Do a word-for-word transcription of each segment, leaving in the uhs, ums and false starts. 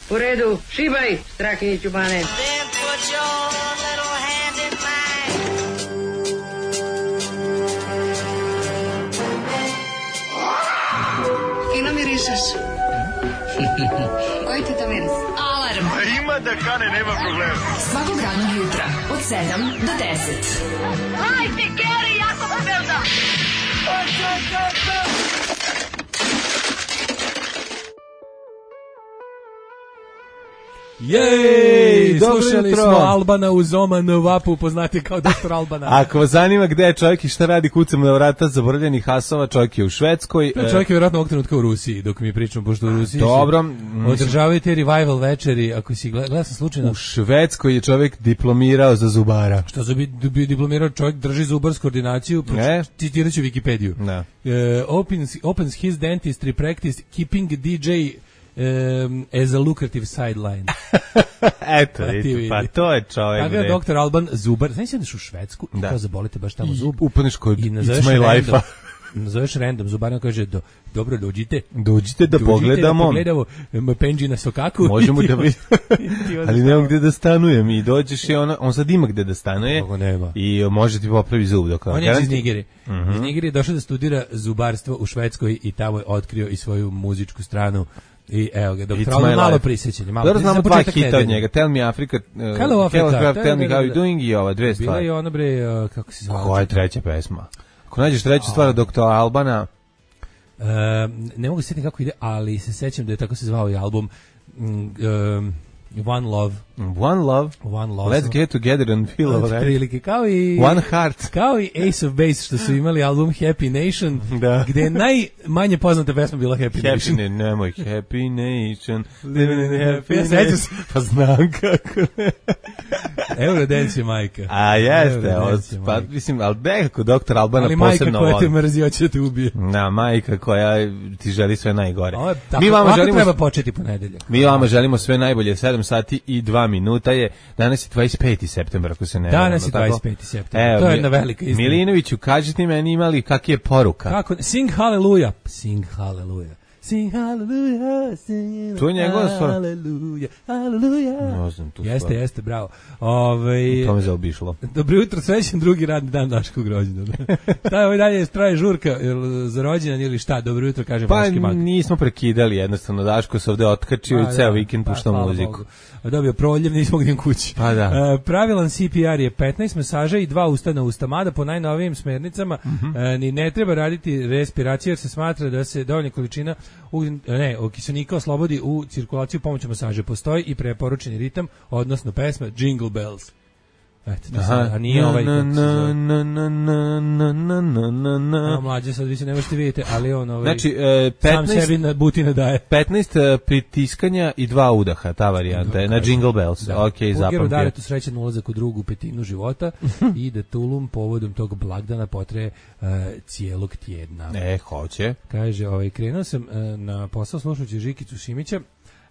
U redu, šibaj, Strahinjiću Bane. Then put your little hand in mine. Fino mirišeš. Koji ti to miris? Alarm. A ima da kane, nema problema. Svakog radnog jutra, od sedam do deset. Hajde, Geri, jako se velda. Jej, slušali smo Albana uz Oman Vapu, poznati kao doktor Albana. Ako vas zanima gde je čovjek i šta radi, kucamo na vrata zaboravljenih hasova, čovjek je u Švedskoj. Čovjek je vjerojatno ovog trenutka u Rusiji, dok mi pričamo, pošto u Rusiji dobro, održavaju te revival večeri, ako si gleda, gleda sam slučajno. U Švedskoj je čovjek diplomirao za zubara. Što za bi diplomirao čovjek, drži zubarsku ordinaciju, citirat ću Wikipediju. Da. Uh, opens, opens his dentistry practice, keeping D J Um, as a lucrative sideline. Eto, vidite, pa to je čovjek. Tako je doktor Alban zubar. Znaš si ideš u Švedsku i kao zabolite baš tamo zub. Upaneš kod It's My Life-a. Nazoveš random, zubarno kaže, do, dobro, dođite. Dođite da dođite pogledamo. Da pogledamo Penđi na sokaku. Možemo da vidimo. Ali nema gde da stanujem. I dođeš i ona, on sad ima gde da stanuje. I može ti popravi zub. Dok on je iz Nigeri. Uh-huh. Iz Nigeri je došao da studira zubarstvo u Švedskoj i tamo je otkrio i svoju muzičku stranu. I evo ga, doktor Alban malo prisjećanje. Dobro, znamo dva hita od njega. Tell Me Africa, uh, Hello Africa, Telegraph, Tell Me How You Doing i ova dve stvari. Bila je ona bre, uh, kako se zvala? Koja je treća pesma? Ako nađeš treću stvar od doktora Albana... Uh, ne mogu se sjetiti kako ide, ali se sećam da je tako se zvao i album um, One Love. One Love. One Love. Let's get together and feel alright. Prilike, kao i One Heart. Kao i Ace of Base što su imali album Happy Nation, da. Gde je najmanje poznata pesma bila Happy, Happy Nation. Ne, nemoj Happy Nation. Living in Happy ja Nation. Pa znam kako. Eurodance je majka. A jeste, pa mislim, ali nekako doktor Albana posebno voli. Ali majka koja te mrzi, hoće da te ubije. Na, majka koja ti želi sve najgore. O, tako, mi vama želimo, treba početi ponedeljak. Mi vama želimo sve najbolje, sedam sati i dva minuta je, danas je dvadeset peti septembar, ako se ne varam. Danas je dvadeset peti septembar, to je jedna velika istina. Milinoviću, kaži ti meni imali kak je poruka. Kako, sing hallelujah, sing hallelujah. Sing hallelujah, sing to je njegova stvar. Hallelujah, hallelujah. No znam tu jeste, stvar. Jeste, bravo. Ove, to me zaobišlo. Dobro jutro, srećan drugi radni dan Daškog rođendana. Šta je ovaj dalje, traje žurka za rođendan ili šta? Dobro jutro, kaže pa, Vaški mat. Pa nismo prekidali, jednostavno Daško se ovde otkačio pa, i ceo da, vikend pušta pa, muziku. Bogu. Dobio proljev, nismo gdje kući. Pa da. Uh, pravilan C P R je petnaest masaža i dva usta na usta, mada po najnovijim smernicama uh-huh. uh, ni ne treba raditi respiraciju jer se smatra da se dovoljna količina ugljen, ne, kiselnika oslobodi u cirkulaciju pomoću masaže. Postoji i preporučeni ritam, odnosno pesma Jingle Bells. Eto, to sad, a nije ovaj kako se zove. No, mlađe sad vi se ne možete vidjeti, ali on ovaj, znači, e, petnaest, sam sebi na butine daje. petnaest pritiskanja i dva udaha, ta varijanta je na Jingle Bells. Da. Ok, zapamtio. Ugeru Daretu srećan ulazak u drugu petinu života i da Tulum povodom tog blagdana potraje uh, cijelog tjedna. E, hoće. Kaže, ovaj, krenuo sam uh, na posao slušajući Žikicu Šimića,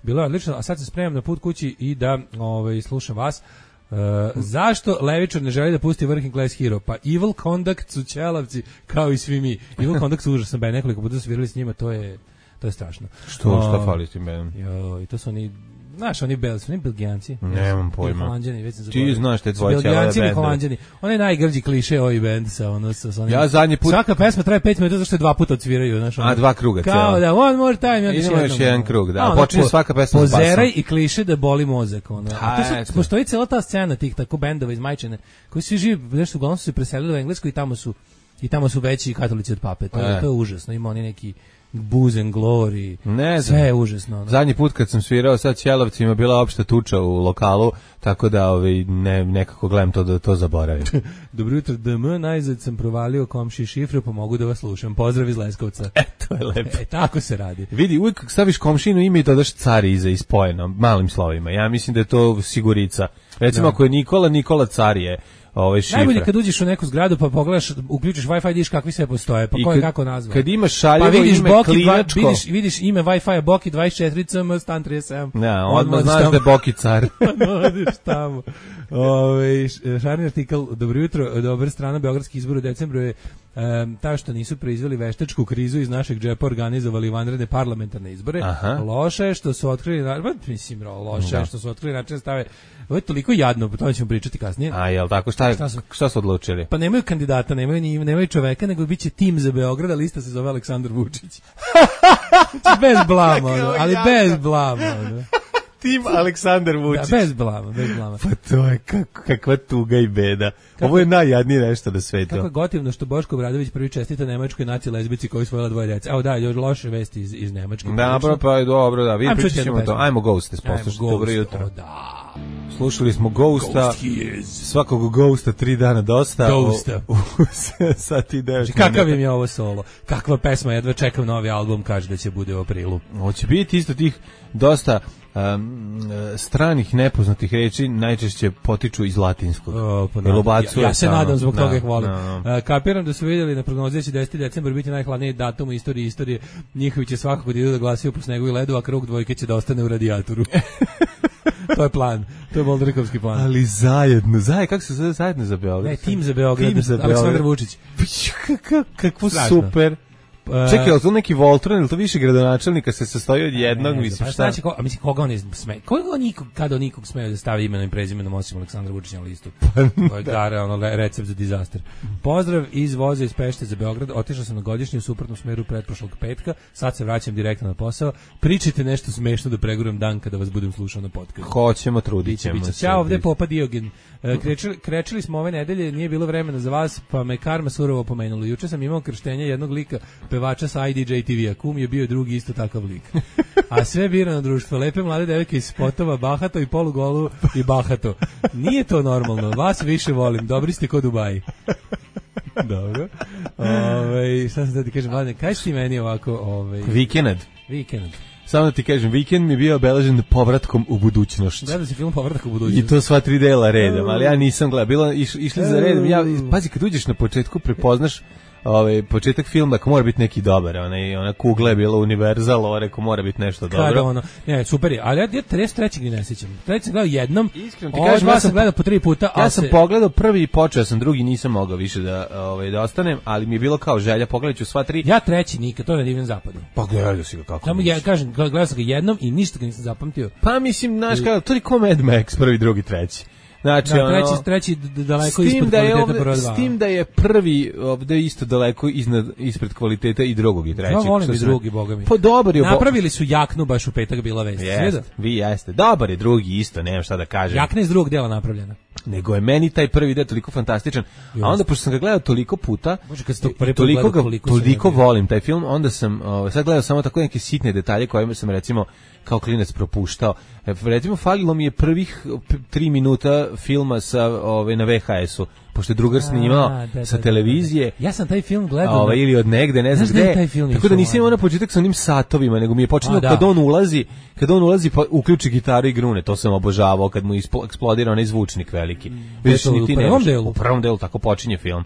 bilo je odlično, a sad se spremam na put kući i da ovaj, slušam vas. Uh, zašto Levičar ne želi da pusti Working Class Hero? Pa Evil Conduct su ćelavci kao i svi mi. Evil Conduct su užasan band, nekoliko puta su svirali s njima, to je to je strašno. Što, uh, šta fali s tim bandom? Jo, i to su oni, znaš, oni Bel, su oni Belgijanci? Nemam pojma. Holanđani, već sam ti znaš te tvoje ćelave Belgijanci ili Holanđani. On je najgrđi kliše ovaj band sa ono sa, sa onim. Ja zadnji put. Svaka pesma traje pet minuta zašto je dva puta odsviraju, znaš. A dva kruga cijela. Kao da one more time, ja idemo još jedan krug, da. Počinje svaka pesma s basom. Pozeraj i kliše da boli mozak, ono. A to su, postoji cijela ta scena tih tako bendova iz Majčine koji svi živi, nešto uglavnom su se preselili u Englesku i tamo su i tamo su veći katolici od pape. To je, to je užasno. Ima oni neki Booze and Glory, ne sve je užasno. No. Zadnji put kad sam svirao sa ćelavcima bila opšta tuča u lokalu, tako da ovaj, ne, nekako gledam to da to zaboravim. Dobro jutro, D M, najzad sam provalio komši šifru, pa mogu da vas slušam. Pozdrav iz Leskovca. E, to je lepo. E, tako se radi. Vidi, uvijek staviš komšinu ime i dodaš Cari iza ispojeno, malim slovima. Ja mislim da je to sigurica. Recimo, da. Ako je Nikola, Nikola Cari je. Ove šifre. Najbolje kad uđeš u neku zgradu pa pogledaš, uključiš Wi-Fi, vidiš kakvi sve postoje, pa ko je kako nazva. Kad imaš šaljevo pa vidiš ime Boki, klinačko, vidiš, vidiš ime Wi-Fi Boki dvadeset četiri C M stan trideset sedam. Ja, odmah znaš da je Boki car. Odiš tamo. Ove, šarni artikal, dobro jutro, dobar strana beogradskih izbora u decembru je Um, ta što nisu proizveli veštačku krizu iz našeg džepa organizovali vanredne parlamentarne izbore. Aha. Loše je što su otkrili, na- mislim, loše Da. je što su otkrili način stave. Ovo je toliko jadno, o tome ćemo pričati kasnije. A jel tako, šta, Šta su? šta su odlučili? Pa nemaju kandidata, nemaju ni nemaju čoveka, nego biće tim za Beograd, a lista se zove Aleksandar Vučić. Znači, bez blama, ono, ali bez blama. Ono. Tim Aleksandar Vučić. Da, bez blama, bez blama. Pa to je kako, kakva tuga i beda. Ovo je najjadnije nešto na svetu. Kako je gotivno što Boško Obradović prvi čestita nemačkoj naci lezbici koji svojila dvoje djece. Evo da, još loše vesti iz, iz Nemačke. Dobro, pa je dobro, da. Ajmo Vidite, čuti pričat ćemo jednu to. pesmu. Ajmo Ghost, Ajmo, poslušajte. Ghost, Dobro jutro. o da. Slušali smo Ghosta. Ghost he is. Svakog Ghosta tri dana dosta. Ghosta. U, u sat i devet. Znači, kakav im je ovo solo? Kakva pesma, jedva čekam novi album, kaže da će bude u aprilu. Hoće biti isto tih dosta um, stranih nepoznatih reči, najčešće potiču iz latinskog. O, pa Jel nadam- ubacuje ja, ja se stalno? nadam, zbog Da, toga ih volim. da, da. A, kapiram da su vidjeli na prognozi da će deseti decembar biti najhladniji datum u istoriji istorije. Njihovi će svakako da idu da glasaju po snegu i ledu, a krug dvojke će da ostane u radijatoru. To je plan. To je Boldrikovski plan. Ali zajedno, zajedno, kako se zove zajedno za Beograd? Ne, tim za Beograd, Tim za Aleksandar Beograd. Vučić. Kako, kako Strašno. super. E, Čekaj, je li to neki Voltron, ili to više gradonačelnika se sastoji od jednog, ne, mislim pa šta? Znači, ko, a mislim, koga on sme, koga on nikog, kada on nikog smeju da stavi imenom i prezimenom osim Aleksandra Vučića na listu? To je gara, ono, le- recept za dizaster. Pozdrav iz voza iz Pešte za Beograd, otišao sam na godišnji u suprotnom smeru pretprošlog petka, sad se vraćam direktno na posao, pričajte nešto smešno da preguram dan kada vas budem slušao na podcastu. Hoćemo, trudit Biće, ćemo biće. se. Ćao, ovde je Popa Diogen. E, Krečili, krečili smo ove nedelje, nije bilo vremena za vas, pa me karma surovo pomenula. Juče sam imao krštenje jednog lika, pevača sa I D J T V-a. Kum je bio drugi isto takav lik. A sve birano društvo, lepe mlade devojke iz spotova, bahato i polugolu i bahato. Nije to normalno, vas više volim, dobri ste ko Dubaji. Dobro. Ove, šta sam da ti kažem, mlade, kaj si ti meni ovako, ovaj Vikend. vikend? Samo da ti kažem, vikend mi je bio obeležen povratkom u budućnost. Gledao si film Povratak u budućnost? I to sva tri dela redom, ali ja nisam gledao. Bilo iš, išli za redom. Ja pazi, kad uđeš na početku prepoznaš ovaj početak filma, ako mora biti neki dobar, onaj ona kugla je bila Universal, ovo rekao mora biti nešto dobro. Kada ono, ne, super je, ali ja ja trideset trećeg ni ne sećam. Treći sam gledao jednom, Iskreno ti ovaj kažem, dva ja sam sam gledao po tri puta, Ja a sam se, pogledao prvi i počeo sam, drugi nisam mogao više da ovaj da ostanem, ali mi je bilo kao želja, pogledaću sva tri. ja treći nikad, to na divnom zapadu. Pa gledao si ga kako. Samo nisi. ja kažem, gledao sam ga jednom i ništa ga nisam zapamtio. Pa mislim, znaš kao, to je ko Mad Max, prvi, drugi, treći. Znači, Da, ono, treći, treći d- daleko s tim ispod da je kvaliteta ovde, broj dva. s tim da je prvi ovde isto daleko iznad, ispred kvaliteta i drugog i trećeg. Ja volim što i sam- drugi, boga mi. Pa dobar je. bo- Napravili su jaknu baš u petak bila vest. Jeste, Sve vi jeste. Dobar je drugi isto, nemam šta da kažem. Jakna iz drugog dela napravljena. Nego je meni taj prvi deo toliko fantastičan. A onda, pošto sam ga gledao toliko puta, Bože, kad si to i prvi put toliko, gledao, ga, koliko sam toliko ga bio. volim taj film, onda sam o, sad gledao samo tako neke sitne detalje koje sam recimo kao klinac propuštao. E, recimo, falilo mi je prvih p- tri minuta filma sa, ove, na V H S-u, pošto je drugar snimao A, da, sa da, da, televizije. da. Ja sam taj film gledao. Ovaj, na- ili od negde, ne znam Znaš da je gde. taj film Tako da išao, nisam imao ono? na početak sa onim satovima, nego mi je počinio A, da. kad on ulazi, kad on ulazi pa uključi gitaru i grune, to sam obožavao kad mu isplo- eksplodira onaj zvučnik veliki. Vidiš, to ni u ti prvom nemaš- delu? U prvom delu tako počinje film.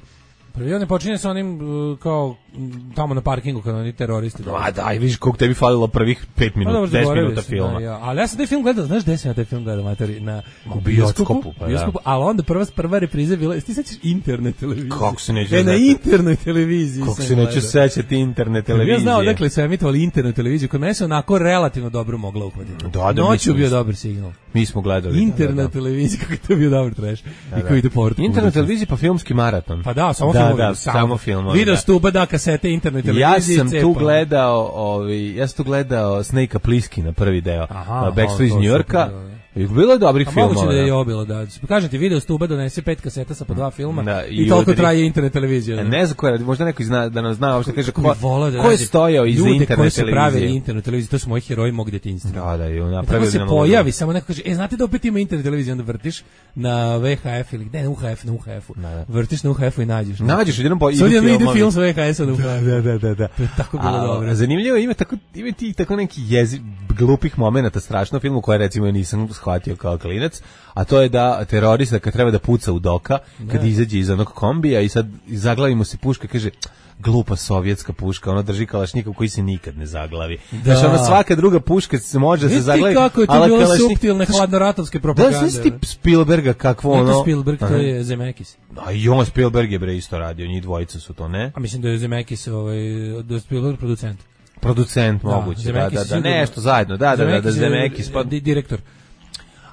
Prvi on ne počinje sa onim uh, kao m, tamo na parkingu kad oni teroristi. A daj, vidiš koliko tebi falilo prvih pet Pa minuta, dobro, deset zaboravio minuta sam, filma. Da, ja. Ali ja sam taj film gledao, znaš gde sam ja taj film gledao, materi? Na U bioskopu, pa da. bioskopu, ali onda prva, prva repriza bila, ti sećaš internet televizije? Kako se neću E, na znati? internoj televiziji Kako sam se neću gledao. sećati internet televizije. Ja znao dakle su emitovali internet televiziju, kod mene se onako relativno dobro mogla uhvatiti. Da, da, mi Noću smo- bio dobar signal. Mi smo gledali. Internet da, da. televizija, kako je to bio dobar trash. I koji ide povrat. u Internet budućnost. televizija pa filmski maraton. Pa da, samo da, filmovi. Da, samo filmovi. Video da. stuba, da, kasete, internet televizije. Ja sam cepa. tu gledao, ovaj, ja sam tu gledao Snake-a Pliski na prvi deo. Aha, Backstreet iz to New super, Yorka. da, da. I bilo je dobrih A filmova. moguće da je i da. ovo bilo, da. Kažem ti, video stuba donese pet kaseta sa po dva filma Da, i, i toliko udri. traje internet televizija. E, Da. Ne znam ko je, možda neko zna, da nam zna, uopšte kaže ko, Bi volao da ko je nađe stojao iza ljude internet koji su pravili televizije. internet televiziju, to su moji heroji mog djetinjstva. Da, da, i I napravili tako se nam pojavi, samo neko kaže, e, znate da opet ima internet televiziju, onda vrtiš na V H F ili gde, na U H F, na U H F-u. Da, da. Vrtiš na U H F-u i nađeš. Nađeš, jednom po, Sad idu jedno ide filmovi. film sa V H S-a na U H F. Da, da, da, da. To je tako bilo A, dobro. Zanimljivo, ima tako ima ti tako neki jezi glupih momenata strašno u filmu koje recimo ja nisam shvatio kao klinac, a to je da terorista kad treba da puca u doka, kad izađe iz onog kombija i sad zaglavi mu se puška, kaže glupa sovjetska puška, ona drži kalašnjikov koji se nikad ne zaglavi. Da. Znači, ona svaka druga puška se može se zaglavi. Vidi kako je to ali bilo kalašnik- suptilne hladnoratovske Da, propagande. znaš ti Spielberga kakvo Nije ono... to Spielberg, to Aha. je Zemeckis. A i on Spielberg je bre isto radio, njih dvojica su to, ne? A mislim da je Zemeckis, ovaj, da je Spielberg producent. Producent Da, moguće, da, Zemeckis da, da, sigurno. nešto zajedno, da, da, da, da, Zemeckis je, Zemeckis, pa... di- direktor.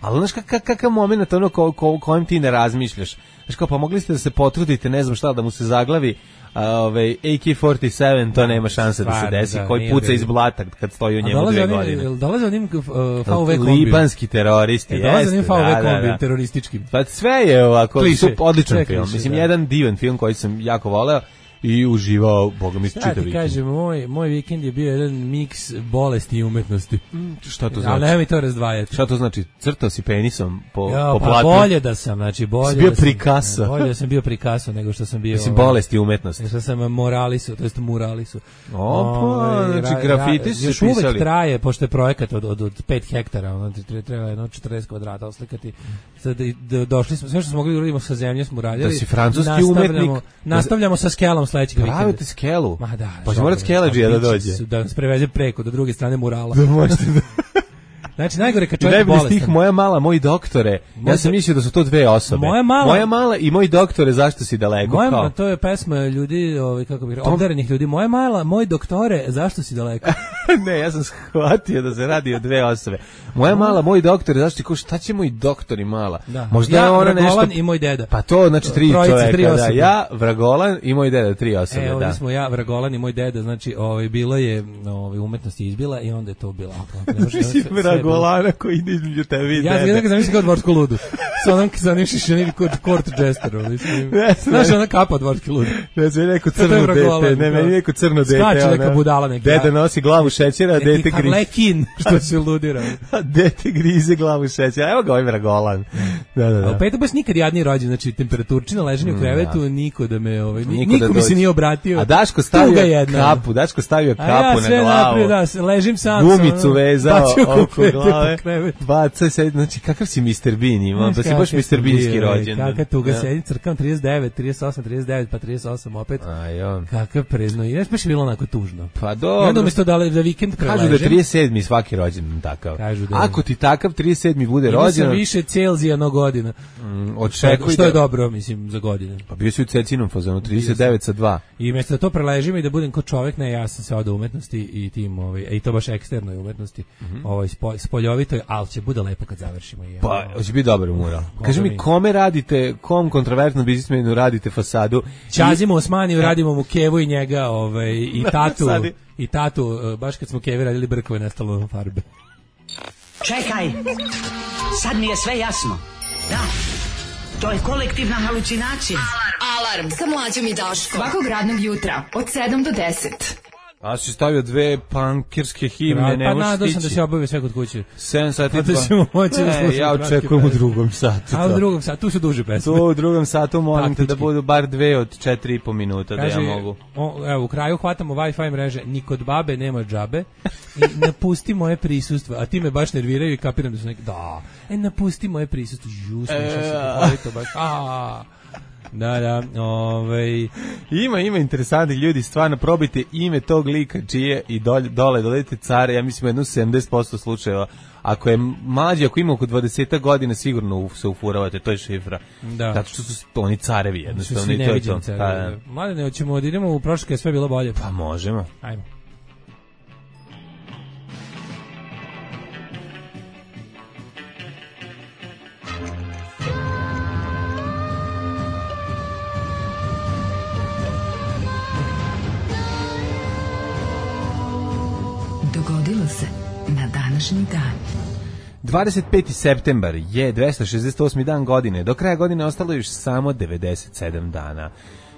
Ali znaš kak, kak, kakav moment ono ko, ko, kojem ti ne razmišljaš. Znaš kao, pa mogli ste da se potrudite, ne znam šta, da mu se zaglavi a, ovaj, A K četrdeset sedam, to nema šanse da se stvarno, desi, da, koji nije puca bilo. iz blata kad stoji u A njemu dolaze dve oni, godine. jel dolaze onim uh, V V kombiju. Libanski teroristi, E, dolaze jeste, onim V da, V da, kombiju da. terorističkim. Pa sve je ovako, Kliše. sup, odličan Sve film. kliše, Mislim, da. jedan divan film koji sam jako voleo i uživao, boga mi, Ja čitav ti vikend. kažem, moj, moj vikend je bio jedan miks bolesti i umetnosti. Šta to Ali znači? nemoj mi to razdvajati. Šta to znači? Crtao si penisom po, Ja, po pa platu? bolje da sam, znači bolje Si bio da sam, Picasso. bolje da sam bio Picasso nego što sam bio. Mislim, ovaj, bolesti i umetnosti. nego što sam moralisu, to jest muralisu. Opa, Ovaj, znači ra- grafiti ra- su još se uvek pisali. traje, pošto je projekat od, od, od pet hektara, ono, tre- treba jedno četrdeset kvadrata oslikati. Sad, i- d- došli smo, sve što smo mogli da uradimo sa zemlje smo uradili. Da si francuski Nastavljamo- umetnik. Nastavljamo sa skelom sledećeg vikenda. Pravite skelu. Ma da. Pa će žao morat mi je. skeleđija da A biće dođe. su- Da nas preveze preko, do druge strane murala. Da možete da... Znači, najgore kad I čovjek je najbolji stih, bolestan. moja mala, moj doktore. Moj Ja sam do- mislio da su to dve osobe. Moja mala- Moja mala i moj doktore, zašto si daleko? Moja, Kao? to je pesma ljudi, ovaj, kako bih rekao, obdarenih ljudi. Moja mala, moj doktore, zašto si daleko? Ne, ja sam shvatio da se radi o dve osobe. Moja mala, moj doktore, zašto ti kao, šta će moj doktor i mala? Da. Možda ja, je ona Vragolan nešto... i moj deda. Pa to, znači tri Trojica, čoveka, tri da. osobe. Ja, Vragolan i moj deda, tri osobe, E, da. ovdje smo ja, Vragolan i moj deda, znači, ovaj, bilo je, ovaj, umetnost je izbila i onda je to bila. Ne može- sve- sve je bilo- Vragolana koji ide između tebe i Ja dede. ja ga zamislim kao dvorsku ludu. Sa onom sa onim šišenim kod court jesterom, mislim. Ne, Znaš, ona kapa dvorski lud. Ne znam, neko To je crno Vragolan, dete, ne, da. meni neko crno dete. Skače neka ono. budala neki, Deda a- nosi glavu šećera, a dete Neki grize. Harlekin, što se ludira. A dete grize glavu šećera. Evo ga ovaj Vragolan. Da, da, A u da. petak baš nikad jadniji rođen, znači temperaturčina, leženje u krevetu, niko da me, ovaj, ni- Niko niko da mi se dođe. nije obratio. A Daško Tuga stavio jedna. kapu, Daško stavio A kapu ja na sve glavu. naprijed, da, s- ležim sam. Gumicu sam, ono, vezao bacio oko konfete glave. po krevetu. Baca se, znači kakav si mister Bean imao, pa si baš Kakav mister sam Beanski bio, rođen. Kakav tuga Da. sedim, crkam trideset devet, trideset osam, trideset devet, pa trideset osam opet. Aj, on. Kakav prezno. I baš je bilo onako tužno. Pa I onda dobro. umjesto da, le- da vikend preležem, Kažu da je trideset sedmi svaki rođendan takav. Kažu da je. Ako ti takav trideset sedmi bude imao sam rođendan, više Celzija no godina. mm, Što očekuj je, što je da- dobro, mislim, za godine. Pa bio si u cecinom fazonu, trideset devet sa dva. I umjesto da to preležim i da budem kao čovjek, ne, ja sam se odao umetnosti i tim, ovaj, i to baš eksternoj umetnosti, ovaj, spo, spoljovitoj, ali će bude lepo kad završimo. I, Pa, ono, hoće biti dobar mural. Kaži mi, mi. kome radite, kom kontroverznom biznismenu radite fasadu? Ćazimo Osmaniju, radimo mu Kevu i njega, ovaj, i tatu, sad je- i tatu, eh, baš kad smo Kevi radili brkove, nestalo nam farbe. Čekaj, sad mi je sve jasno. Da, to je kolektivna halucinacija. Alarm sa mlađom i Daškom. Svakog radnog jutra od sedam do deset. A si stavio dve pankirske himne, ne pa možeš nadao sam stići. da se obavio sve kod kuće. sedam sati Pa da dva. ćemo moći da Ne, slušamo ja kratke očekujem u pesme. drugom satu. A u to. drugom satu, tu su duže pesme. To u drugom satu molim te da Taktički. budu bar dve od četiri i po minuta da Kaže, ja mogu. o, evo, u kraju hvatamo Wi-Fi mreže, ni kod babe nema džabe i napusti moje prisustvo, a ti me baš nerviraju i kapiram da su neki, da, e, napusti moje prisustvo, ju, slušao se, voli to baš, a, da, da, ovaj, Ima, ima interesantnih ljudi, stvarno probajte ime tog lika čije i dole, dole dodajte care, ja mislim jedno sedamdeset posto slučajeva. Ako je mlađi, ako ima oko dvadeset godina, sigurno u- se ufuravate, to je šifra. Da. Zato što su oni carevi su jednostavno svi i to je to. neviđeni carevi. Pa, da. Mladene, hoćemo da idemo u prošlo kad je sve bilo bolje. Pa možemo. Ajmo. Dogodilo se na današnji dan. dvadeset peti septembar je dvesta šezdeset osmi dan godine. Do kraja godine ostalo je još samo devedeset sedam dana.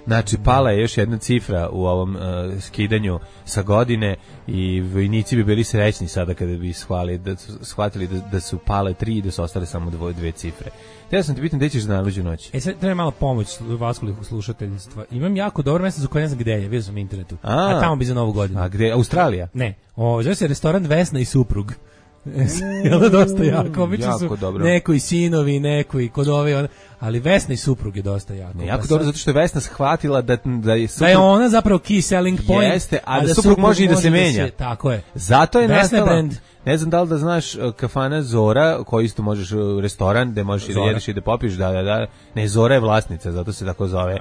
Znači, pala je još jedna cifra u ovom uh, skidanju sa godine i vojnici bi bili srećni sada kada bi shvali, da su, shvatili da, da su pale tri i da su ostale samo dvoje, dve cifre. Te ja sam te pitan gde ćeš da naluđu noć? E sad treba malo pomoć vaskulih slušateljstva. Imam jako dobro mjesto za koje ne znam gde je, vidio sam na internetu. A. A, tamo bi za novu godinu. A gde? Australija? Ne, o, zove se restoran Vesna i suprug. Jel da dosta jako? Obično jako su dobro. neko i sinovi, neko i kod ove, on, ali Vesna i suprug je dosta jako. Ne, jako Pa dobro, sad- zato što je Vesna shvatila da, da je suprug... Da je ona zapravo key selling point. Jeste, a da suprug može i da se menja. Tako je. Zato je Vesna je nastala, brand. ne znam da li da znaš uh, kafana Zora, koji isto možeš uh, restoran, gde možeš i da Zora. jedeš i da popiješ, da, da, da. Ne, Zora je vlasnica, zato se tako zove.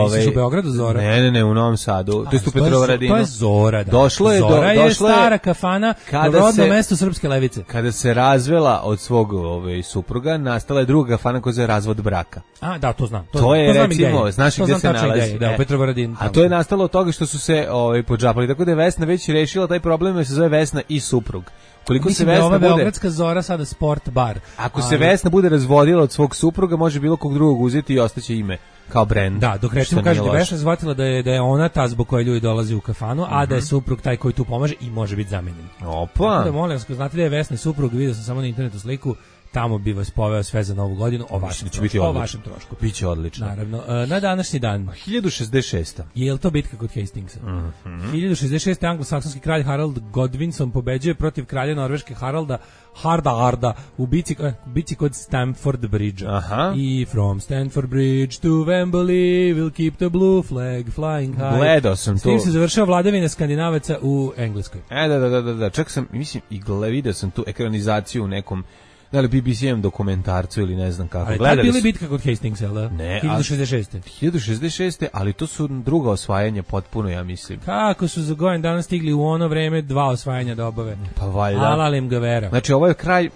Misliš u Beogradu Zora? Ne, ne, ne, u Novom Sadu. To je A, u to je- Petrovaradinu. To je Zora, da. Došlo je do- Zora je došlo je- stara kafana Kada na rodnom se- mestu Srpske levice. Kada se razvela od svog ovaj, supruga, nastala je druga kafana koja se zove razvod braka. A, da, to znam. To, To je, znam i gde recimo, je. znaš To gde znam se tačno nalazi. gde je, Da, E, u Petrovaradinu. A tamo. to je nastalo od toga što su se ovaj, podžapali. Tako da je Vesna već rešila taj problem, jer se zove Vesna i suprug. Koliko se Mislim da je Vesna ova bude... Beogradska Zora sada sport bar. Ako se Ali- Vesna bude razvodila od svog supruga, može bilo kog drugog uzeti i ostaće ime kao brend. Da, dok recimo Što nije kaže da loše. Vesna shvatila da je da je ona ta zbog koje ljudi dolaze u kafanu, a da je suprug taj koji tu pomaže i može biti zamenjen. Opa. Tako da molim vas, ako znate da je Vesna i suprug, vidio sam samo na internetu sliku, tamo bi vas poveo sve za novu godinu o vašem da će trošku. biti o odlično. vašem trošku. Biće odlično. Naravno, e, na današnji dan hiljadu šezdeset šest. je li to bitka kod Hastingsa? Mhm. hiljadu šezdeset šeste. anglosaksonski kralj Harald Godwinson pobeđuje protiv kralja Norveške Haralda Hardarda u bici, eh, u bici kod Stamford Bridge. Aha. I from Stamford Bridge to Wembley we'll keep the blue flag flying high. Gledao sam S tim to. se završava vladavina Skandinavaca u Engleskoj. E, da, da, da, da, da. Čak sam, mislim, i gle, vidio sam tu ekranizaciju u nekom, da li B B C-em dokumentarcu ili ne znam kako. Ali tad Gledali bili su- bitka kod Hastingsa, jel da? Ne, a- hiljadu šezdeset šeste. hiljadu šezdeset šest. ali to su druga osvajanja potpuno, ja mislim. Kako su za godin danas stigli u ono vreme dva osvajanja da obave? Pa valjda. Alalim ga vera. Znači, ovo je kraj,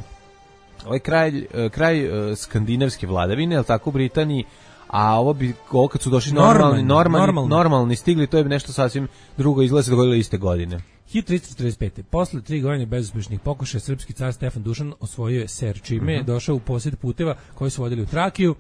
ovaj kraj, eh, kraj eh, skandinavske vladavine, je li tako, u Britaniji, a ovo bi, ovo kad su došli normalni, Normalni, normalni, normalni. normalni stigli, to je nešto sasvim drugo, izgleda se dogodilo iste godine. hiljadu tristo četrdeset pete. Posle tri godine bezuspešnih pokušaja, srpski car Stefan Dušan osvojio je Ser, čime je došao u posjed puteva koji su vodili u Trakiju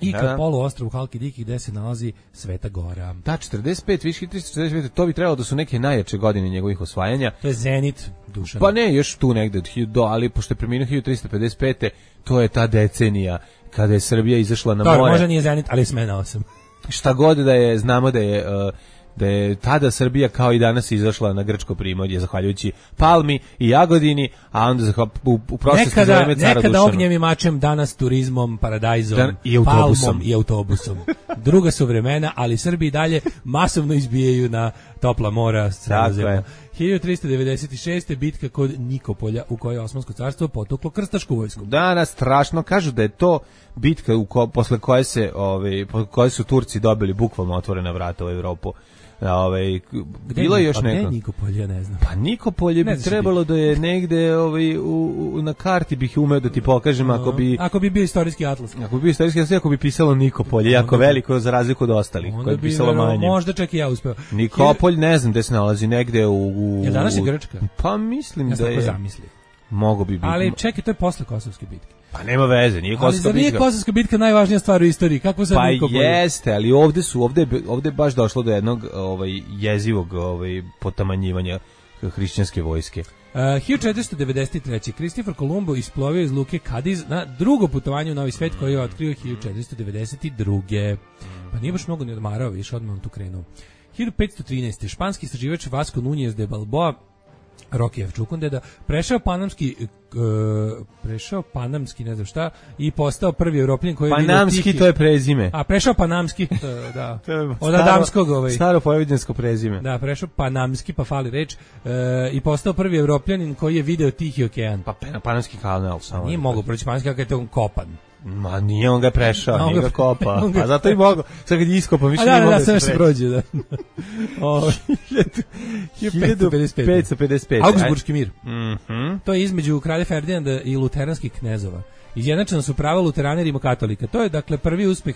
i Da, ka da. poluostrvu Halki Diki gde se nalazi Sveta Gora. Da, četrdeset pet, viš tristo četrdeset pet, to bi trebalo da su neke najjače godine njegovih osvajanja. To je Zenit Dušana. Pa ne, još tu negde, od hiljadu, ali pošto je preminuo hiljadu tristo pedeset pete. to je ta decenija kada je Srbija izašla na Dobro, more. možda nije Zenit, ali je smenao sam. Šta god da je, znamo da je... uh, da je tada Srbija kao i danas izašla na grčko primorje zahvaljujući Palmi i Jagodini, a onda zahval, u, u prošlosti za Nekada, vreme cara nekada Dušana. ognjem i mačem, danas turizmom, paradajzom, Dan- i autobusom. palmom i autobusom. Druga su vremena, ali Srbi i dalje masovno izbijaju na topla mora s Tako Sredozemlja. je. hiljadu tristo devedeset šeste. bitka kod Nikopolja u kojoj je Osmansko carstvo potuklo krstašku vojsku. Danas strašno kažu da je to bitka u ko, posle koje se ovaj po koje su Turci dobili bukvalno otvorena vrata u Evropu. Ovaj bilo je još a gde je neko. Nikopolje, ja ne znam. Pa Nikopolje Ne bi znaš trebalo da je negde ovaj u, u, na karti bih umeo da ti pokažem ako bi Ako bi bio istorijski atlas. ako bi bio istorijski, ako bi pisalo Nikopolje, jako veliko za razliku od ostalih, Onda koje bi bi pisalo verovatno- manje. Možda čak i ja uspeo. Nikopolj ne znam gde se nalazi, negde u... u Je danas je u- Grčka? Pa mislim Ja da sam tako je... zamislio. Mogo bi biti. Ali čekaj, to je posle Kosovske bitke. Pa nema veze, nije Ali Kosovska zar nije bitka. Kosovska bitka najvažnija stvar u istoriji? Kako sad Pa Nikopolje? jeste, ali ovde su, ovde, je- ovde je baš došlo do jednog ovaj, jezivog ovaj, potamanjivanja hrišćanske vojske. Uh, hiljadu četiristo devedeset treće. Kristofer Kolumbo isplovio iz luke Kadiz na drugo putovanje u Novi svet koji je otkrio hiljadu četiristo devedeset druge. Pa nije baš mnogo ni odmarao, više odmah on tu krenuo. hiljadu petsto trinaeste. Španski istraživač Vasco Núñez de Balboa, Rokijev Čukundeda, prešao panamski uh, prešao panamski, ne znam šta, i postao prvi Evropljan koji je vidio Panamski, tihi- to je prezime. A, prešao panamski, to, da. To je Od staro- Adamskog ovaj. Staro pojeviđansko prezime. Da, prešao panamski, pa fali reč, e, i postao prvi Evropljanin koji je video Tihi okean. Pa pe- Panamski kanal samo. Nije mogao proći panamski kako je to on kopan. Ma nije, on ga je prešao, A, on nije ga- ga kopa. on ga- A zato i mogo. Sad kad je iskopao, više A nije da, da, mogao da, sve se se preći. prođe, da. O, hiljadu petsto pedeset pet. Augsburški mir. Mhm. To je između kralja Ferdinanda i luteranskih knezova. Izjednačena su prava luterana i rimokatolika. To je, dakle, prvi uspeh.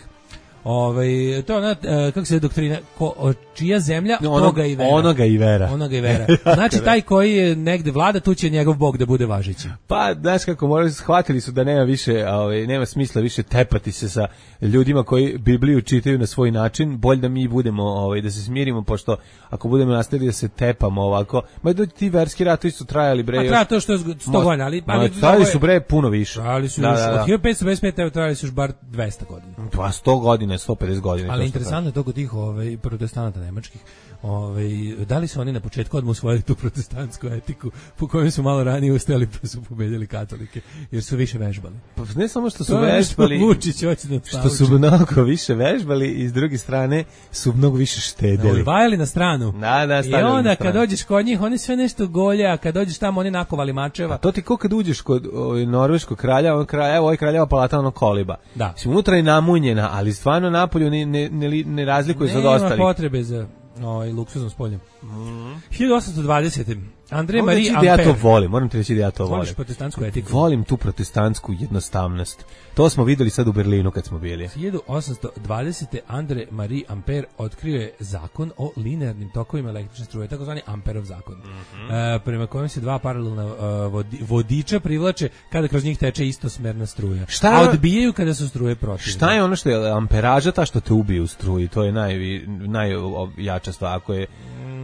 Ovaj, to je ona, e, kako se je doktrina, ko, o, čija zemlja, Ono- toga i vera. Onoga i vera. Onoga i vera. Znači, taj koji je negde vlada, tu će njegov bog da bude važeći. Pa, znaš kako, morali, shvatili su da nema više, ovaj, nema smisla više tepati se sa ljudima koji Bibliju čitaju na svoj način, bolje da mi budemo, ovaj, da se smirimo, pošto ako budemo nastavili da se tepamo ovako, ma da ti verski ratovi su trajali, bre, Pa još- treba to što je sto godina, ali... Ma, ali trajali su, bre, puno više. Trajali su Da, još, da, da. od hiljadu petsto pedeset pete evo trajali su još bar dvesta godina. Pa sto godina, sto pedeset godina. Ali interesantno je to kod tih ovaj, protestanata nemačkih. Ovaj, da li su oni na početku odmah usvojili tu protestantsku etiku po kojoj su malo ranije ustajali pa su pobedili katolike, jer su više vežbali. Pa ne samo što su to vežbali, Vučić hoće da što su mnogo više vežbali i s druge strane su mnogo više štedeli. Vajali na stranu. Da, da, i onda kad dođeš kod njih, oni sve nešto golje, a kad dođeš tamo, oni nakovali mačeva. A to ti ko kad uđeš kod ovaj, norveškog kralja, on kralja, evo ovaj kraljeva palata, ono koliba. Da. Si unutra je namunjena, ali stvarno napolju ne, ne, ne, ne razlikuje se od ostalih. Nema potrebe za ovaj, luksuznom spoljem. Mm. hiljadu osamsto dvadesete. Andrej Marie Amper. Da ja to volim, moram ti reći da ja to volim. Voliš protestantsku etiku? Volim tu protestantsku jednostavnost. To smo videli sad u Berlinu kad smo bili. hiljadu osamsto dvadesete. Andrej Marie Ampere otkrio je zakon o linearnim tokovima električne struje, takozvani Amperov zakon. Mm -hmm. e, prema kojem se dva paralelna uh, vodi, vodiča privlače kada kroz njih teče istosmerna struja. Šta, a odbijaju kada su struje protivne. Šta je ono što je amperaža, ta što te ubije u struji? To je naj, najjača stvar. Ako je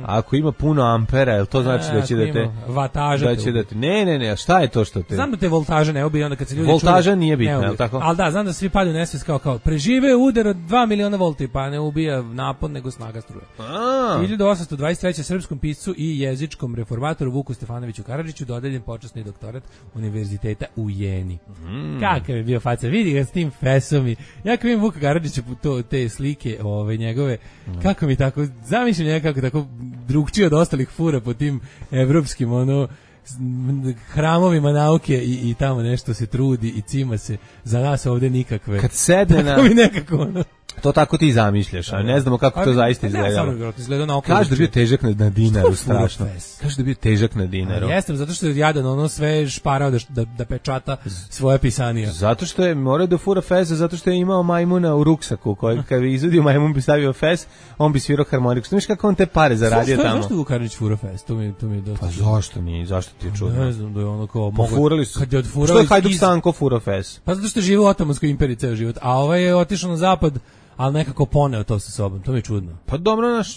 Ako ima puno ampera, jel to znači da će da te vataža da će da te ne ne ne, šta je to što te znam da te voltaža ne ubije onda kad se ljudi voltaža čuje, nije bitna, jel tako? Al da, znam da svi padaju u nesvest kao kao prežive udar od dva miliona volti, pa ne ubija napon nego snaga struje. A. hiljadu osamsto dvadeset treće. srpskom piscu i jezičkom reformatoru Vuku Stefanoviću Karadžiću dodeljen počasni doktorat Univerziteta u Jeni. Mm. Kakav je bio faca, vidi ga s tim fesom i ja kad vidim Vuka Karadžića to te slike, ove njegove, mm. kako mi tako zamišljam njega kako tako drugčije od ostalih fura po tim evropskim ono hramovima nauke i, i tamo nešto se trudi i cima se, za nas ovde nikakve. Kad sedne na... mi nekako ono... To tako ti zamišljaš, a ne znamo kako to zaista izgleda. Kaže da je bio težak na, na dinaru, strašno. Kaže da je bio težak na dinaru. Jeste, zato što je jadan ono sve šparao da, da, da pečata svoje pisanija. Zato što je morao da fura feza, zato što je imao majmuna u ruksaku, koji kad bi izvadio majmun bi stavio fez, on bi svirao harmoniku. Znaš kako on te pare zaradio tamo? Zašto Vukarnić fura fez? To mi, to mi je dosta. Pa zašto nije? Zašto ti je čudno? Ne znam da je ono kao... Pofurali su. Kad je odfurali... Što je Hajduk Stanko fura fez? Pa zato što je živo u Otomanskoj imperiji ceo život, a ovaj je otišao na zapad, ali nekako poneo to sa sobom, to mi je čudno. Pa dobro, naš...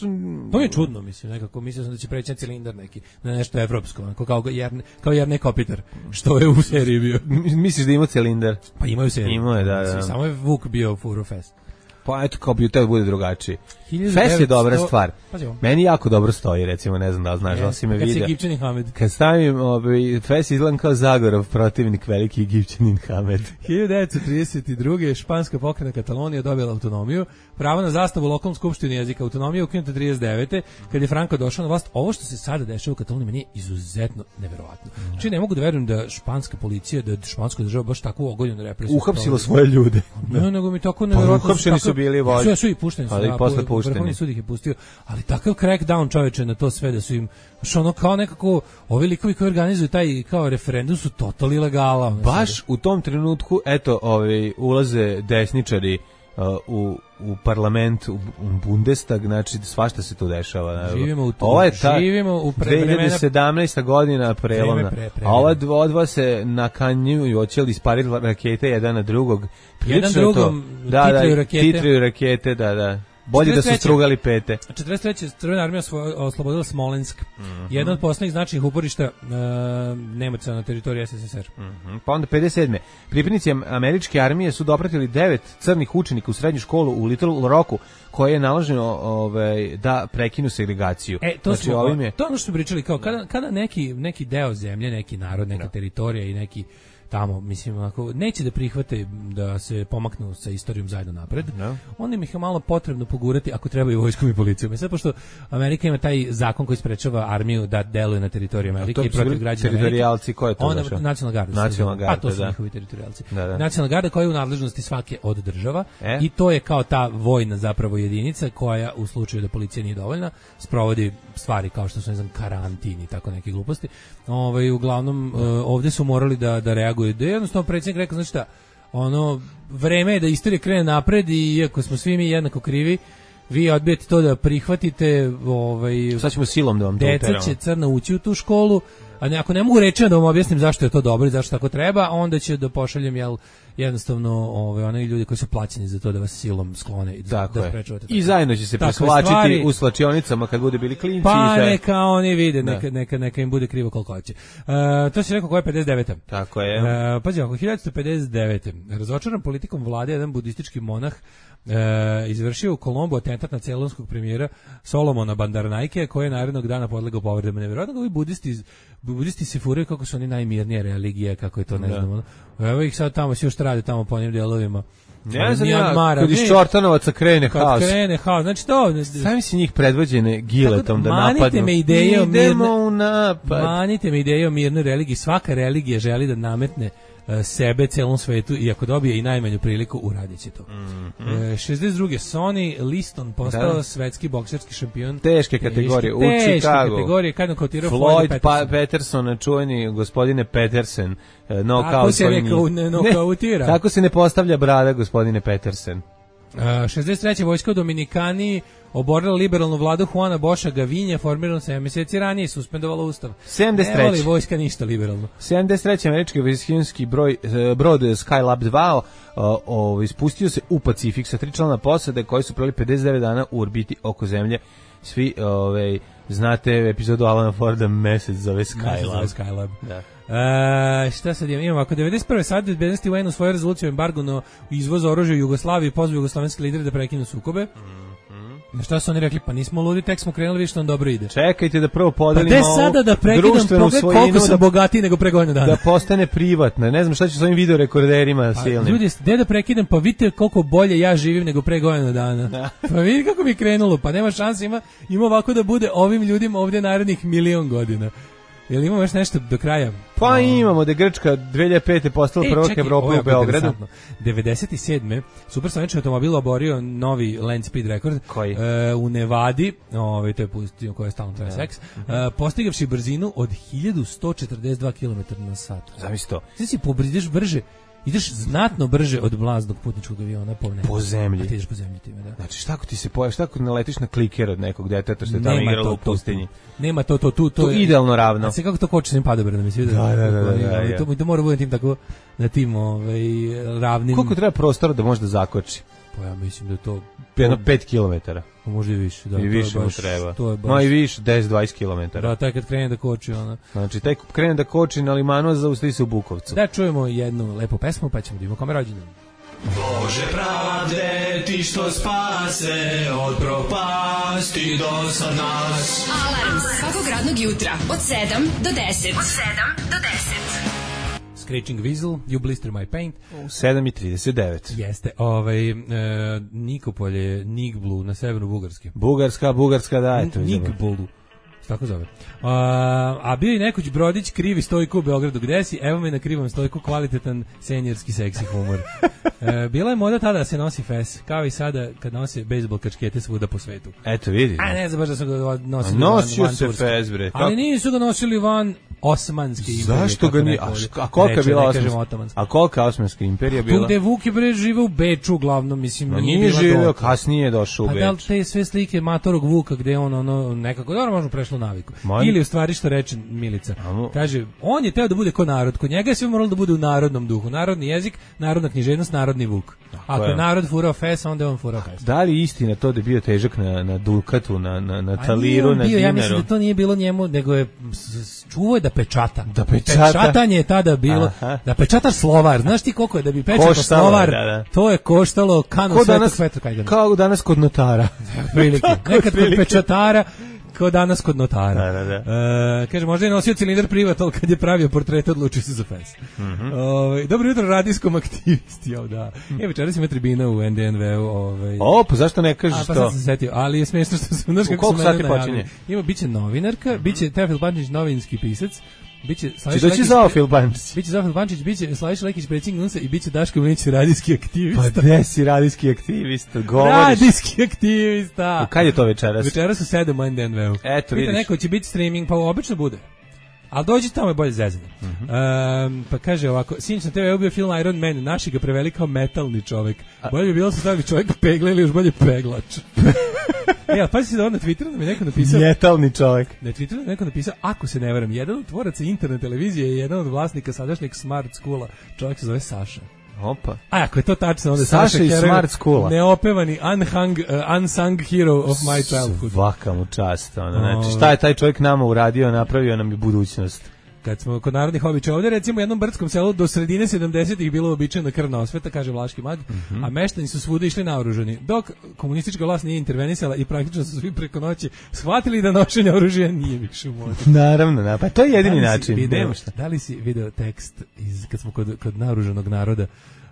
To mi je čudno, mislim, nekako, mislio sam da će preći na cilindar neki, na nešto evropsko, onako, kao Jerne, kao Jerne Kopitar, što je u seriji bio. Misliš da ima cilindar? Pa imaju seriju. Imao je, da, da. Samo je Vuk bio Furo Fest. Pa eto, kao bi teo bude drugačiji. Fest je dobra stvar. Meni jako dobro stoji, recimo, ne znam da li znaš, da si me vidio. Kad si Egipćanin Hamed. Kad stavim, ovaj, Fest izgledam kao Zagorov protivnik, veliki Egipćanin Hamed. hiljadu devetsto trideset druge. španska pokrajina Katalonija dobila autonomiju, pravo na zastavu u lokalnom skupštini jezika, autonomija ukinuta trideset devete. Kad je Franco došao na vlast, ovo što se sada dešava u Kataloniji meni je izuzetno neverovatno. Znači ne mogu da verujem da španska policija, da španska država baš takvu ogoljenu represiju uhapsila svoje ljude. Ne, nego mi tako neverovatno. Uhapšeni su bili vođe. Sve su i pušteni su. Ali i posle pušteni. Vrhovni sud ih je pustio, ali takav crackdown čoveče na to sve da su im što ono kao nekako ovi likovi koji organizuju taj kao referendum su totalno ilegala. Baš u tom trenutku eto ovaj ulaze desničari uh, u u parlament, u Bundestag, znači svašta se tu dešava. Živimo u to. Ovo je ta živimo u pre, dve hiljade sedamnaesta godina prelomna. Pre, pre, a ova dva, dva se nakanjuju i hoće li ispariti rakete jedan na drugog. Jedan drugom da, titraju da, rakete. Titraju rakete, da, da. Bolje da su strugali pete. četrdeset treće. Crvena armija oslobodila Smolensk. Mm -hmm. Jedno od poslednjih značajnih uporišta uh, Nemaca na teritoriji es es es er. Mm -hmm. Pa onda pedeset sedme. Pripadnici američke armije su dopratili devet crnih učenika u srednju školu u Little Rocku, koje je naloženo ovaj, da prekinu segregaciju. E, to, znači, smo, ovim je... to ono što smo pričali, kao kada, kada neki, neki deo zemlje, neki narod, neka no. teritorija i neki tamo, mislim, ako neće da prihvate da se pomaknu sa istorijom zajedno napred, no. onda im ih je malo potrebno pogurati ako trebaju vojskom i policijom. I sad, pošto Amerika ima taj zakon koji sprečava armiju da deluje na teritoriji Amerike i protiv građana Amerike. Teritorijalci, ko je to onda, nacionalna garda. Nacionalna garda, pa to su da. njihovi teritorijalci. Da, da. Nacionalna garda koja je u nadležnosti svake od država e? i to je kao ta vojna zapravo jedinica koja u slučaju da policija nije dovoljna sprovodi stvari kao što su, ne znam, karantin i tako neke gluposti. Ovaj, uglavnom, uh, ovdje su morali da, da reaguju. Da je jednostavno predsjednik rekao, znači šta, ono, vreme je da istorija krene napred i iako smo svi mi jednako krivi, vi odbijete to da prihvatite, ovaj, sad ćemo silom da vam to uteramo. Deca će crna ući u tu školu, a ne, ako ne mogu reći da vam objasnim zašto je to dobro i zašto tako treba, onda će da pošaljem jel jednostavno ovaj oni ljudi koji su plaćeni za to da vas silom sklone i da, da sprečavate. I zajedno će se preslačiti u slačionicama kad bude bili klinci. Pa i neka oni vide, neka, neka, neka im bude krivo koliko hoće. Uh, to si rekao koja je pedeset deveta. Tako je. Uh, pazi, oko hiljadu pedeset devete. Razočaran politikom vlade, jedan budistički monah uh, izvršio u Kolombu atentat na celonskog premijera Solomona Bandaranaike, koji je narednog dana podlegao povredama. Nevjerojatno ovi budisti, budisti se furaju kako su oni najmirnije religije, kako je to, ne znam. Evo ih sad tamo, svi još rade tamo po onim delovima. Ne znam ja, kad iz Čortanovaca krene kad haos. Kad krene haos, znači to... Sami si njih predvođene giletom da napadnu. Manite me ideje o mirnoj... napad. Manite me ideje o mirnoj religiji. Svaka religija želi da nametne uh, sebe celom svetu i ako dobije i najmanju priliku, uradit će to. Mm -hmm. e, šezdeset druge Sonny Liston postao da. svetski bokserski šampion. Teške kategorije u Teške Chicagu. kategorije, kad nokotirao Floyd Peterson. Pa Peterson, čuveni gospodine Peterson. Nokaut tako se rekao, ne nokautira. Ne, tako se ne postavlja brada, gospodine Peterson. Uh, šezdeset treće vojska u Dominikani oborila liberalnu vladu Juana Boša Gavinja, formirano sedam mjeseci ranije i suspendovala ustav. sedamdeset treće. Ne voli vojska ništa liberalno. sedamdeset treće američki vojskinski broj brod Skylab dva o, ispustio se u Pacifik sa tri člana posade koji su proveli pedeset devet dana u orbiti oko zemlje. Svi ovaj znate epizodu Alana Forda Mesec zove Skylab. Skylab. Da. Uh, šta sad imamo? Imamo, ako devedeset prve Savet bezbednosti U N u svoju rezoluciju o embargu na izvoz oružja u Jugoslaviji pozvao jugoslovenske lidere da prekinu sukobe. Mm-hmm. Šta su oni rekli? Pa nismo ludi, tek smo krenuli, više nam dobro ide. Čekajte da prvo podelimo pa sada da prekidam pogled koliko sam bogatiji nego pre godinu dana. Da postane privatna. Ne znam šta će s ovim videorekorderima pa, silnim. Ljudi, gde da prekidam? Pa vidite koliko bolje ja živim nego pre godinu dana. Da. Pa vidi kako mi je krenulo. Pa nema šanse, ima, ima ovako da bude ovim ljudima ovdje narednih milion godina. Jel imamo još nešto do kraja? Pa no. imamo da je Grčka dve hiljade pete postala e, prvak Evrope u Beogradu. devedeset sedme supersonični automobil oborio novi land speed rekord. Koji? E, u Nevadi, ovaj to je pustio koja je stalno traje seks, e, postigavši brzinu od hiljadu sto četrdeset dva kilometra na sat. Zamisli to. Znači si pobrideš brže. Ideš znatno brže od mlaznog putničkog aviona po nebu. Po zemlji. A ti ideš po zemlji time, da. Znači šta ako ti se pojavi, šta ako naletiš na kliker od nekog deteta što je tamo igralo u pustinji? Nema to, to, tu, to, to je idealno ravno. A se kako to koči s njim padobradom, mi se vidio. Da, da, da, da, da, da. To, to mora bude tim tako, na tim ovaj, ravnim. Koliko treba prostora da može da zakoči? Pa ja mislim da je to... Jedno pet kilometara. Možda i više, da. I više mu treba. Ma i više, deset do dvadeset kilometara. Da, taj kad krene da koči, ona. Znači, taj krene da koči na limanu, zaustavi se u Bukovcu. Da čujemo jednu lepu pesmu, pa ćemo da imamo kome rođendan. Bože pravde, ti što spase od propasti do sad nas. Alarm svakog radnog jutra od sedam do deset. Od sedam do deset. Screeching Weasel, You Blister My Paint. sedam i trideset devet. Jeste, ovaj, e, Nikopolje, Nigblu, na severu Bugarske. Bugarska, Bugarska, da, eto. Nigblu, tako zove. A, a bio je nekoć Brodić krivi stojku u Beogradu, gde si? Evo me na krivom stojku, kvalitetan senjerski seksi humor. E, bila je moda tada da se nosi fes, kao i sada kad nose bejsbol kačkete svuda po svetu. Eto, vidi. A ne znam baš da su ga nosili Nosio van, van se Turske. Fes, bre. Ali nisu ga nosili van Osmanske imperije. Zašto ga nije? A, a kolika je bila Osmanska? A kolika je Osmanska imperija bila? Tu gde Vuk je bre žive u Beču uglavnom, mislim. No, nije živeo, kasnije je došao u Beč. Pa da li te sve slike matorog Vuka gde on ono nekako, dobro možemo prešlo naviku. Man... Ili u stvari što reče Milica. Amo... Kaže, on je teo da bude ko narod, kod njega je sve moralo da bude u narodnom duhu. Narodni jezik, narodna književnost, narodni Vuk. Ako je narod furao fes, onda je on furao fes. Da li istina to da je bio težak na, na Dukatu, na, na, na Taliru, na bio, Dinaru? Ja mislim da to nije bilo njemu, nego je čuvao je da pečata. Da pečata. Pečatanje je tada bilo, aha, da pečataš slovar. Znaš ti koliko je da bi pečatao slovar, da, da. To je koštalo kanu Svetog Petra Kajgana. Kao danas kod notara. Prilike. Nekad kod pečatara, kao danas kod notara. Da, da, da. E, kaže, možda je nosio cilindar privat, ali kad je pravio portret, odlučio se za fes. Mm -hmm. Ove, dobro jutro radijskom aktivisti. Jo, da. Mm. E, večeras ima tribina u N D N V-u. Ovaj. O, pa zašto ne kažeš to? A, pa sad sam se setio, ali je smiješno što sam, znaš kako sam mene najavili. Ima, bit će novinarka, mm -hmm. bit će Teofil Pančić, novinski pisac, biće Slaviša Lekić, Zofil Pančić. Biće Zofil Pančić, biće Slaviša Lekić, predsjednik N U S A i biće Daško Mlinić, radijski aktivista. Pa gde si radijski aktivista? Govoriš. Radijski aktivista. U kad je to večeras? Večeras u sedam u N D N V-u. Eto, vidiš. Pita neko će biti streaming, pa obično bude. Ali dođi tamo je bolje zezanje. Mm -hmm. um, pa kaže ovako, sinoć na te ve ubio film Iron Man, naši ga preveli kao metalni čovek. Bolje bi bilo se stavili čovjek pegla ili još bolje peglač. E, a pazi se da on na Twitteru da mi neko napisao... Njetalni čovjek. Na Twitteru da mi neko napisao, ako se ne varam, jedan od tvoraca internet televizije je jedan od vlasnika sadašnjeg Smart Schoola. Čovjek se zove Saša. Opa. A ako je to tačno, onda Saša Saša iz heroj, Smart Schoola. neopevani, unhung, uh, unsung hero of my childhood. Svaka mu čast. Ono. Znači, šta je taj čovjek nama uradio, napravio nam je budućnost. Kad smo kod narodnih običaja ovdje, recimo u jednom brdskom selu do sredine sedamdesetih bilo običajna krvna osveta, kaže Vlaški mag, mm-hmm. a meštani su svuda išli naoružani. Dok komunistička vlast nije intervenisala i praktično su svi preko noći shvatili da nošenje oružja nije više u modi. Naravno, na, pa to je jedini da način. Video, da li si video tekst iz, kad smo kod, kod naoružanog naroda,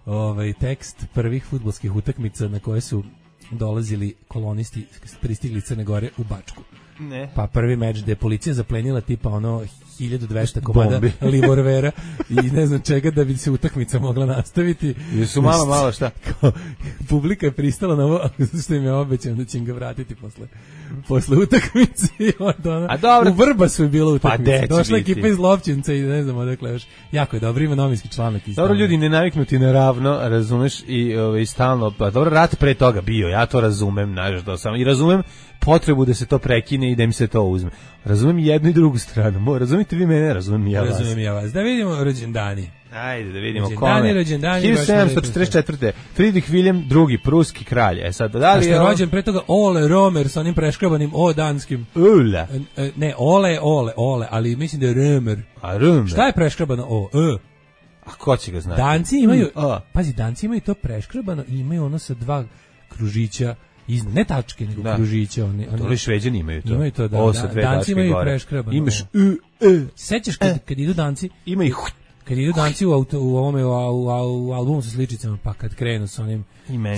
ovaj tekst prvih fudbalskih utakmica na koje su dolazili kolonisti pristigli iz Crne Gore u Bačku? Ne. Pa prvi meč gde je policija zaplenila tipa ono hiljadu dvesta komada livorvera i ne znam čega da bi se utakmica mogla nastaviti. I su malo, malo šta? Kao, publika je pristala na ovo, što im je obećano da će im ga vratiti posle, posle utakmice. I onda ono, a dobro. U Vrbasu je bila utakmica. Pa došla ekipa iz Lovćenca i ne znam odakle još. Jako je dobro, ima novinski članak. Dobro, ljudi ne naviknuti na ravno, razumeš, i, ove, i stalno, pa dobro, rat pre toga bio, ja to razumem, znaš, da sam, i razumem potrebu da se to prekine i da im se to uzme. Razumem jednu i drugu stranu. Razumite vi mene, razumem ja vas. Razumem ja vas. Da vidimo rođendani. Ajde da vidimo rođendani, kome. Rođendani, hiljadu sedamsto četrdeset četvrte. Friedrich Wilhelm drugi, pruski kralj. E sad, da li je on... rođen pre toga Ole Romer sa onim preškrabanim O danskim. Ula. Ne, Ole, Ole, Ole, ali mislim da je Römer. A Römer? Šta je preškrabano O? E. A ko će ga znati? Danci imaju, mm, pazi, Danci imaju to preškrabano i imaju ono sa dva kružića. Iznad, ne tačke, nego da. Kružića. Oni, oni, Dole Šveđani imaju to. Imaju to, da. O, sa dve Danci imaju gore. preškrabano. Imaš U, E. Sećaš kad, kad idu Danci? Ima ih. Kad idu Danci u, auto, u ovome, u, u, u, u albumu sa sličicama, pa kad krenu sa onim,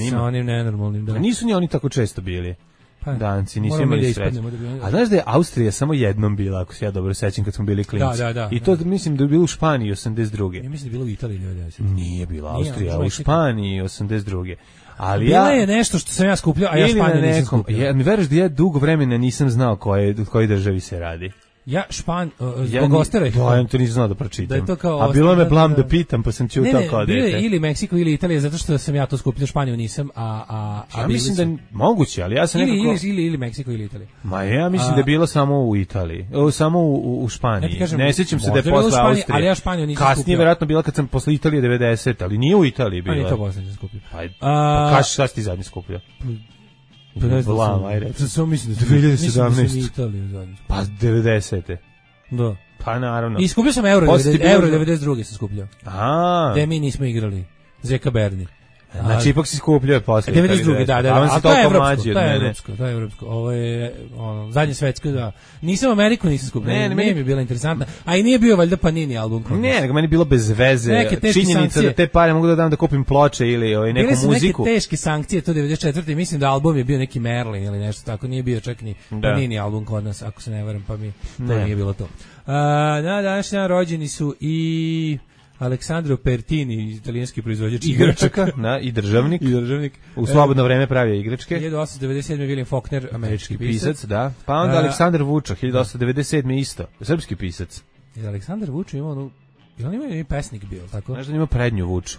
sa onim nenormalnim. Da. A nisu ni oni tako često bili. Pa, Danci, nisu imali da sreće. Da a znaš da je Austrija samo jednom bila, ako se ja dobro sećam, kad smo bili klinci. Da, da, da, I to da. mislim da je bilo u Španiji osamdeset druge. Ja mislim da je bilo u Italiji devedeset. Nije bila Austrija, u Španiji osamdeset druge. Ali bila ja, je nešto što sam ja skupljao, a ja Španiju nisam skupljao. Ja, mi veruješ da ja dugo vremena nisam znao koje, u kojoj državi se radi. Ja Špan, uh, zbog ja, Ostara. Da, ja to nisam znao da pročitam. Da je to kao a bilo me blam da, da pitam, pa sam ćutao kao dete. Ne, ne, ili Meksiko ili Italija, zato što sam ja to skupljao, Španiju nisam, a... a, a ja mislim sam... da moguće, ali ja sam ili, nekako... Ili, ili, ili Meksiko ili Italija. Ma ja mislim a... da je bilo samo u Italiji, o, samo u, u Španiji. Ja kažem, ne sjećam se da je posle Španiji, Austrije. Ali ja Španiju nisam Kasnije skupljao. Kasnije verovatno bila kad sam posle Italije devedeset, ali nije u Italiji bila. A nije to posle nisam skupljao. Pa, pa kaži šta si ti zadnji skupljao? Pa ne znam, ajde. Samo mislim da dve hiljade sedamnaeste. Mislim da sam Italiju zadnji. Pa devedesete. Da. Pa naravno. I skupio sam euro, euro devedeset druge sam skupljao. A. Gde mi nismo igrali. Zeka Berni. Znači ipak si skupljao posle. devedeset druge da, da. A to je evropsko, to je evropsko, to je evropsko. Ovo je ono zadnje svetsko, da. Nisam Ameriku nisam skupljao. Ne, ne, meni mi je bila interesantna. A i nije bio valjda Panini album. Ne, nego meni bilo bez veze. Činjenica da te pare mogu da dam da kupim ploče ili ovaj neku muziku. Bile su neke teške sankcije to devedeset četvrte. Mislim da album je bio neki Merlin ili nešto tako, nije bio čak ni Panini album kod nas, ako se ne varam, pa mi to nije bilo to. Na današnji dan rođeni su i Aleksandro Pertini, italijanski proizvođač igračaka, na i državnik. I državnik. U slobodno vreme pravio igračke. hiljadu osamsto devedeset sedme William Faulkner, američki pisac, pisac, da. Pa onda uh, Aleksandar Vuča, hiljadu osamsto devedeset sedme isto, srpski pisac. Je Aleksandar Vuča imao onu, je on imao i pesnik bio, tako? Znaš da ima prednju Vuču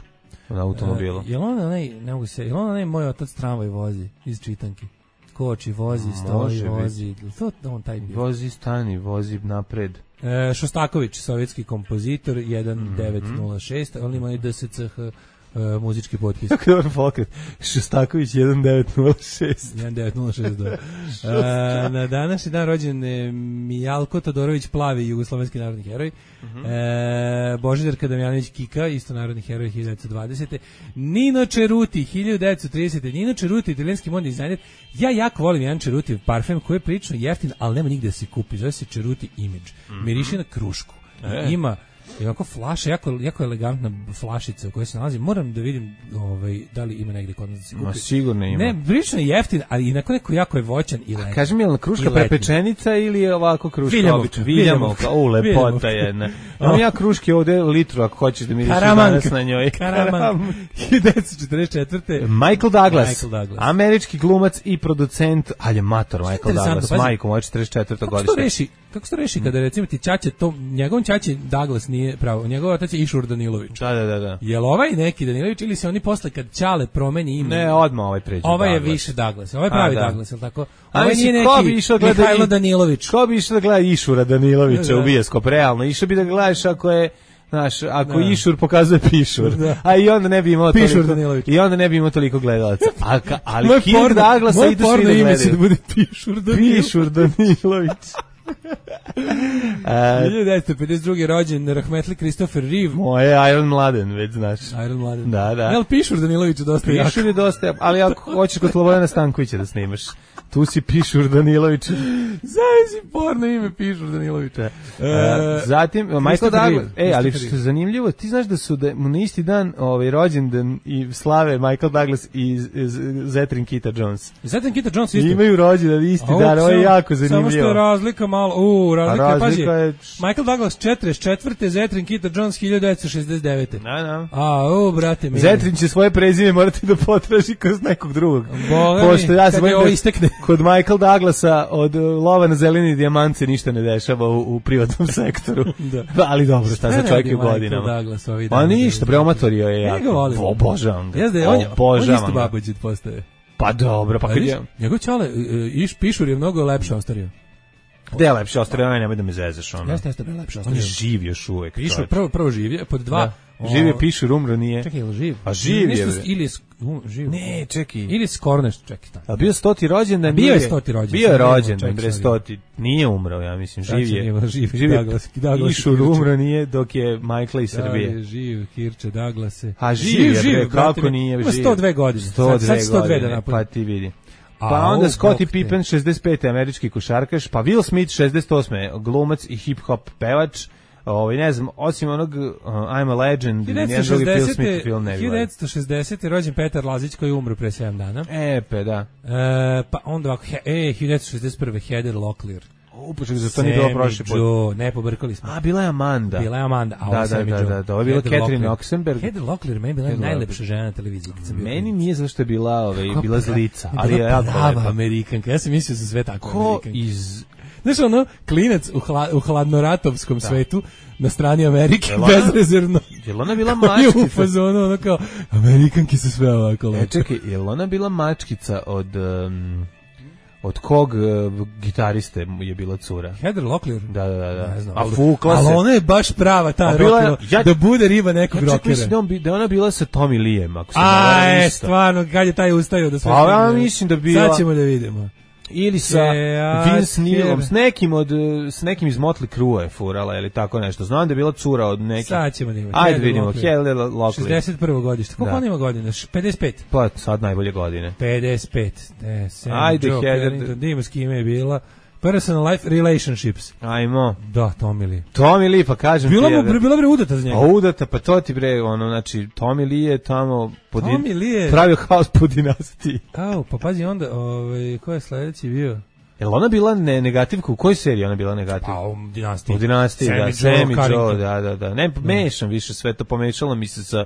na automobilu. Uh, je on onaj, ne mogu se, je on onaj moj otac tramvaj vozi iz čitanki? Koči, vozi, stoji, vozi. To on taj bio. Vozi, stani, vozi napred. E, Šostaković, sovjetski kompozitor, jedan devet nula šest, on ima i D S C H uh, muzički potpis. Kako dobar pokret. Šostaković jedan devet nula šest. jedan devet nula šest, da. E, na današnji dan rođen je Mijalko Todorović Plavi, jugoslovenski narodni heroj. Uh-huh. E, Božidar Damjanović Kika, isto narodni heroj hiljadu devetsto dvadesete. Nino Ceruti, hiljadu devetsto tridesete. Nino Ceruti, italijanski modni dizajner. Ja jako volim jedan Ceruti parfem koji je prilično jeftin, ali nema nigde da se kupi. Zove se Ceruti Image. Mm-hmm. Miriši na krušku. E. Ima I ovako flaša, jako, jako elegantna flašica u kojoj se nalazi. Moram da vidim ovaj, da li ima negde kod nas da se kupi. Ma sigurno ima. Ne, prilično je jeftin, ali inako neko jako je voćan i letan. Kaži mi, je li kruška prepečenica ili je ovako kruška Viljamovka, obična? Viljamovka, u lepota jedna. Imam ja kruške ovde litru ako hoćeš da mi riši danas na njoj. Karaman. hiljadu devetsto četrdeset četvrte. Michael Douglas, Michael Douglas, američki glumac i producent, ali je mator Michael Douglas, majko moja četrdeset četvrte godište. Kako to reši? kako se to reši kada recimo ti ćaća, to, njegovom ćaći Douglas nije pravo, njegov otac je Išur Danilović. Da, da, da, da. Jel ovaj neki Danilović ili se oni posle kad ćale promeni ime? Ne, odmah ovaj pređe. Ovaj je Douglas. više Douglas, ovaj pravi A, da. Douglas, jel tako? A Ovaj mislim, nije ko bi neki išao gleda Mihajlo i- Danilović. Ko bi išao da gleda Išura Danilovića Da. u bioskop, realno? Išao bi da gledaš ako je, znaš, ako Da. Išur pokazuje Pišur, Da. a i onda ne bi imao Pišur toliko, Danilović. i onda ne bi imao toliko gledalaca. A, ka, ali Moj Kirk porno- Douglasa moj idu svi porno da ime će da gledaju. bude Pišur Danilović. Pišur Danilović. A, hiljadu devetsto pedeset druge rođen Rahmetli Christopher Reeve. moje Iron Mladen, već znaš. Iron Mladen. Da, da. Jel Pišur Danilović je dosta jak? Pišur je dosta, ali ako hoćeš kod Slobodana Stankovića da snimaš, tu si Pišur Danilović. Zavisi porno ime Pišur Danilović. E, E, zatim Michael Christopher Douglas. Reeve. E, ali Christopher što je zanimljivo, ti znaš da su da mu na isti dan ovaj rođendan i slave Michael Douglas i Z- Z- Zetrin Kita Jones. Zatim Kita Jones isto. Imaju rođendan isti A, dan, ovo je samo- jako Samo što je zanimljivo. razlika malo, u, razlika, A je, pazi, razlika je- Michael Douglas četrdeset četvrte Zetrin Kita Jones hiljadu devetsto šezdeset devete. Da, da. A, o, brate mi. Zetrin će svoje prezime morati da potraži kroz nekog drugog. Boga mi, Pošto ja se kad bojim je ovo da istekne. kod Michael Douglasa od uh, lova na zeleni dijamant se ništa ne dešava u, u privatnom sektoru. Da. Ali dobro, šta za čovjek je u godinama. Douglas, ovi Pa dana, ništa, bre, omatorio je Ja ga jako. volim. Obožavam ga. Jeste, on, je- on Obožavam isto ga. babuđit postaje. Pa dobro, pa Pa kad vidiš, je... njegov čale, e, iš, Pišur je mnogo lepše ostario. Gde je lepše ostario, aj nemoj da me zezaš, ono. Jeste, jeste, bre, lepše On ostario. je živ još uvek. Pišur, čoveče. prvo, prvo živ je, pod dva. Da. Živ je Pišur, umro nije. Čekaj, je li živ? Pa živ je, Nešto- bre. Ili je sk- um, živ. Ne, čekaj. Ili Skorneš, čekaj. Tamo. A bio stoti rođendan? A bio nije- je stoti rođendan, Bio je sad ne mogu, rođendan, čekaj, bre, sad stoti. Nije umro, ja mislim, Sad živ će je. njima živ, Živ je. Douglas- Douglas Išur Kirče. umro nije dok je Michael iz Da, Srbije. je živ, Kirče, Douglase. A živ je, bre, brate kako mi. nije Ima živ? sto dve godine. sto Sad- dve sad sto dve da godine, napuni. pa ti vidi. A, Pa onda o, Scottie bog te. Pippen, šezdeset pete američki košarkaš, pa Will Smith, šezdeset osme glumac i hip-hop pevač. Ovaj, ne znam, osim onog uh, I'm a Legend, nijedan drugi Will Smith film ne bi hiljadu gledao. devetsto šezdesete rođen Petar Lazić koji je umro pre sedam dana. E, pe, da. E, pa onda ovako, he, e, hiljadu devetsto šezdeset prve Heather Locklear. Upoček, za to nije bilo Sammy prošli put. Joe, ne, pobrkali smo. A, bila je Amanda. Bila je Amanda, a Da, ovo da, Sammy da, Joe. da, da, ovo je bila Heather Catherine Locklear. Oxenberg. Heather Locklear, meni je bila Heather najlepša Locklear. žena na televiziji kad sam bio Meni klinac. nije zašto je bila, ovaj, Kako bila pra- zlica, ali je bila jako prava lepa. Amerikanka, ja sam mislio da su sve tako Ko Amerikanke. iz... Znaš, ono, klinac u, hla, u hladnoratovskom svetu, na strani Amerike, Jel ona- bezrezervno. Je li ona bila Je u mačkica? fazonu, ono kao, Amerikanki su sve ovako E, lepe. čekaj, je li ona bila mačkica od... Um, od kog uh, gitariste je bila cura? Heather Locklear? Da, da, da. da. Ne znam, A ali- fukla se. Ali ona je baš prava ta A bila je- rockera, ja- da bude riba nekog Ja čak rockera. mislim da, on bi, da je ona bila sa Tommy Leeem, ako se ne A, varam e, isto. stvarno, kad je taj ustao da sve... Pa, ja stigne. mislim da bi bila- Sad ćemo da vidimo. Ili sa Se Vince Neilom, asker. s nekim od uh, s nekim iz Motley Crue je furala ili tako nešto. Znam da je bila cura od nekih. Sad ćemo da imamo. Ajde Heather vidimo, Locklear. Heather Locklear. šezdeset prvo godište. Koliko Da. on ima godina? Š- pedeset pet. Pa sad najbolje godine. pedeset pet. E, Sam Ajde, Joe Heather. Carrington, da ima s kime je bila. Personal life relationships. Ajmo. Da, Tommy Lee. Tommy Lee, pa kažem Bila ti. mu je, bre, bila bre udata za A njega. udata, pa to ti bre, ono, znači, Tommy Lee je tamo po din- Tommy Lee je... pravio haos po dinastiji. Au, pa pazi onda, ovaj, ko je sledeći bio? Jel ona bila ne, negativka? U kojoj seriji ona bila negativka? Pa, u dinastiji. U dinastiji, da, Sammy Joe Sammy Joe, Carrington. da, da, da. Ne, mešam više sve to, pomešalo mi se sa,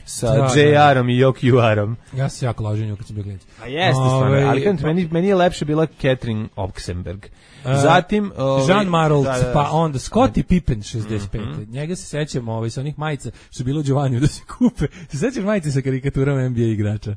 sa Da, J da. R-om i Jock U-arom. Ja se jako lažem nju kad sam bio klinac. A jeste Ovaj, stvarno, ali kažem ti, meni, meni je lepše bila Catherine Oxenberg. E, Zatim... ovaj, Jean Marold, da, da, da. pa onda Scottie Pippen šezdeset pete. Njega se sećamo ovaj, sa onih majica što je bilo u Giovaniju da se kupe. Se sećaš majice sa karikaturama N B A igrača?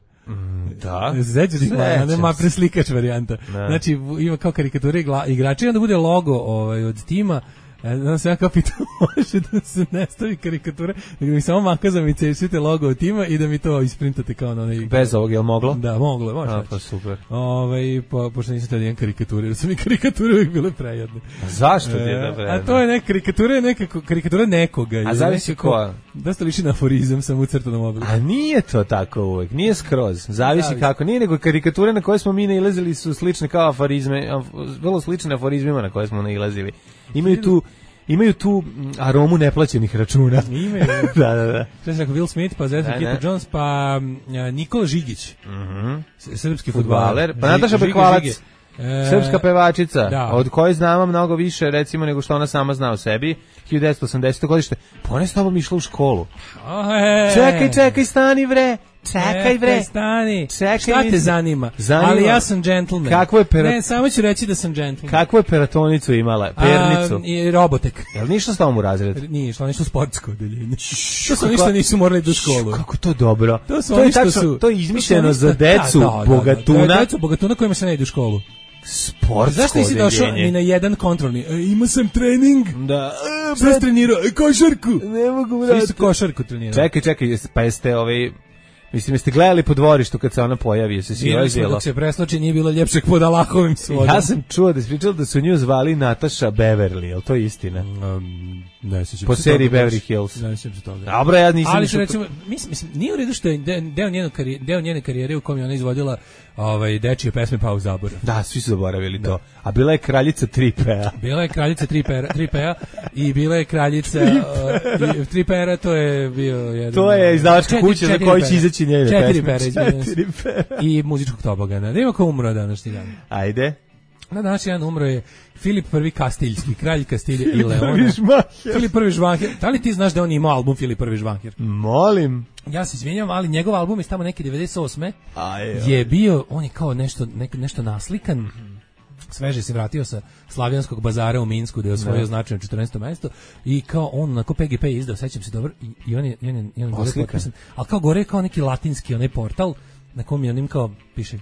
Da. Se sećaš tih majica? Sećam Nema se. preslikač varijanta. Da. Znači, v- ima kao karikature igla- igrača i onda bude logo ovaj, od tima. E, Znam se ja kao pitao, može da se ne stavi karikature, nego mi samo makazamice i svite logo od tima i da mi to isprintate kao na onaj... Bez ovog, jel moglo? Da, moglo je, može. A, znači. pa super. Ovaj, po, pošto nisam tada jedan karikature, jer su mi karikature uvijek bile prejedne. Zašto ti je E, dobro? A to je neka karikatura, je neka karikatura nekoga. A ili zavisi nekako- koja? Dosta liči na aforizam sam u crtanom obliku. A nije to tako uvek, nije skroz. Zavisi Zavisi. kako. Nije nego karikature na koje smo mi nailazili su slične kao aforizme, af- vrlo slične aforizmima na koje smo nailazili. Imaju tu imaju tu mm, aromu neplaćenih računa. Ime, da, da, da. što sam rekao, Will Smith, pa Zeta Da, Kita da. Jones, pa mm, a, Nikola Žigić, Mhm. s- srpski Fudbaler. fudbaler. Pa Ži- Nataša Žiga Bekvalac. Žige. E, Srpska pevačica, da. od koje znamo mnogo više recimo nego što ona sama zna o sebi. hiljadu devetsto osamdeseto godište. Pa ona je s tobom išla u školu. a, e, Čekaj, čekaj, stani bre. Čekaj bre. Stani. Čekaj, Šta te mislim. zanima? Zanima. Ali ja sam džentlmen. Kakvo je pera- Ne, samo ću reći da sam džentlmen. Kakvu je peratonicu imala? Pernicu? A, i robotek. Jel ništa s tobom u razred? Nije išlo, nešto sportsko odeljenje. To su ništa nisu morali do školu. Kako to dobro. To su to je oni što tačno, su. to je izmišljeno to su oni za što- decu da, da, da, bogatuna. Da, decu bogatuna kojima se ne ide u školu. Sportsko Zašto nisi došao odeljenje. ni na jedan kontrolni? E, ima sam trening. Da. Šta si trenirao? E, košarku. Ne mogu, Svi su košarku trenirali. Čekaj, čekaj, jeste- pa jeste ovaj... Mislim, jeste gledali po dvorištu kad se ona pojavi, jeste si Bili smo bilo? dok se presloči, nije bilo ljepšeg pod Alahovim svodom. Ja sam čuo da je pričala da su nju zvali Nataša Beverly, je li to istina? Um, ne sjećam Po se seriji toga baš. Beverly Hills. Ne sjećam se toga. Dobro, ja nisam... Ali išao što to- recimo, mislim, mislim, nije u redu što je de- deo, njene karijere, deo njene karijere u kom je ona izvodila ovaj, dečije pesme pa u zaborav. Da, svi su zaboravili to. A bila je kraljica tri P-a. Bila je kraljica tri P-a i bila je kraljica uh, tri P-a, to je bio jedan... To je izdavačka Četiri- kuća za četiri koju će pera. izaći njene Četiri pesme. pera, izvinjam se. Četiri P-a. I muzičkog tobogana. Da ima ko umro današnji dan. Ajde. Na današnji dan umro je Filip prvi Kastiljski, kralj Kastilje i Filip Leona. prvi Žmaher. Filip prvi Žmaher. Da li ti znaš da on imao album Filip prvi Žmaher? Molim. Ja se izvinjavam, ali njegov album je tamo neki devedeset osme Aj, je bio, on je kao nešto, nek, nešto naslikan, sveže se vratio sa Slavijanskog bazara u Minsku, da je osvojio značajno četrnaesto mesto i kao on onako P G P je izdao, sećam se dobro, i, i on je, i on je, i on je gore Oslikan. potpisan, ali kao gore je kao neki latinski onaj portal na kom je onim kao piše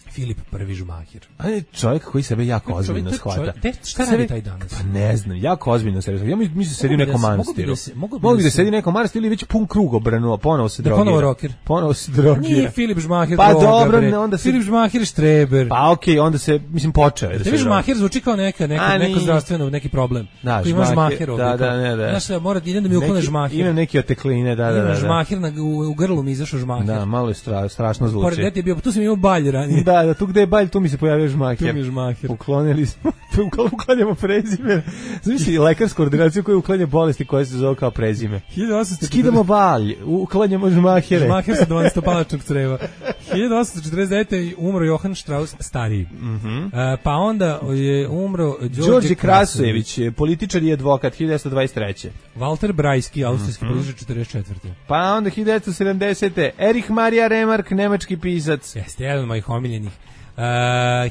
Filip prvi Žmaher. A je čovjek koji sebe jako ozbiljno Čovjek- shvata. čovjek- te- šta Sebe- radi taj danas? Pa ne znam, jako ozbiljno se razumije. Ja mi- mislim da sedi u Mogu bi nekom da se- mogu bi manastiru. da se- mogu bi Mogu bi da da se- sedi u nekom manastiru ili već pun krug obrnuo, ponovo se Da drogira. ponovo rocker. Ponovo se drogira. Nije Filip Žmaher Pa droga, dobro, bre. ne, onda se- Filip Žmaher Štreber. Pa okej, onda se, mislim, počeo je da se Tebi drogira. Žmaher zvuči kao neka, neka, A, neko nije. zdravstveno, neki problem. Da, Ko ima Žmaher, Žmaher ovdje. da, da, kao, ne, da. Znaš, da, mora, idem da mi uklone Neki- Žmaher. Imam neke otekline, da, da, Imam da. da. Žmaher, na, u, u grlu mi izašao Žmaher. Da, malo je stra, strašno Pored zvuči. gde ti je bio, tu sam imao balj ranije. Da, da, tu gde je balj, tu mi se pojavio Žmaher. Tu mi je Žmaher. Uklonili smo, uklanjamo prezime. Zamisli lekarsku ordinaciju koja uklanja bolesti koje se zove kao prezime. hiljadu osamsto četrdeset Skidamo balj, uklanjamo Žmahere. Žmaher sa dvanestopalačnog creva. hiljadu osamsto četrdeset devete umro Johann Strauss stariji. Mhm. E, pa onda je umro Đorđe Đorđe Krasojević, političar i advokat, hiljadu devetsto dvadeset treće. Walter Brajski, austrijski Mhm. političar četrdeset četvrte Pa onda hiljadu devetsto sedamdesete. Erich Maria Remark, nemački pisac. Jeste, jedan od mojih omiljenih. Uh,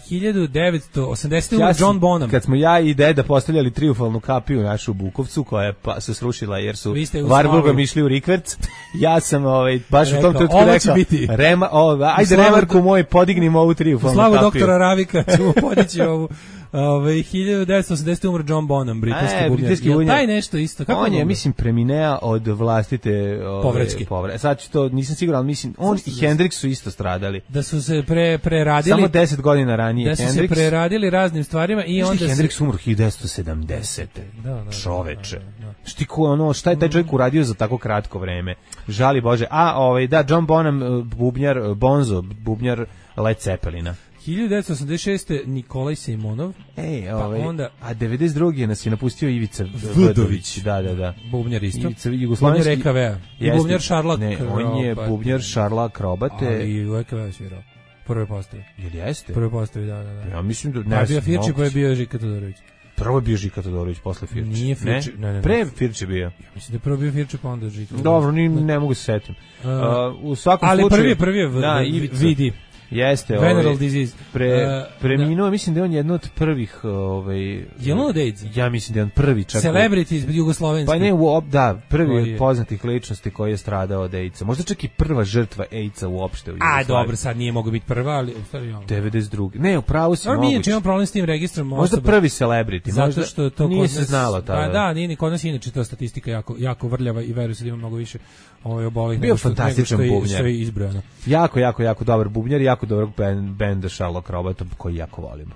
hiljadu devetsto osamdesete Ja umro sam- John Bonham. Kad smo ja i deda postavljali triumfalnu kapiju našu u Bukovcu, koja je pa, se srušila jer su Vi ste u Varburgom slavu. išli u Rikverc, ja sam ovaj, baš u Rekao, tom trenutku ovo će rekao, biti. Rema, o, ajde slavu Remarku do- moj, podignim ovu U triumfalnu slavu kapiju. doktora Ravika ćemo podići ovu. Ove, hiljadu devetsto osamdesete umro John Bonham, britanski E, bubnjar. britanski Jel bubnjar. taj nešto isto? Kako On je, umro? mislim, preminea od vlastite ove, Povraćke. povre. Sad ću to, nisam siguran, ali mislim, on i Hendrix su isto stradali. Da su se pre, preradili, Samo deset godina ranije da su Hendrix. se preradili raznim stvarima i Znaš onda da je se... Hendrix umro hiljadu devetsto sedamdesete. Da, da, da, Čoveče. da, da, da. Šti ko ono, šta je taj čovjek uradio za tako kratko vreme? Žali Bože. A, ovaj, da, John Bonham, eh, bubnjar, eh, Bonzo, bubnjar Led Zeppelina. hiljadu devetsto osamdeset šeste Nikolaj Sejmonov, Ej, Pa ovaj, onda- a devedeset drugi nas je napustio Ivica Vdović. Vdović. Da, da, da. bubnjar isto. Ivica, jugoslovenski... Bubnjar E K V-a. I Jeste. bubnjar Šarla Ne, on je Krobate. bubnjar Šarla Akrobate. Ali u E K V-a svirao. Prve postavi. Jel jeste? Prve postavi, da, da, da. Ja mislim da... Pa Ne, je bio znam, Firči, pa je moguće. bio Žika Todorović. Prvo je bio Žika Todorović, posle Firči. Nije Firči, ne, ne, ne. Pre Firči bio. Mislim da je prvo bio Firči, pa onda Žika. Dobro, ni, ne mogu se setim. Uh, Uh, u svakom ali slučaju... prvi je prvi je v- da, v- Ivica. vidi. Jeste, Veneral ovaj, disease. pre, Uh, preminuo, mislim da je on jedno od prvih, ovaj, Je on od AIDS? ja mislim da je on prvi čak. u- Celebrity jugoslovenski. Pa ne, u, op- da, prvi Koji od je? poznatih ličnosti koji je stradao od AIDS-a. Možda čak i prva žrtva AIDS-a uopšte u A, Jugoslaviji. dobro, sad nije mogo biti prva, ali... u stvari, ja. devedeset drugi. Ne, upravo si Dobro, mi moguće. inače imamo problem s tim registrom Možda osoba. prvi celebrity. Zato možda što to nije kod se nas- znalo tada. Pa da, nije ni kod nas inače ta statistika jako jako vrljava i verujem se da ima mnogo više ovaj obolih Bio nego što, nego fantastičan što je, bubnjar. što je izbrojano. Jako, jako, jako dobar bubnjar i jako dobrog ben, benda Sherlock Robota koji jako volimo.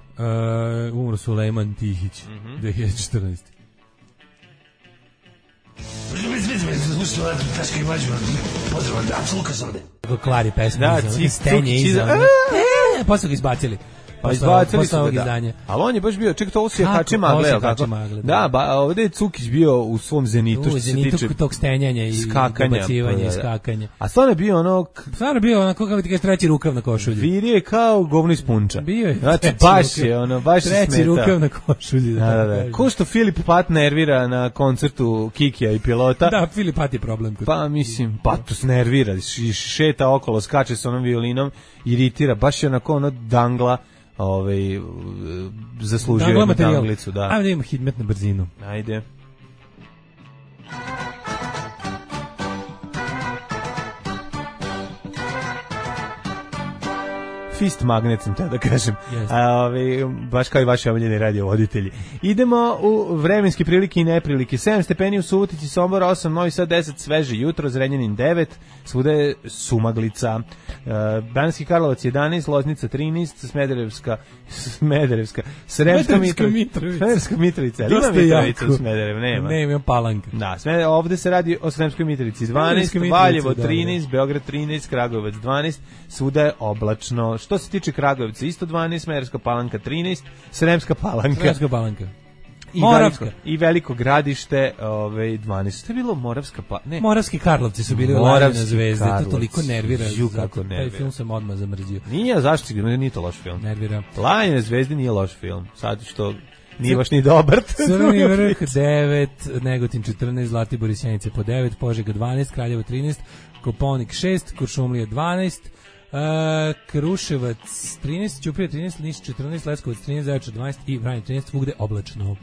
Uh, umro Sulejman Tihić, Mhm. dve hiljade četrnaeste. Kako klari pesma. Da, iza, cik, stenje cuk, iza. ciza- ono. E, posle ga izbacili. Pa izbacili posle su ovog ga, izdanja. da. Ali on je baš bio, čekaj, to ovo su Kako? jahače Ovo magle, su jel jahače tako? magle, da. Da, ba, ovde je Cukić bio u svom zenitu, U što se zenitu tiče tog stenjanja i skakanja, dobacivanja pa, i da. skakanja. A stvarno je bio ono, k- Stvarno bio onako, kako ti kažeš, treći rukav na košulji. virio je kao govno iz punča. Bio je Znači, treći baš rukav. je, ono, baš se Treći smeta. rukav na košulji. Da, da, tako da. kažem. Ko što Filip Pat nervira na koncertu Kikija i pilota. Da, Filip Pat je problem. Kod... Pa mislim, Patus nervira, š- šeta okolo, skače sa onom violinom, iritira, baš je onako ono dangla, ovaj, zaslužio Dangla jednu materijal. danglicu, da. Ajde da imamo hitmet na brzinu. Ajde. Fist magnet sam te da kažem. Jeste. A, ove, baš kao i vaši omiljeni radiovoditelji. Idemo u vremenske prilike i neprilike. sedam stepeni u Subotici, Sombor osam, Novi Sad deset, sveže jutro, Zrenjanin devet, svuda je sumaglica. E, Banski Karlovac jedanaest, Loznica trinaest, Smederevska Smederevska, Sremska Smederevska Mitrovica. Mitrovica. Smederevska Mitrovica. Ali ima Dosta Mitrovica jako. u Smederevu, nema. Ne, ima Palanka. Da, sve, ovde se radi o Sremskoj Mitrovici dvanaest, Sremska Mitrovica, Valjevo dobro. trinaest, Beograd trinaest, Kragujevac dvanaest, svuda je oblačno. Što se tiče Kragujevca, isto dvanaest, Smederevska Palanka trinaest, Sremska Palanka. Sremska Palanka. I Moravska. Veliko, i Veliko Gradište, ovaj dvanaest. Što je bilo Moravska pa ne. Moravski Karlovci su bili u Moravski Lajne zvezde, to Karlovci. toliko nervira. Ju, zato kako Taj nervira. film sam odmah zamrzio. Nije, zašto si ga, nije to loš film. Nervira. Lajne zvezde nije loš film. Sad što nije baš ni dobar. Crni vrh devet, Negotin četrnaest, Zlatibor i Sjenice po devet, Požega dvanaest, Kraljevo trinaest, Koponik šest, Kuršumlija dvanaest, Uh, Kruševac trinaest, Ćuprija trinaest, Niš četrnaest, Leskovac trinaest, Zaječar dvanaest i Vranje trinaest, svugde oblačno.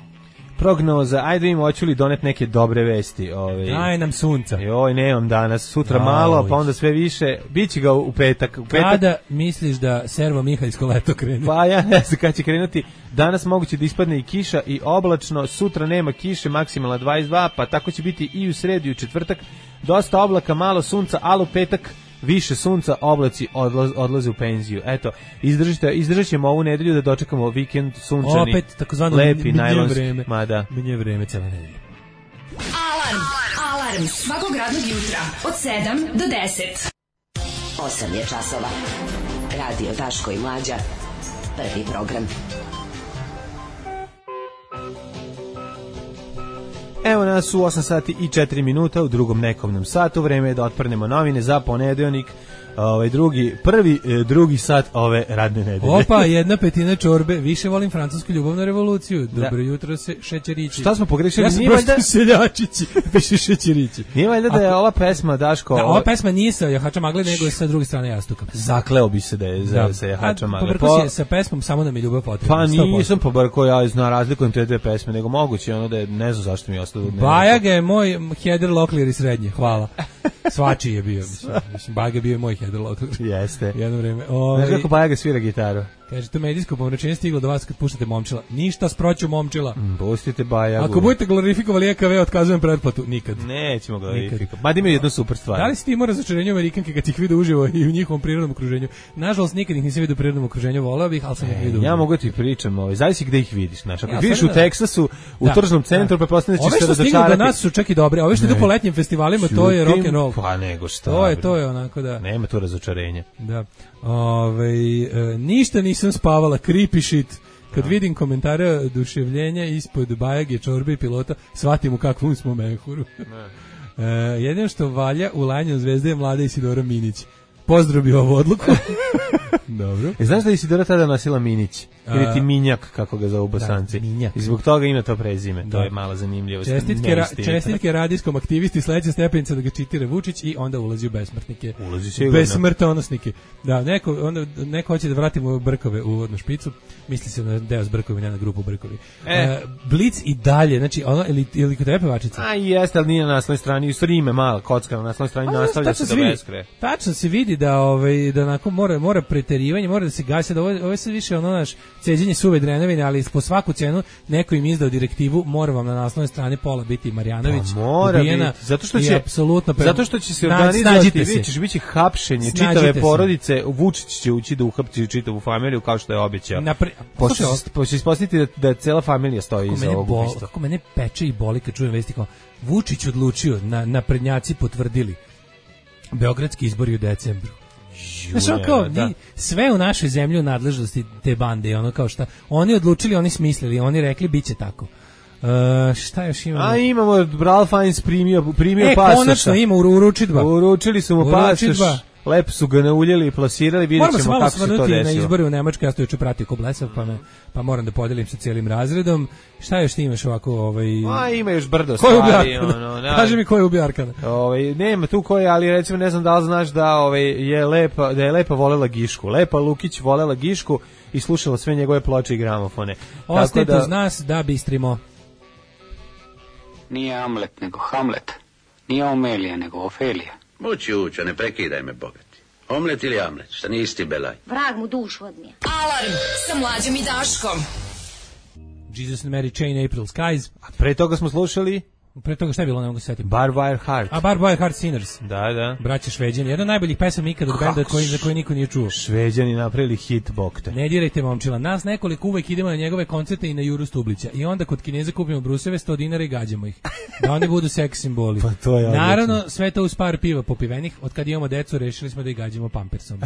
Prognoza, ajde vidimo hoću li donet neke dobre vesti. Ovaj. Daj nam sunca. Joj, nemam danas, sutra Joj. malo, pa onda sve više. Biće ga u petak. U petak. Kada misliš da servo Mihaljsko leto krene? Pa ja ne znam kada će krenuti. Danas moguće da ispadne i kiša i oblačno, sutra nema kiše, maksimalna dvadeset dva, pa tako će biti i u sredu i u četvrtak. Dosta oblaka, malo sunca, ali u petak više sunca, oblaci odlaz, odlaze u penziju. Eto, izdržite, izdržat ćemo ovu nedelju da dočekamo vikend sunčani, Opet takozvano lepi, minje najlonski. vreme. Ma da. Minje vreme cele nedelje. Alarm! Alarm! Svakog radnog jutra od sedam do deset. osam je časova. Radio Daško i Mlađa. Prvi program. Evo nas u osam sati i četiri minuta u drugom nekovnom satu. Vreme je da otprnemo novine za ponedeljnik. Ovaj drugi, prvi, e, drugi sat ove radne nedelje. Opa, jedna petina čorbe, više volim francusku ljubavnu revoluciju. Dobro jutro se šećerići. Šta smo pogrešili? Ja sam Nije prosto valjda- seljačići, više šećerići. Nije valjda da je ova pesma, Daško... Da, ovo- ova pesma nije sa jahača magle, nego je sa druge strane jastuka. Zakleo bi se da je za, sa jahača magle. Pobrko si je sa pesmom Samo nam je ljubav potrebna. Pa sto posto. nisam pobrko, ja zna razlikujem te dve pesme, nego moguće ono da je, ne znam zašto mi je ostalo. ne- Bajaga je moj Heather Locklear iz srednje, hvala. Svačiji je bio, mislim. mislim Bajaga je bio moj Heather Locklear. Jeste. Jedno vreme. Znaš Ovaj, kako Bajaga svira gitaru? kaže, to medijsko pomračenje stiglo do vas kad puštate Momčila. Ništa sproću Momčila. Pustite Bajagu. Ako budete glorifikovali E K V, otkazujem pretplatu. Nikad. Nećemo ga Nikad. verifikovati. Mada imaju jednu super stvar. Da li si ti imao razočarenje u Amerikanke kad ih vide uživo i u njihovom prirodnom okruženju? Nažalost, nikad ih nisam vidio u prirodnom okruženju, voleo bih, ali sam ih vidio. Ja mogu da ti pričam, ovaj, zavisi gde ih vidiš, znaš. Ako Ja, ih vidiš u sad da- Teksasu, u Da, tržnom centru, da. pretpostavljam da Ove ćeš se što stignu razočarati. do nas su čak i dobre, ove što idu Ne. po letnjim festivalima, to je rock and roll. Pa nego šta. To je, bre. to je onako da. Nema tu razočarenja. Da. Ove, e, ništa nisam spavala, creepy shit. Kad vidim komentare oduševljenja ispod Bajage, čorbe i pilota, shvatim u kakvom smo mehuru. E, jedino što valja u lanju zvezde je mlada Isidora Minić. Pozdrav bi ovu odluku. Dobro. E, znaš da je Isidora tada nosila Minić? Ili ti A- Minjak, kako ga zovu Bosanci. Da, Minjak. I zbog toga ima to prezime. To Da. je malo zanimljivo. Čestitke, ra, Neistinito. čestitke radijskom aktivisti, sledeća stepenica da ga čitira Vučić i onda ulazi u besmrtnike. Ulazi sigurno. Besmrtonosnike. Da, neko, onda, neko hoće da vratimo Brkove u uvodnu špicu, misli se na deo s Brkovi, ne na grupu Brkovi. E. E, Blic i dalje, znači, ono, ili, ili kod tebe pevačica? A jeste, ali nije na naslovnoj strani. U stvari ime mala kocka na naslovnoj strani A, nastavlja tačno se do vidi- beskraja. Tačno se vidi da ovaj da onako mora mora preterivanje, mora da se gasi, da ovo, ovo je sad više ono naš ceđenje suve drenovine, ali po svaku cenu neko im izdao direktivu, mora vam na naslovnoj strani pola biti Marjanović, Pa mora ubijena biti, zato što i će apsolutno pre- zato što će se Sna- organizovati, snađite se. vidjet ćeš, biće hapšenje Snađite čitave se. porodice, Vučić će ući da uhapsi čitavu familiju kao što je obećao. Napre- Pošto Slušaj, se- pošto će ispostaviti da, da cela familija stoji kako iza mene, ovog bol, ubistva. kako mene peče i boli kad čujem vesti kao Vučić odlučio, na, naprednjaci potvrdili Beogradski izbori u decembru. Znaš, ono kao, da. Sve u našoj zemlji u nadležnosti te bande, ono kao šta, oni odlučili, oni smislili, oni rekli biće tako. Uh, šta još imamo? A imamo, Ralph Fiennes primio, primio e, pasoša. E, konačno ima, uručidba. Uručili su mu pasoš, lepo su ga nauljeli i plasirali, vidjet ćemo kako se to desilo. Na izbori u Nemačkoj, ja sam juče pratio ko blesav, pa, me, pa moram da podelim sa cijelim razredom. Šta još ti imaš ovako? Ovaj... A, ima još brdo stvari. Ono, Kaži mi ko je ubio Arkana. Ovaj, nema tu ko je, ali recimo ne znam da li znaš da, ovaj, je, lepa, da je Lepa volela Gišku. Lepa Lukić volela Gišku i slušala sve njegove ploče i gramofone. Ostajte da... uz nas da bistrimo. Nije Amlet, nego Hamlet. Nije Omelija, nego Ofelija. Mući uča, ne prekidaj me, bogati. Omlet ili Amlet, šta nije isti belaj. Vrag mu dušu odnije. Alarm sa Mlađom i Daškom. Jesus and Mary Chain, April Skies. A pre toga smo slušali... Pre toga šta je bilo, ne mogu se setiti. Barbed Wire Heart. A Barbed Wire Heart Sinners. Da, da. Braća Šveđani. Jedan od najboljih pesama ikada od benda koji, za koji niko nije čuo. Šveđani napravili hit, bokte. Ne dirajte momčila. Nas nekoliko uvek idemo na njegove koncerte i na Juru Stublića. I onda kod Kineza kupimo bruseve sto dinara i gađamo ih. Da oni budu seks simboli. Pa to je naravno, sve to uz par piva popivenih. Od kad imamo decu, rešili smo da ih gađamo pampersom.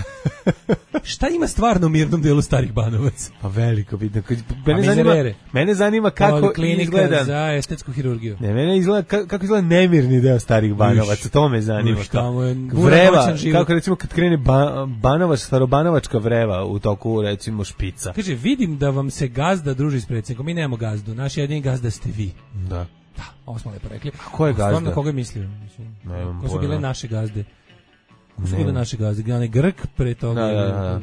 Šta ima stvarno u mirnom delu Starih Banovaca? Pa veliko, vidno. Mene zanima, mene zanima kako izgleda. Za estetsku hirurgiju. Ne, mene izgleda, kako izgleda nemirni deo Starih Banovaca, to me zanima. Uš, tamo je vreva, kako recimo kad krene ba, Banovač, starobanovačka vreva u toku recimo Špica. Kaže, vidim da vam se gazda druži s predsjednikom, mi nemamo gazdu, naš jedini gazda ste vi. Da. Da, ovo smo lepo rekli. A ko je gazda? Stvarno, koga je mislio? Ko su bile naše gazde? Ko su bile naše gazde? Gane Grk pre toga? Da, da, da.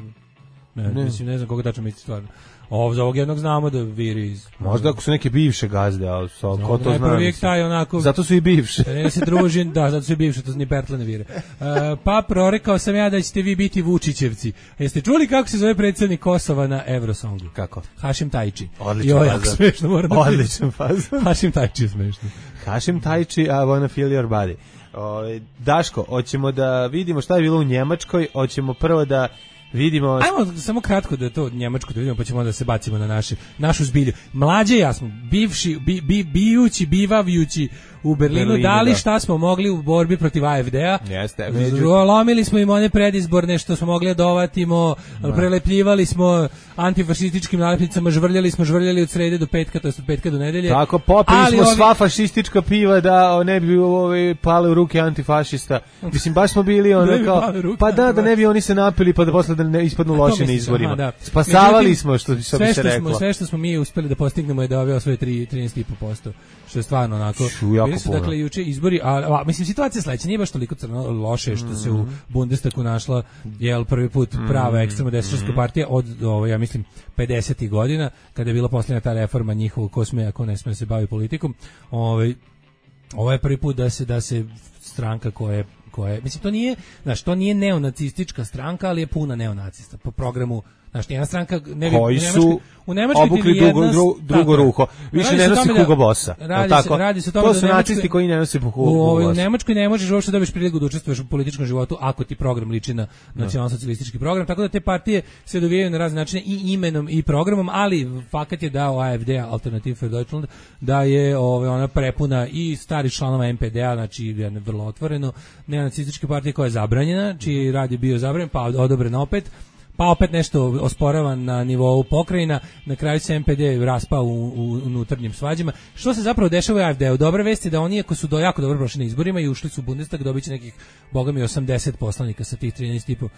Ne, ne. Mislim, ne znam koga tačno misli stvarno. Ovo za ovog jednog znamo da viri iz... Možda ako su neke bivše gazde, ali so, ko to zna? Taj onako, zato su i bivše. Ne se druži, da, zato su i bivše, to ni Pertle ne vire. Uh, pa prorekao sam ja da ćete vi biti Vučićevci. Jeste čuli kako se zove predsjednik Kosova na Eurosongu? Kako? Hašim Tajči. Odličan fazon. Smešno, moram da Odličan fazon. Hašim Tajči je smešno. Hašim Tajči, I wanna feel your body. O, Daško, hoćemo da vidimo šta je bilo u Njemačkoj, hoćemo prvo da vidimo... Ajmo samo kratko da to Njemačko da vidimo, pa ćemo onda se bacimo na naši, našu zbilju. Mlađe ja smo, bivši, bi, bi, bijući, bivavjući u Berlinu, Berlinu dali šta smo mogli u borbi protiv A F D-a. Jeste. Lomili smo im one predizborne što smo mogli dovatimo, prelepljivali smo antifašističkim nalepnicama, žvrljali smo, žvrljali od srede do petka, to jest od petka do nedelje. Tako, popili smo ovi... sva fašistička piva da ne bi ove, pale u ruke antifašista. Mislim, baš smo bili ono kao... Pa da, da ne bi oni se napili pa da posle da ne ispadnu loše na izborima. Aha, da. Spasavali Međutim, smo, što, što bi se reklo. Smo, sve što smo mi uspeli da postignemo je da ove osvoje trinaest zarez pet posto, što je stvarno onako... Bili su, dakle, juče izbori, a, a mislim, situacija je sledeća, nije baš toliko crno loše što se u Bundestagu našla, jel, prvi put prava ekstremno desničarska partija od, ovo, ja mislim, pedesetih godina, kada je bila posljednja ta reforma njihovog ko sme, ako ne sme se bavi politikom. Ovaj, ovo je prvi put da se, da se stranka koja je koje, mislim, to nije, znaš, to nije neonacistička stranka, ali je puna neonacista po programu. Znaš, jedna stranka ne bi, koji su u Nemačkoj obukli drugo, drugo, drugo ruho. Više ne nosi Hugo Bossa. Radi se, radi se o tome to su da nacisti koji ne nose Hugo Bossa. U Nemačkoj ne možeš uopšte dobiti priliku da učestvuješ u političkom životu ako ti program liči na nacionalsocijalistički program, tako da te partije se dovijaju na razne načine i imenom i programom, ali fakat je da A F D, Alternative für Deutschland, da je ove, ona prepuna i starih članova M P D-a, znači je vrlo otvoreno, neonacističke partije koja je zabranjena, čiji rad je bio zabranjen, pa odobren opet, pa opet nešto osporavan na nivou pokrajina, na kraju se M P D raspao u, u unutarnjim svađama. Što se zapravo dešava u A F D-u? Dobra vest je da oni, ako su do jako dobro prošli na izborima i ušli su u Bundestag, dobit će nekih, boga mi, osamdeset poslanika sa tih trinaest zarez pet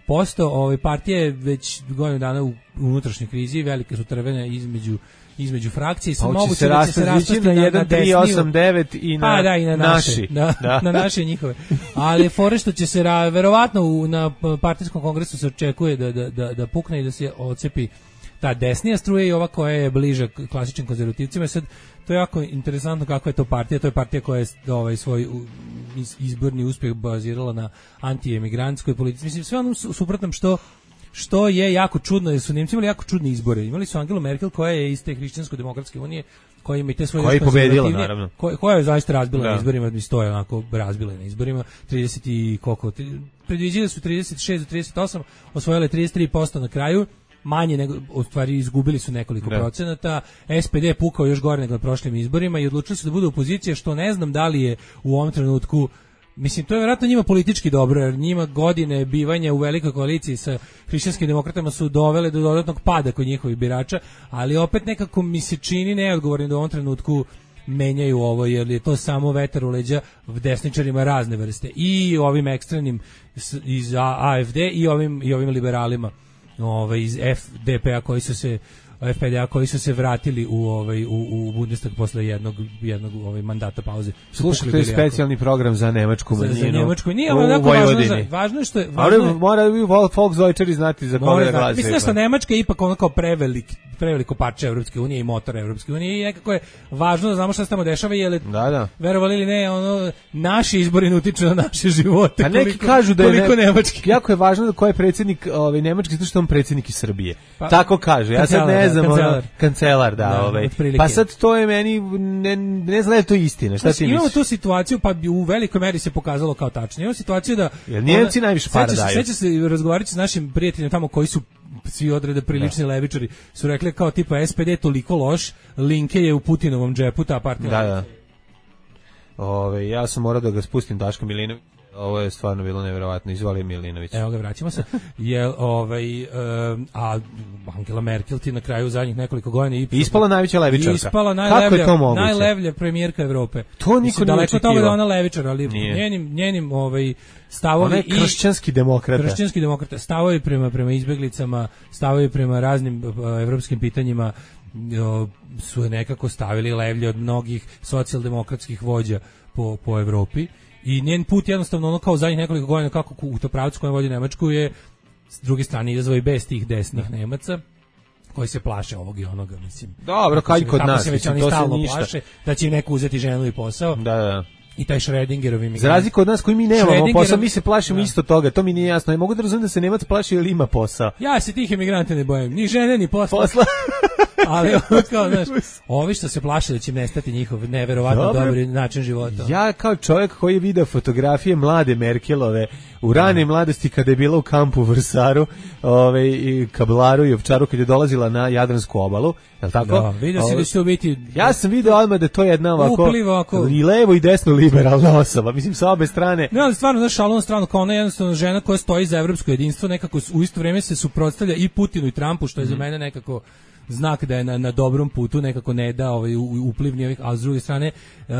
posto. Ove partije već godinu dana u unutrašnjoj krizi, velike su trvene između između frakcije i pa moguće se da će se rastati na jedan tri osam devet i na, a, da, i na naše, naši. Da, da. Na naše njihove. Ali fore što će se ra, verovatno u, na partijskom kongresu se očekuje da, da, da, da pukne i da se ocepi ta desnija struja i ova koja je bliža klasičnim konzervativcima. Sad, to je jako interesantno kako je to partija. To je partija koja je ovaj, svoj izborni uspjeh bazirala na antiemigrantskoj politici. Mislim, sve onom suprotnom što što je jako čudno, jer su Nemci imali jako čudne izbore. Imali su Angelu Merkel koja je iz te hrišćansko-demokratske unije, koja ima i te svoje... Koja je pobedila, naravno. Koja, koja je zaista razbila da. na izborima, mi stoje onako razbila na izborima, trideset i koliko, predviđili su trideset šest do trideset osam, osvojile trideset tri posto na kraju, manje nego, u stvari izgubili su nekoliko da. procenata, S P D je pukao još gore nego na prošlim izborima i odlučili su da budu opozicija, što ne znam da li je u ovom trenutku mislim, to je vjerojatno njima politički dobro, jer njima godine bivanja u velikoj koaliciji sa hrišćanskim demokratama su dovele do dodatnog pada kod njihovih birača, ali opet nekako mi se čini neodgovorni da u ovom trenutku menjaju ovo, jer je to samo vetar u leđa desničarima razne vrste, i ovim ekstremnim iz A F D i ovim, i ovim liberalima ovaj, iz F D P-a koji su se F P D-a koji su se vratili u ovaj u, u Bundestag posle jednog jednog ovaj mandata pauze. Slušaj, to je specijalni program za nemačku manjinu. Za, za Njemačku nije, ali tako važno, za, važno je što je važno. Ali mora bi Volksdeutscheri znati za koga da glasaju. Mislim da što Nemačka je ipak ono kao prevelik preveliko parče Evropske unije i motor Evropske unije i nekako je važno da znamo šta se tamo dešava, jer da, da. verovali ili ne, ono naši izbori utiču na naše živote. A neki koliko, kažu da je ne, nemački. Jako je važno da ko je predsjednik ovaj nemački, zato što on predsjednik iz Srbije. Pa, tako kaže. Ja sad ne znam, kancelar. Ono, kancelar, da, da ovaj. Pa sad to je meni ne, ne znam da je to istina. Šta ti imamo misliš? Tu situaciju, pa u velikoj meri se pokazalo kao tačno. Imamo situaciju da jer Njemci najviše para daju. Seća se razgovarati s našim prijateljima tamo koji su svi odrede prilični da. levičari, su rekli kao tipa S P D toliko loš, Linke je u Putinovom džepu, ta partija. Da, da. Ove, ja sam morao da ga spustim, Daško Milinović. Ovo je stvarno bilo nevjerovatno. Izvoli Milinović. Evo ga, vraćamo se. Je, ovaj, um, a Angela Merkel ti na kraju zadnjih nekoliko godina i ispala najveća levičarka. Ispala najlevlja, najlevlja premijerka Evrope. To niko nije daleko toga da ona levičar, ali nije. njenim njenim ovaj stavovi i kršćanski demokrata. Kršćanski demokrata, stavovi prema prema izbeglicama, stavovi prema raznim uh, evropskim pitanjima uh, su nekako stavili levlje od mnogih socijaldemokratskih vođa po po Evropi. I njen put jednostavno ono kao zadnjih nekoliko godina kako u to pravcu kojem vodi Nemačku je s druge strane izazvao i bez tih desnih Nemaca koji se plaše ovog i onoga, mislim. Dobro, kaj kod nas, se već oni stalno plaše da će im neko uzeti ženu i posao. Da, da. I taj Schrödingerov imigrant. Za razliku od nas koji mi nemamo posao, mi se plašimo da. isto toga, to mi nije jasno. Ja mogu da razumijem da se Nemac plaši ili ima posao. Ja se tih imigranta ne bojim, ni žene, ni posla. Posla. Ali ovo kao, znaš, ovi što se plaše da će nestati njihov neverovatno Dobre. dobri način života. Ja kao čovjek koji je video fotografije mlade Merkelove u rane mladosti kada je bila u kampu u Vrsaru, ovaj, i Kablaru i Ovčaru kad je dolazila na Jadransku obalu, je li tako? Da, vidio si da će to biti... Ja sam video odmah da to je jedna ovako, ovako i levo i desno liberalna osoba, mislim sa obe strane. Ne, ali stvarno, znaš, šalom stranu, kao ona jednostavno žena koja stoji za evropsko jedinstvo, nekako u isto vrijeme se suprotstavlja i Putinu i Trumpu, što je mm. za mene nekako znak da je na, na dobrom putu, nekako ne da ovaj uplivni ovih, a s druge strane uh,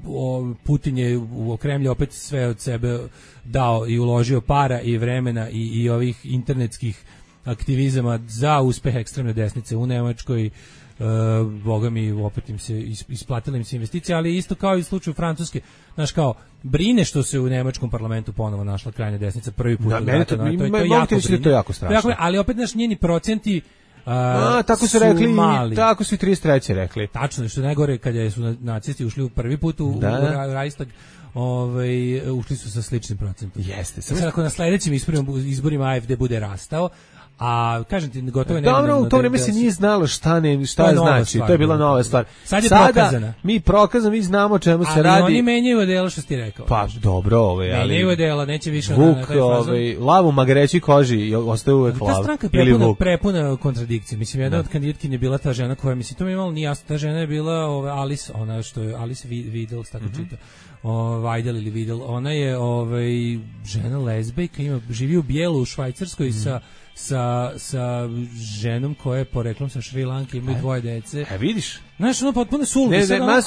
o, Putin je u Kremlju opet sve od sebe dao i uložio para i vremena i, i ovih internetskih aktivizama za uspeh ekstremne desnice u Nemačkoj. Uh, boga mi opet im se isplatila im se investicija, ali isto kao i u slučaju Francuske, znaš, kao brine što se u nemačkom parlamentu ponovo našla krajnja desnica prvi put. Da, meni to, to, to, to, je jako to je jako strašno. Dakle, ali opet naš njeni procenti Uh, A, tako su, su rekli, mali. Tako su i trideset treće rekli. Tačno, što je najgore kad je su nacisti ušli u prvi put u, da. u Reichstag, ovaj, ušli su sa sličnim procentom. Jeste. Sad ako na sledećim izborima, izborima A F D bude rastao, a kažem ti, gotovo je dobro, u to vreme se nije znalo šta ne šta je znači, stvar, to je bila nova stvar. Sad je Sada, prokazana. Mi prokazano, mi znamo čemu ali se radi. Ali oni menjaju odelo što ti rekao. Pa dobro, ovaj, ali menjaju odelo, neće više Vuk, na taj fazon. Ovaj, lavu magreći koži, ostaje uvek lav. Ta stranka je prepuna, prepuna kontradikcije. Mislim, jedna da. od kandidatkinja je bila ta žena koja, mislim, to mi je malo nije jasno, ta žena je bila ovaj, Alice, ona što je Alice Vidal, tako mm-hmm. čita. Vajdel ili Vidal, ona je ovaj, žena lezbejka, ima, živi u Bijelu u Švajcarskoj mm. sa sa sa ženom koja je poreklom sa Šri Lanke, imaju dvoje dece. E vidiš? Znaš, ono potpuno suludi.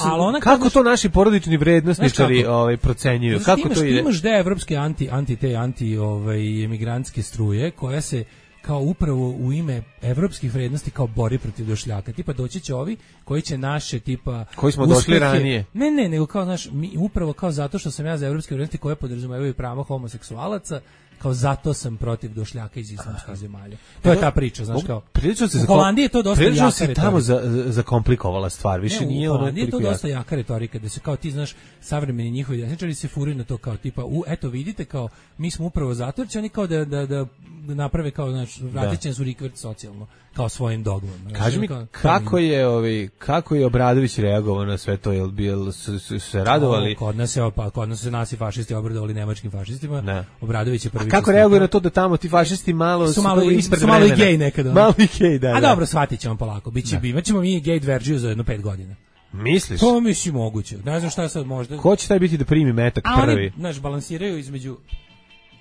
Ali ona kako naš, to naši porodični vrednosničari ovaj procenjuju? Kako imaš, to ide? Imaš da evropske anti anti te anti ovaj emigrantske struje koja se kao upravo u ime evropskih vrednosti kao bori protiv došljaka. Tipa doći će ovi koji će naše tipa koji smo uspehe, došli ranije. Ne, ne, nego kao naš mi upravo kao zato što sam ja za evropske vrednosti koje podrazumevaju prava homoseksualaca, kao zato sam protiv došljaka iz islamskih zemalja. To je ta priča, znaš kao. Prilično se u Holandiji je to dosta jaka retorika. se tamo za, za komplikovala stvar, više ne, nije ono. U Holandiji je to dosta jaka retorika, da se kao ti znaš savremeni njihovi desničari se furaju na to kao tipa u eto vidite kao mi smo upravo zato jer će oni kao da da da naprave kao znači vratit će nas u rikvert socijalno kao svojim dogmama. Kaži mi kao, kako je ovaj kako je Obradović reagovao na sve to, jel bil su, su se radovali? O, kod nas je pa kod nas se nasi fašisti obradovali nemačkim fašistima. Ne. Obradović je prvi. A kako reaguje na to da tamo ti fašisti malo su malo ispred su malo i gej nekada. Malo i gej, da. A dobro, shvatićemo polako. Biće bivaćemo mi gej verziju za jedno pet godina. Misliš? To mislim moguće. Ne znam šta sad možda. Ko će taj biti da primi metak A prvi? oni, znaš, balansiraju između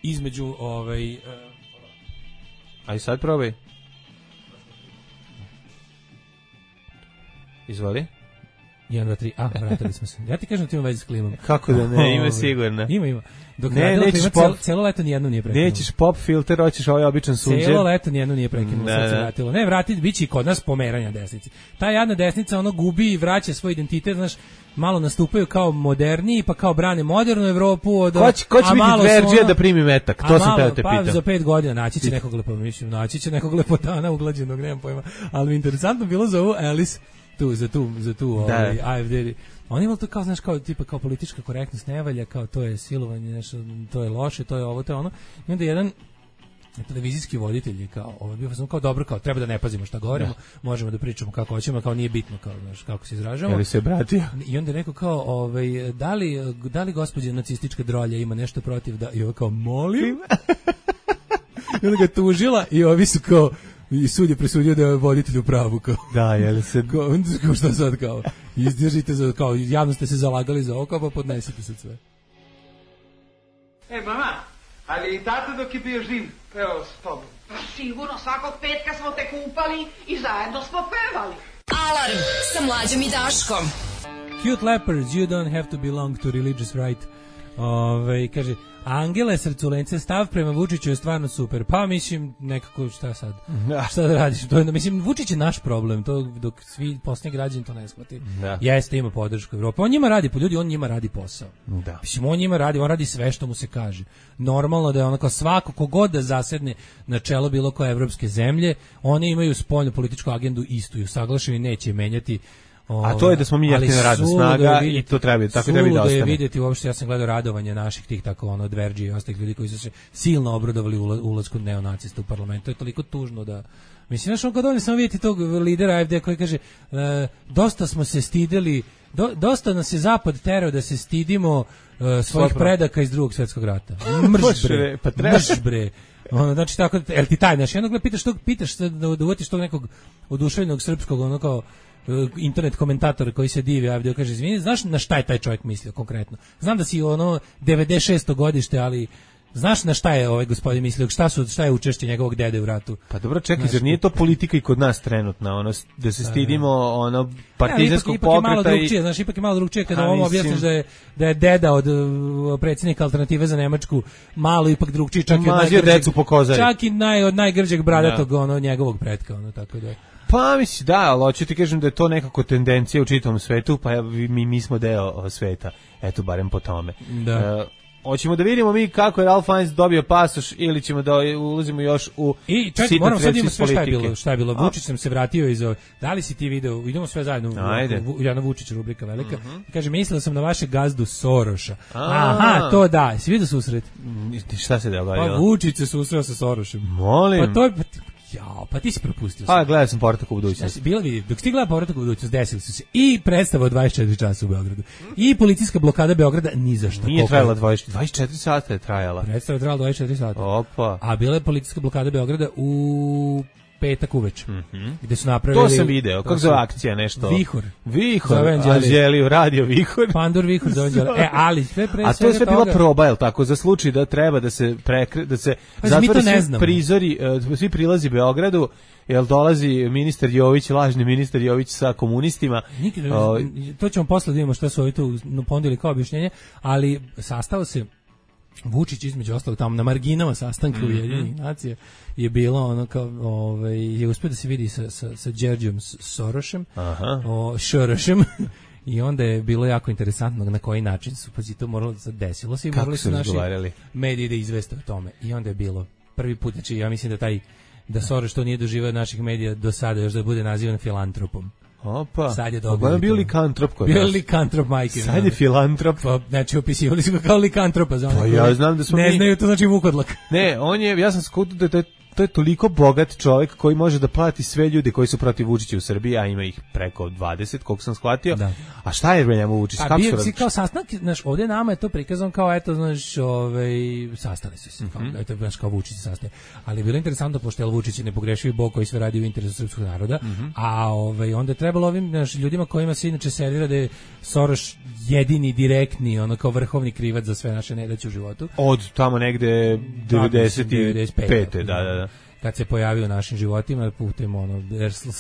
između ovaj uh, aj sad probaj. Izvoli. jedan, dva, tri, a, vratili smo se. Ja ti kažem da ti ima veze s klimom. Kako da ne, ima sigurno. Ima, ima. Dok ne, nećeš klima, pop, celo, celo leto nijedno nije prekinulo. Nećeš pop filter, hoćeš ovaj običan sunđer. Celo leto nijedno nije prekinulo, da, sad se da. vratilo. Ne, vrati, bit će i kod nas pomeranja desnici. Ta jadna desnica, ono, gubi i vraća svoj identitet, znaš, malo nastupaju kao moderniji, pa kao brane modernu Evropu. Od, ko će, ko će biti Verđija ono, da primi metak? To sam teo te pitam. Pa za pet godina naći će nekog lepo, mislim, naći će nekog lepotana uglađenog, nemam pojma. Ali mi interesantno bilo za ovu Alice, tu, za tu, za tu, ovaj, A F D. Oni imali to kao, znaš, kao, tipa, kao politička korektnost ne valja, kao to je silovanje, nešto, to je loše, to je ovo, to je ono. I onda jedan televizijski voditelj je kao, ovo bio kao dobro, kao treba da ne pazimo šta govorimo, da. Možemo da pričamo kako hoćemo, kao nije bitno, kao, znaš, kako se izražavamo. Je li se bratio? I onda je rekao kao, ovaj, da li, da li gospođa nacistička drolja ima nešto protiv da, i ovo kao, molim? I onda ga tužila i ovi su kao, i sud je presudio da je voditelj u pravu, kao. Da, je li se... Kao, kao šta sad, kao, izdržite za, kao, javno ste se zalagali za oko, pa podnesite se sve. E, mama, ali i tata dok je bio živ, pevao s tobom. Pa sigurno, svakog petka smo te kupali i zajedno smo pevali. Alarm sa Mlađom i Daškom. Cute lepers, you don't have to belong to religious right. Ove, kaže, Angele Srculence, stav prema Vučiću je stvarno super. Pa mislim, nekako, šta sad? Da. Šta da radiš? To je, mislim, Vučić je naš problem, to dok svi posljednji građani to ne shvati. Da. Jeste, ima podršku Evrope. On njima radi, po ljudi, on njima radi posao. Da. Mislim, on njima radi, on radi sve što mu se kaže. Normalno da je ono kao svako, kogod da zasedne na čelo bilo koje evropske zemlje, one imaju spoljnu političku agendu istu i usaglašenu i neće menjati. O, a to je da smo mi jeftina radna snaga i to treba, tako treba i da ostane. Je vidjeti uopšte, ja sam gledao radovanje naših tih tako ono Dverđi i ostalih ljudi koji su se silno obradovali ulasku neonacista u parlament. To je toliko tužno da mislim, znaš, on kad on samo vidjeti tog lidera A F D koji kaže e, dosta smo se stideli, do, dosta nas je zapad terao da se stidimo e, svojih predaka iz drugog svjetskog rata. Mrš bre, pa mrš bre. Ono, znači tako, el ti taj, znaš, jednog gleda pitaš tog, pitaš da, da uvatiš tog nekog oduševljenog srpskog, ono kao internet komentator koji se divi, a kaže, izvini, znaš na šta je taj čovjek mislio konkretno? Znam da si ono devedeset šesto godište, ali znaš na šta je ovaj gospodin mislio? Šta su šta je učešće njegovog dede u ratu? Pa dobro, čekaj, zar nije to politika i kod nas trenutno, ono da se stidimo ono partizanskog pokreta? Ipak je malo drugčije, znaš, ipak je malo drugčije kada ovom objasniš da je da je deda od predsjednika Alternative za Nemačku, malo ipak drugčije, čak i mazio decu po kozari. Čak i naj od najgrđeg bradatog ono njegovog pretka, ono tako da. Pa misli, da, ali hoću ti kažem da je to nekako tendencija u čitavom svetu, pa mi, mi smo deo sveta, eto, barem po tome. Da. E, hoćemo da vidimo mi kako je Ralph Fiennes dobio pasoš ili ćemo da ulazimo još u i čekaj, moram sad imamo sve šta je bilo, šta je bilo. Vučić sam se vratio iz ove, da li si ti video, idemo sve zajedno u Jana Vučić rubrika velika. Mm-hmm. Kaže, mislila sam na vaše gazdu Soroša. Aha, to da, si vidio susret? Šta se dogodilo? Pa Vučić se susreo sa Sorošem. Molim. Pa to je jao, pa ti si propustio. A, gledao sam Povratak u budućnost. Znači, bilo vidi, dok si gledao Povratak u budućnost, desili su se i predstava od dvadeset četiri časa u Beogradu. I policijska blokada Beograda ni za šta. Nije trajala dvadeset četiri sata je trajala. Predstava je trajala dvadeset četiri sata. Opa. A bila je policijska blokada Beograda u petak uveče. Mm-hmm. Gde su napravili... To sam video, kako zove akcija nešto? Vihor. Vihor, Anđeli, radio Vihor. Pandur Vihor za Anđeli. E, ali sve pre A to je sve bila proba, je tako, za slučaj da treba da se prekre, da se pa, zatvori svi prizori, uh, svi prilazi Beogradu, jel dolazi ministar Jović, lažni ministar Jović sa komunistima. Nikad, o, to ćemo posle da vidimo šta su ovi tu ponudili kao objašnjenje, ali sastao se Vučić između ostalog tamo na marginama sastanka mm-hmm. Ujedinjenih nacija je bilo ono kao ovaj je uspio da se vidi sa sa sa Đerđom Sorošem, aha, o Šorošem. I onda je bilo jako interesantno na koji način su, pa to moralo da se desilo se i morali su naši mediji da izveste o tome. I onda je bilo prvi put, znači ja mislim da taj da Soroš to nije doživio od naših medija do sada, još da bude nazivan filantropom. Opa, sad je dobro. On je bio likantrop kod nas. Bio likantrop, majke. Sad je filantrop. Pa, znači, opisivali su ga kao likantropa. Za pa ja znam da smo ne mi... znaju, to znači vukodlak. Ne, on je, ja sam skuto da to je to je toliko bogat čovjek koji može da plati sve ljude koji su protiv Vučića u Srbiji, a ima ih preko dvadeset, koliko sam shvatio. Da. A šta je bre njemu Vučić? Pa kako bio su si kao sastanak, znaš, ovdje nama je to prikazano kao, eto, znaš, ovaj, sastali su se, mm -hmm. kao, eto, znaš, kao Vučić se sastaje. Ali je bilo interesantno, pošto je Vučić je nepogrešivi bog koji sve radi u interesu srpskog naroda, mm -hmm. a ovaj, onda je trebalo ovim, znaš, ljudima kojima se inače servira da je Soros jedini, direktni, ono kao vrhovni krivac za sve naše nedaće u životu. Od tamo negde devedeset pete da, da, da. Kad se pojavio u našim životima putem ono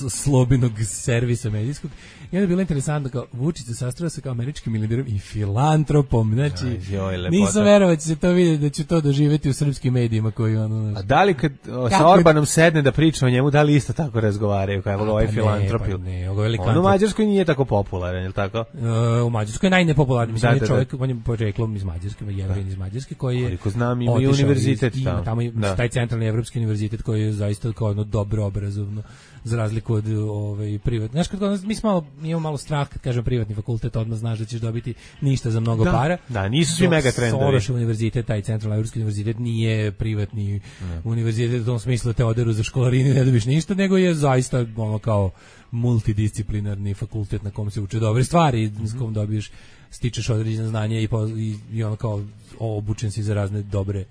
slobinog servisa medijskog. I onda je bilo interesantno kao Vučić se sastao sa kao američkim milijarderom i filantropom. Znači, Joj, nisam verovao da će se to vidjeti, da će to doživjeti u srpskim medijima koji ono. A da li kad o, sa Orbanom sedne da priča o njemu, da li isto tako razgovaraju kao ovaj filantrop? Pa ne, ovo je on u Mađarskoj nije tako popularan, je li tako? Uh, u Mađarskoj je najnepopularniji, mislim da, da, da. čovjek, on je poreklom iz Mađarske, Jevrin iz Mađarske koji je. Koliko znam, ima i univerzitet iz, tamo. Tamo je da. taj centralni evropski univerzitet koji je zaista kao ono dobro obrazovno, za razliku od ovaj privatnog. Znaš, kad mi smo malo, mi imamo malo strah kad kažem privatni fakultet, odmah znaš da ćeš dobiti ništa za mnogo da, para. Da, nisu svi mega trendovi. Soros univerzitet, taj centralni evropski univerzitet nije privatni ne. univerzitet u tom smislu da te oderu za školarinu ne dobiš ništa, nego je zaista ono kao multidisciplinarni fakultet na kom se uče dobre stvari, mm-hmm. s kom dobiješ, stičeš određena znanja i, i, i ono kao obučen si za razne dobre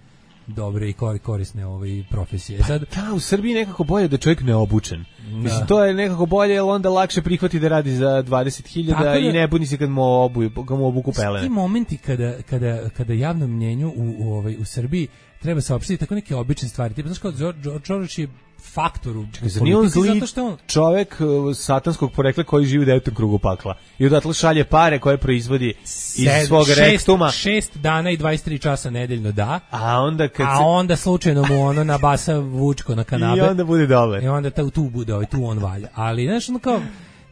dobre i korisne ove profesije. Pa sad da, u Srbiji nekako bolje da čovjek ne obučen. Da. Mislim, to je nekako bolje, jer onda lakše prihvati da radi za dvadeset hiljada da, i ne buni se kad mu obuju, kad mu obuku pelene. Ti momenti kada, kada, kada javnom mnjenju u, u, ovaj, u Srbiji treba saopštiti tako neke obične stvari. Tipa, znaš kao, Đorđe je faktor u politici, zato što on čovjek uh, satanskog porekla koji živi u devetom krugu pakla i odatle šalje pare koje proizvodi iz svog šest, rektuma. Šest dana i dvadeset tri časa nedeljno, da. A onda kad a se... onda slučajno mu ono nabasa Vučko na kanabe. I onda bude dobar. I onda ta, tu bude, ovaj, tu on valja. Ali, znaš, ono kao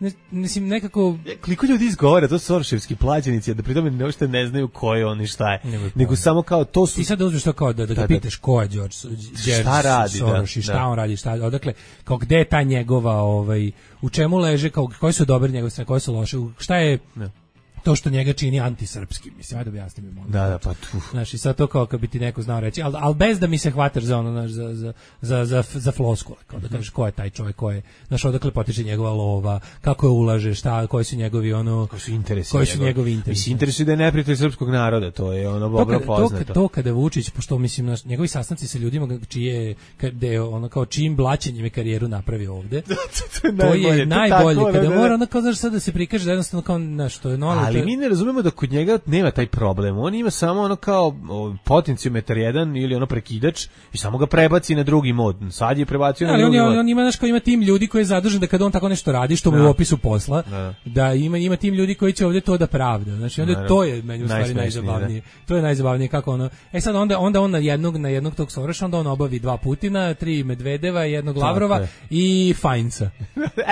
ne, mislim, nekako... Koliko ljudi izgovara, to su Soroševski plaćenici, da pritom ne uopšte ne znaju ko je on i šta je. Nego, nego samo kao to su... Ti sad uzmeš to kao da, da ga da, pitaš ko je George, George šta radi, Soros da, i šta da. on radi, šta, odakle, kao gde je ta njegova, ovaj, u čemu leže, kao, koje su dobre njegove strane, koje su loše, šta je... Ne. To što njega čini antisrpskim, mislim, ajde objasnim mi. Da, da, pa tu. Znaš, i sad to kao kad bi ti neko znao reći, ali al bez da mi se hvataš za ono, znaš, za, za, za, za, za floskule, kao da kažeš ko je taj čovjek, ko je, znaš, odakle potiče njegova lova, kako je ulaže, šta, koji su njegovi, ono, koji su interesi, koji su njegovi interesi. Mislim, interesi da je neprijatelj srpskog naroda, to je ono dobro poznato. To, to kada Vučić, pošto mislim, naš, njegovi sastanci sa ljudima čije, kada je ono kao čim blaćenjem je karijeru napravio ovde, to je to najbolje, je najbolje, kada mora ono kao, znaš, sad da se prikaže da jednostavno kao, znaš, to je normalno. Ali mi ne razumemo da kod njega nema taj problem. On ima samo ono kao potenciometar jedan ili ono prekidač i samo ga prebaci na drugi mod. Sad je prebacio na ali drugi on, mod. On ima, znaš, kao ima tim ljudi koji je zadužen da kad on tako nešto radi, što mu je u opisu posla, da, da ima, ima tim ljudi koji će ovdje to da pravda. Znači, onda da, to je meni u stvari najzabavnije. Da. To je najzabavnije kako ono... E sad, onda, onda on na jednog, na jednog tog Soroša, onda on obavi dva Putina, tri Medvedeva, jednog Lavrova tako i Fajnca.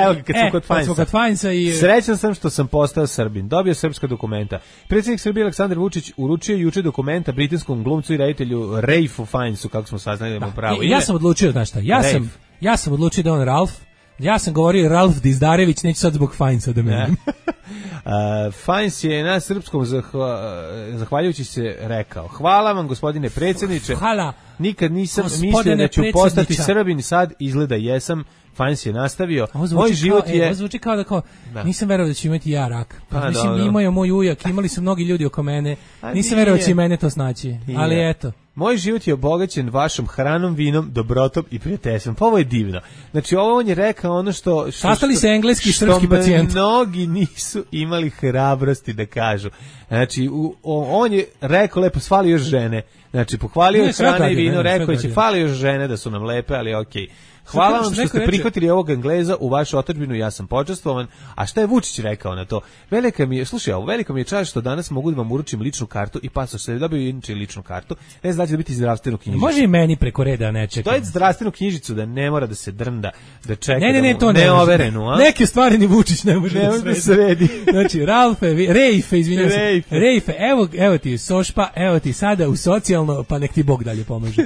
Evo kad smo e, kod Fajnca. Kod Fajnca i... Srećan sam što sam postao Srbin. Dobio srpska dokumenta. Predsjednik Srbije Aleksandar Vučić uručio juče dokumenta britanskom glumcu i reditelju Ralphu Fiennesu, kako smo saznali da mu pravo ime. Ja sam odlučio, znaš šta, ja Rafe. sam, ja sam odlučio da on Ralph, ja sam govorio Ralph Dizdarević, neću sad zbog Fiennesa da menim. Uh, Fiennes je na srpskom zahva, zahvaljujući se rekao: hvala vam gospodine predsjedniče, hvala. Nikad nisam mislio da ću postati Srbin, sad izgleda jesam. Fiennes je nastavio. Moj život kao, je... Ovo zvuči kao da kao, da. Nisam verovao da ću imati ja rak. Pa, pa mislim, do, imao je moj ujak, imali su mnogi ljudi oko mene. A nisam verovao da će i mene to snaći. Nije. Ali eto. Moj život je obogaćen vašom hranom, vinom, dobrotom i prijateljstvom. Pa ovo je divno. Znači, ovo on je rekao ono što... što Sastali se engleski i srpski pacijent. Mnogi nisu imali hrabrosti da kažu. Znači, u, on je rekao lepo, svali još žene. Znači, pohvalio je hrane i vino, rekao je će fali još žene da su nam lepe, ali okej. Okay. Hvala vam što ste prihvatili ovog Engleza u vašu otadžbinu, ja sam počastvovan. A šta je Vučić rekao na to? Velika mi je, slušaj, ovo velika mi je čast što danas mogu da vam uručim ličnu kartu i pasoš, se dobio inače ličnu kartu. Ne znači da biti zdravstvenu knjižicu. Može i meni preko reda ne čeka. To je zdravstvenu knjižicu da ne mora da se drnda, da čeka. Ne, ne, ne, to ne overenu, a? Neke stvari ni Vučić ne može ne da sredi. Znači, Ralfe, Rejfe, izvinjavam se. Rejfe, evo, evo ti Sošpa, evo ti sada u socijalno, pa nek ti Bog dalje pomaže.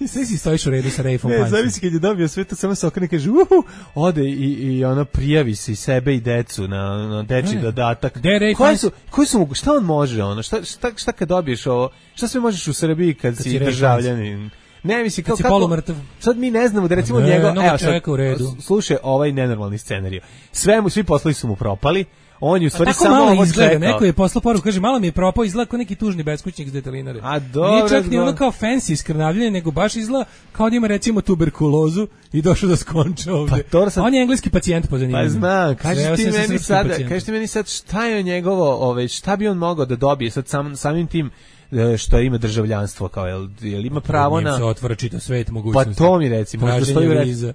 Sve si stojiš u redu sa Rejfom. Ne, zavisi kad je dobio sve to, samo se okrene, kaže, uhu, ode i, i ono prijavi se i sebe i decu na, na deči dodatak. Koji su, koji su, šta on može, ono, šta, šta, šta kad dobiješ ovo, šta sve možeš u Srbiji kad, kad si državljanin? Ne, mislim, kao Kad si kako... polumrtav. Sad mi ne znamo da recimo Ne, njegov... no, Evo čovjeka sad, u redu. slušaj, ovaj nenormalni scenarij. Sve mu, svi poslovi su mu propali, on je u stvari A tako samo malo ovo izgleda, čekao. neko je poslao poruku, kaže, malo mi je propao, izgleda kao neki tužni beskućnik s detelinare. A dobro, Nije čak ni dobro. ono kao fancy iskrnavljanje, nego baš izgleda kao da ima recimo tuberkulozu i došao da skonča ovde. Pa to sam- On je engleski pacijent po zanimanju. Pa znam, Sreo kažeš ti sam se meni srpskim sad, pacijentom. kažeš ti meni sad šta je njegovo, ovaj, šta bi on mogao da dobije sad sam, samim tim e, što ima državljanstvo, kao jel, jel ima pravo Njim na... se otvara čitav svet Pa mogućnosti. to mi reci, možda Traženje stoji u reci. viza.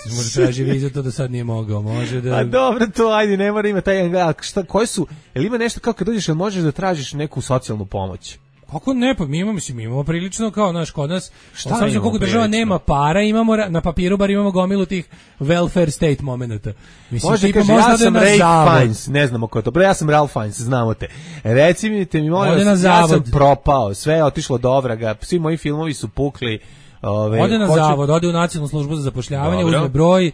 Može traži viza, to do sad nije mogao. Može da... A dobro, to ajde, ne mora ima taj engleski. Šta, koje su, jel ima nešto kao kad dođeš, jel možeš da tražiš neku socijalnu pomoć? Kako ne, pa mi imamo, mislim, mi imamo prilično kao, znaš, kod nas, Šta šta imamo koliko država prilično? nema para, imamo, ra- na papiru bar imamo gomilu tih welfare state momenata. Mislim, Može tipa, kaže, možda ja ode sam na Ray zavod. Fiennes, ne znamo ko je to, bre, ja sam Ralph Fiennes, znamo te. Reci mi te mi, molim Ode na vas, ja sam zavod. propao, sve je otišlo do vraga, svi moji filmovi su pukli. Ove, Ode na hoću- zavod, ode u nacionalnu službu za zapošljavanje, Dobro. uzme broj,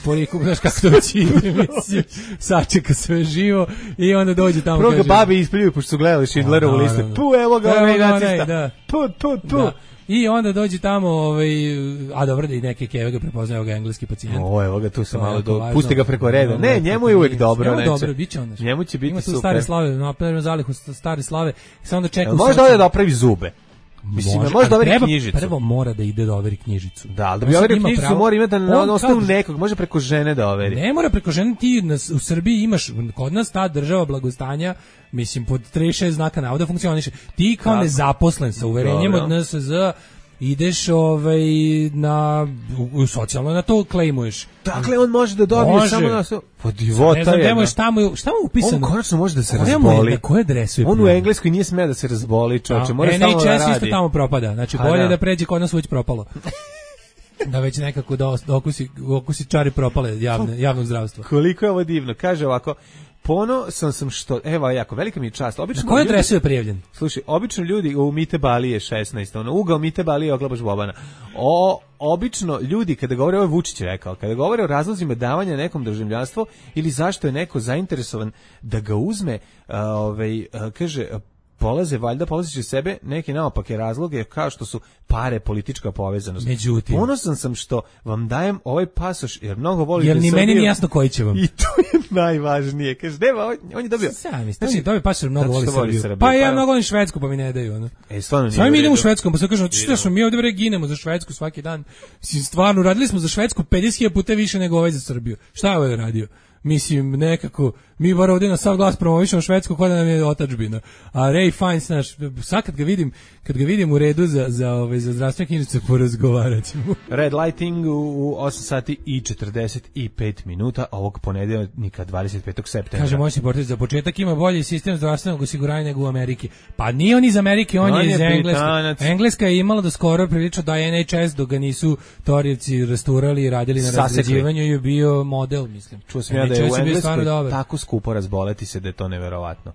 poriku, znaš kako to već ide, mislim, sačeka sve živo i onda dođe tamo. Prvo ga kaže, babe ispljuju, pošto su gledali Schindlerovu A, listu. naravno. Tu, evo ga, Evo ovaj ga onaj, nacista. da. Tu, tu, tu. Da. I onda dođe tamo, ovaj, a dobro da i neke keve ga prepoznaju ga engleski pacijent. O, evo ga, tu se To je malo jako do... važno. Pusti ga preko reda. No, Ne, no, njemu je uvek nije. dobro. Njemu neće. dobro, bit će onda. Njemu će biti Ima tu super. stare slave, napravimo zalihu st- stare slave, samo da čeka Jel u Može da socijalnom- ode da opravi zube. Mislim, Može, može da ali overi treba- knjižicu. Prvo mora da ide da overi knjižicu. Da, ali da On bi sad overio ima knjižicu pravo- mora imati na, na on osnovu kad- nekog, može preko žene da overi. Ne mora preko žene, ti na, u Srbiji imaš, kod nas ta država blagostanja, mislim, pod trideset šest znaka navoda funkcioniše. Ti kao Tako. nezaposlen sa uverenjem Dobro. od N S Z ideš ovaj, na, u, u socijalno na to klejmuješ. Dakle, on može da dobije Može. samo na... Pa divota Ne znam, je. gde mu je, šta mu je, šta mu je upisano? On konačno može da se Koja mu je- razboli. Na koje adresu je On u prijavljen? Engleskoj nije smeo da se razboli, čoveče. Mora N stalno H da S isto radi. tamo propada. Znači, Pa bolje da. da pređe kod nas već propalo. Da već nekako da, os- da okusi, okusi čari propale javne, javnog zdravstva. Koliko je ovo divno. Kaže ovako, ponosan sam što... Evo, jako, velika mi je čast. Obično Na koju ljudi- adresu je prijavljen? Slušaj, obično ljudi u Mite Balije šesnaest, ono, ugao Mite Balije oglabaš Bobana. O, obično ljudi, kada govore, ovo je Vučić rekao, kada govore o razlozima davanja nekom državljanstvo ili zašto je neko zainteresovan da ga uzme, a, ovaj, a, kaže, a, polaze, valjda polazeći sebe neke naopake razloge, kao što su pare, politička povezanost. Međutim. Ponosan sam što vam dajem ovaj pasoš, jer mnogo volite Jer ni meni Srbiju. nije jasno koji će vam. I to je najvažnije. Kaže, nema, on, on je dobio... Sami, znači, dobio pasoš mnogo zato voli što voli Srbiju. Srbiju, Pa ja pa- mnogo volim Švedsku, pa mi ne daju. Ono. E, stvarno nije Sami u mi idemo u redu. Švedsku, pa se kažemo, što smo mi ovdje bre ginemo za Švedsku svaki dan. Mislim, stvarno, radili smo za Švedsku pedeset hiljada puta više nego ovaj za Srbiju. Šta je ovaj radio? Mislim, nekako, mi bar ovdje na sav glas promovišemo Švedsku koja nam je otadžbina. A Ray Fiennes, znaš, sad kad ga vidim, kad ga vidim u redu za, za, ovaj, za zdravstvene knjižice, porazgovarat ćemo. Red Lighting u, u osam sati i četrdeset pet minuta ovog ponedeljnika dvadeset petog septembra. Kaže moćni portir, za početak ima bolji sistem zdravstvenog osiguranja nego u Ameriki. Pa nije on iz Amerike, on, On je je iz Engleske. Britanac. Engleska je imala da skoro prilično da je N H S dok ga nisu torijevci rasturali i radili na Sasekli. razređivanju i je bio model, mislim. Čuo sam ja da je N H S u bio stvarno Engleskoj dobar. tako skupo razboleti se da je to neverovatno.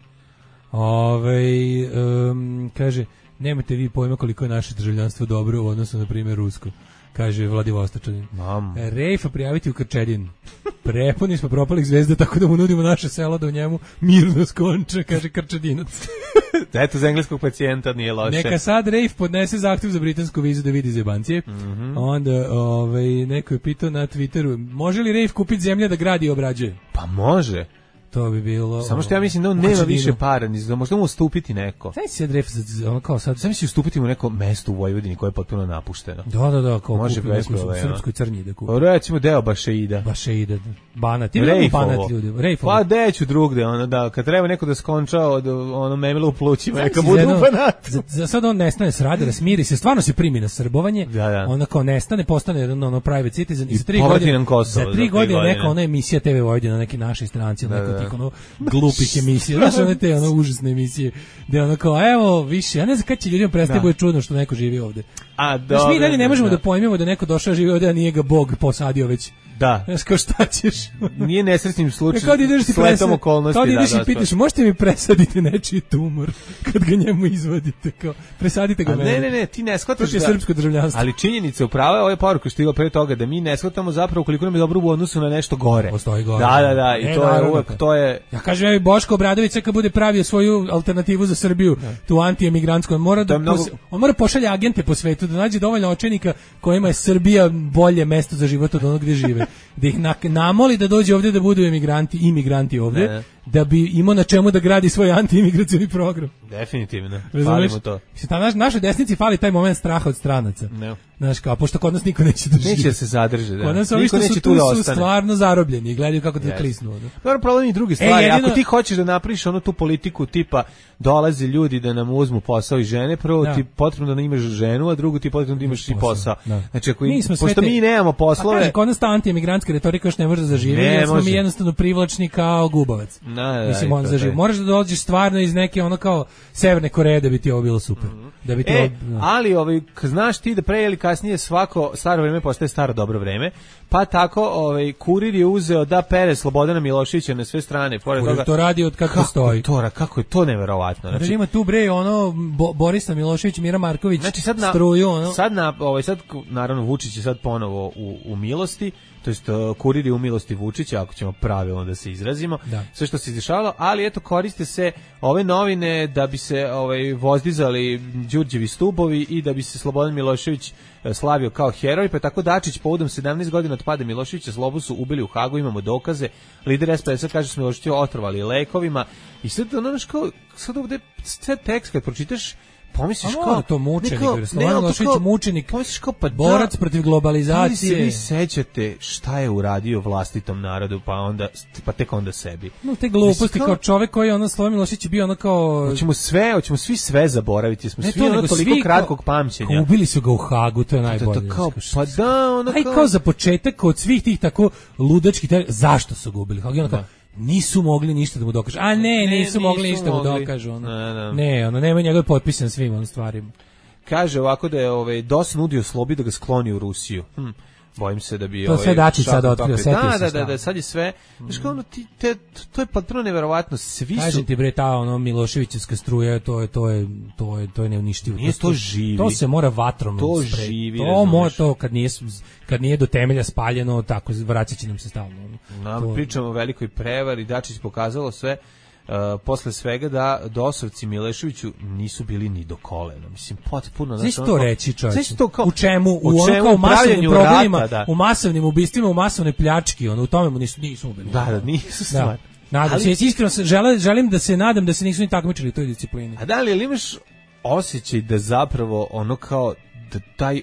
Ovaj um, kaže, nemate vi pojma koliko je naše državljanstvo dobro u odnosu na primjer rusko. Kaže Vladivostočanin. Mam. Rejfa prijaviti u Krčedin. Prepuni smo propalih zvezda, tako da mu nudimo naše selo da u njemu mirno skonče, kaže Krčedinac. Eto, za engleskog pacijenta nije loše. Neka sad Rejf podnese zahtjev za britansku vizu da vidi zebancije. Mhm. Onda ovaj, neko je pitao na Twitteru, može li Rejf kupiti zemlje da gradi i obrađuje? Pa može. To bi bilo... Samo što ja mislim da on u nema Krčedinu. više para, ni za možda mu ustupiti neko. Znaš si sad Rejf, za- ono kao sad... Sam si ustupiti mu neko mesto u Vojvodini koje je potpuno napušteno. Da, da, da, kao Može kupi bez neku problema. srpskoj crnji da kupi. Pa recimo deo Bašeida. Bašeida, Banat. Ili Rejfovo. Banat ljudi, Rejfovo. Pa deću drugde, ono da, kad treba neko da skonča od ono memila u plućima, Znaš neka si budu za u jedno- Banatu. Za, za sad on nestane s radara, smiri se, stvarno se primi na srbovanje, Da, da. onda kao nestane, postane jedan ono private citizen i, I za tri povrati godine, nam Kosovo za za tri tri godine godine. neka ona emisija T V Vojvodina, neki našoj stranci, Da, neko da. tih ono glupih emisija, znaš one te ono užasne emisije, gde ono kao, evo, više, ja ne znam kad će ljudima prestaje Da. bude čudno što neko živi ovde. A Znaš, dobro. mi dalje ne možemo da, da pojmimo da neko došao živi ovde, a nije ga Bog posadio već. Da. Znaš, kao šta ćeš? Nije nesretnim slučajem. Kao da ideš ti Sletom presad, okolnosti. kao da ideš da, i pitaš, možete mi presaditi nečiji tumor kad ga njemu izvadite, kao, presadite ga A meni. ne, ne, ne, ti ne shvataš To je da... srpsko državljanstvo. Ali činjenica upravo je ova poruka što je bila pre toga da mi ne shvatamo zapravo koliko nam je dobro u odnosu na nešto gore. Postoji gore. Da, da, da, i E, to je naravno. uvek, to svoje... Ja kažem, evo Boško Obradović kad bude pravio svoju alternativu za Srbiju, ne. tu anti-emigrantsku, on mora da mnogo... pos... on mora pošalje agente po svetu da nađe dovoljno očenika kojima je Srbija bolje mesto za život od onog gdje žive. Da ih na... namoli da dođe ovdje da budu emigranti, imigranti ovdje, ne. da bi imao na čemu da gradi svoj anti-imigracioni program. Definitivno. Falimo to. Ta naš, našoj desnici fali taj moment straha od stranaca. Ne. Znaš kao, pošto kod nas niko neće da živi. Neće se zadrži, da. Kod nas ovi što su tu da su stvarno zarobljeni i gledaju kako te yes. klisnu. Dobro, problem i drugi stvari. E, jedino... Ako ti hoćeš da napraviš onu tu politiku tipa dolaze ljudi da nam uzmu posao i žene, prvo da. ti potrebno da imaš ženu, a drugo ti potrebno da imaš i posao. Da. Znači, ako mi pošto te... mi nemamo poslove... A kaže, kod nas ta anti-emigrantska retorika još ne može da zaživi, jer smo mi jednostavno privlačni kao gubavac. Da, da, Mislim, on zaživi. Moraš da dođeš stvarno iz neke ono kao Severne Koreje da bi ti ovo bilo super. Mm-hmm. Da bi ti e, ovo... ali ovaj, znaš ti da pre ili kasnije svako staro vreme postaje staro dobro vreme, pa tako ovaj, Kurir je uzeo da pere Slobodana Miloševića na sve strane. Pored Kurir toga, to radi od kako, kako stoji. To, kako je to neverovatno. Znači, da ima tu bre ono Bo, Borisa Milošević, Mira Marković, znači sad na, struju. Ono. Sad, na, ovaj, sad naravno Vučić je sad ponovo u, u milosti, to jest uh, Kurir je u milosti Vučića, ako ćemo pravilno da se izrazimo, da. Sve što se izdešavalo, ali eto koriste se ove novine da bi se ovaj, vozdizali Đurđevi stubovi i da bi se Slobodan Milošević uh, slavio kao heroj, pa tako Dačić povodom sedamnaest godina od pada Miloševića Slobu su ubili u Hagu, imamo dokaze, lider es pe es kaže su Miloševića otrovali lekovima i sad ono kao, sad ovde sve tekst kad pročitaš pomisliš kao kao to mučenik, Slobodan Milošević mučenik, pomisliš kao pa borac da, protiv globalizacije. Da li se vi sećate šta je uradio vlastitom narodu, pa onda pa tek onda sebi. No te gluposti kao, kao čovjek koji je ono Slobodan Milošević bio ono kao hoćemo sve, hoćemo svi sve zaboraviti, smo ne, svi ono toliko svi kratkog kao, pamćenja. Kao ubili su ga u Hagu, to je najbolje. To, kao, pa da, ono kao... Aj kao za početak od svih tih tako ludačkih, zašto su ga ubili u Hagu? Ono kao, nisu mogli ništa da mu dokažu. A ne, ne nisu, nisu mogli ništa da mu dokažu. Ono. Ne, ne. ne, ono, nema njegove potpise na svim onim stvarima. Kaže ovako da je ovaj, D O S nudio Slobi da ga skloni u Rusiju. Hm. Bojim se da bi... To ovaj, sve Dačić sada otkrio, setio da, se da, da, da, sad je sve... Mm. Znaš kao ono, ti, te, to je potpuno neverovatno, svi su... Kažem ti bre, ta ono Miloševićevska struja, to je, to je, to je, to je neuništivo. Nije to živi. To se mora vatrom to spre... živi, to mora to, kad nije, kad nije do temelja spaljeno, tako, vraćat će nam se stalno. No, to... pričamo o velikoj prevari, Dačić pokazalo sve... Uh, posle svega da dosovci Mileševiću nisu bili ni do kolena. Mislim, potpuno... Znaš to reći, čovječe? Kao, u čemu? U, u čemu? Ono kao masovnim problemima, rata, da. u masovnim ubistvima, u masovnoj pljački, ono, u tome mu nisu, nisu ubili. Da, da, nisu stvar. Da. Nadam ali... se, iskreno se, želim, želim da se nadam da se nisu ni takmičili u toj disciplini. A da li, ali imaš osjećaj da zapravo ono kao, da taj...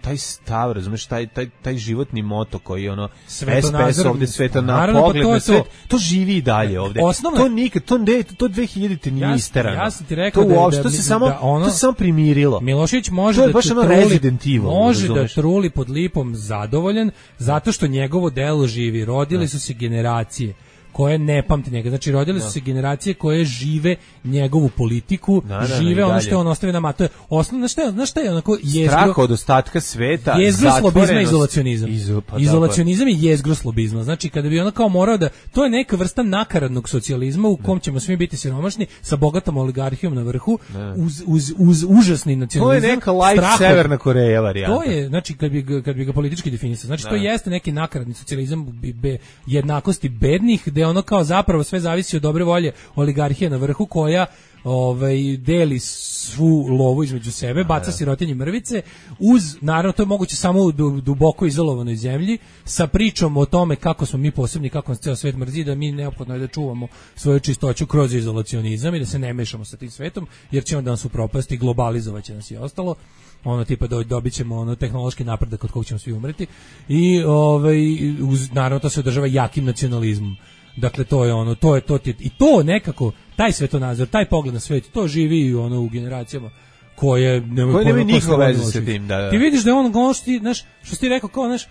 taj stav, razumeš, taj, taj, taj životni moto koji je ono es pe es ovde sveta na pogled na svet, to živi i dalje ovde. Osnovno, to nikad, to, ne, to dve hiljadite nije isterano. Ja sam ti rekao to da, uopšte, da, to se samo, da ono, to se samo primirilo. Milošević može da truli, može da truli pod lipom zadovoljan, zato što njegovo delo živi. Rodile su se generacije koje ne pamte njega. Znači, rodile su se generacije koje žive njegovu politiku, da, da, žive ono što je on ostavio nama. To je osnovno, znaš šta je, znaš šta je onako jezgro... Strah od ostatka sveta, jezgro slobizma i izolacionizam. Izo, pa izolacionizam i jezgro slobizma. Znači, kada bi ono kao morao da... To je neka vrsta nakaradnog socijalizma u kom ćemo svi biti siromašni, sa bogatom oligarhijom na vrhu, uz, uz, uz užasni nacionalizam. To je neka light strahom. Severna Koreja varijanta. To je, znači, kad bi, kad bi ga politički definisao. Znači, da. To jeste neki nakaradni socijalizam be, jednakosti bednih, gde ono kao zapravo sve zavisi od dobre volje oligarhije na vrhu koja ovaj deli svu lovu između sebe, baca sirotinji mrvice, uz, naravno to je moguće samo u duboko izolovanoj zemlji, sa pričom o tome kako smo mi posebni, kako nas ceo svet mrzi, da mi neophodno je da čuvamo svoju čistoću kroz izolacionizam i da se ne mešamo sa tim svetom, jer će onda nas upropasti, globalizovaće nas i ostalo. Ono tipa do, dobit ćemo ono tehnološki napredak od kog ćemo svi umreti i ovaj uz, naravno to se održava jakim nacionalizmom. Dakle to je ono, to je to i to nekako taj svetonazor, taj pogled na svet, to živi ono u generacijama koje nemaju koje nemaju nikakve veze sa tim, da, da. Ti vidiš da je on ono što ti, znaš, što ti rekao kao, znaš,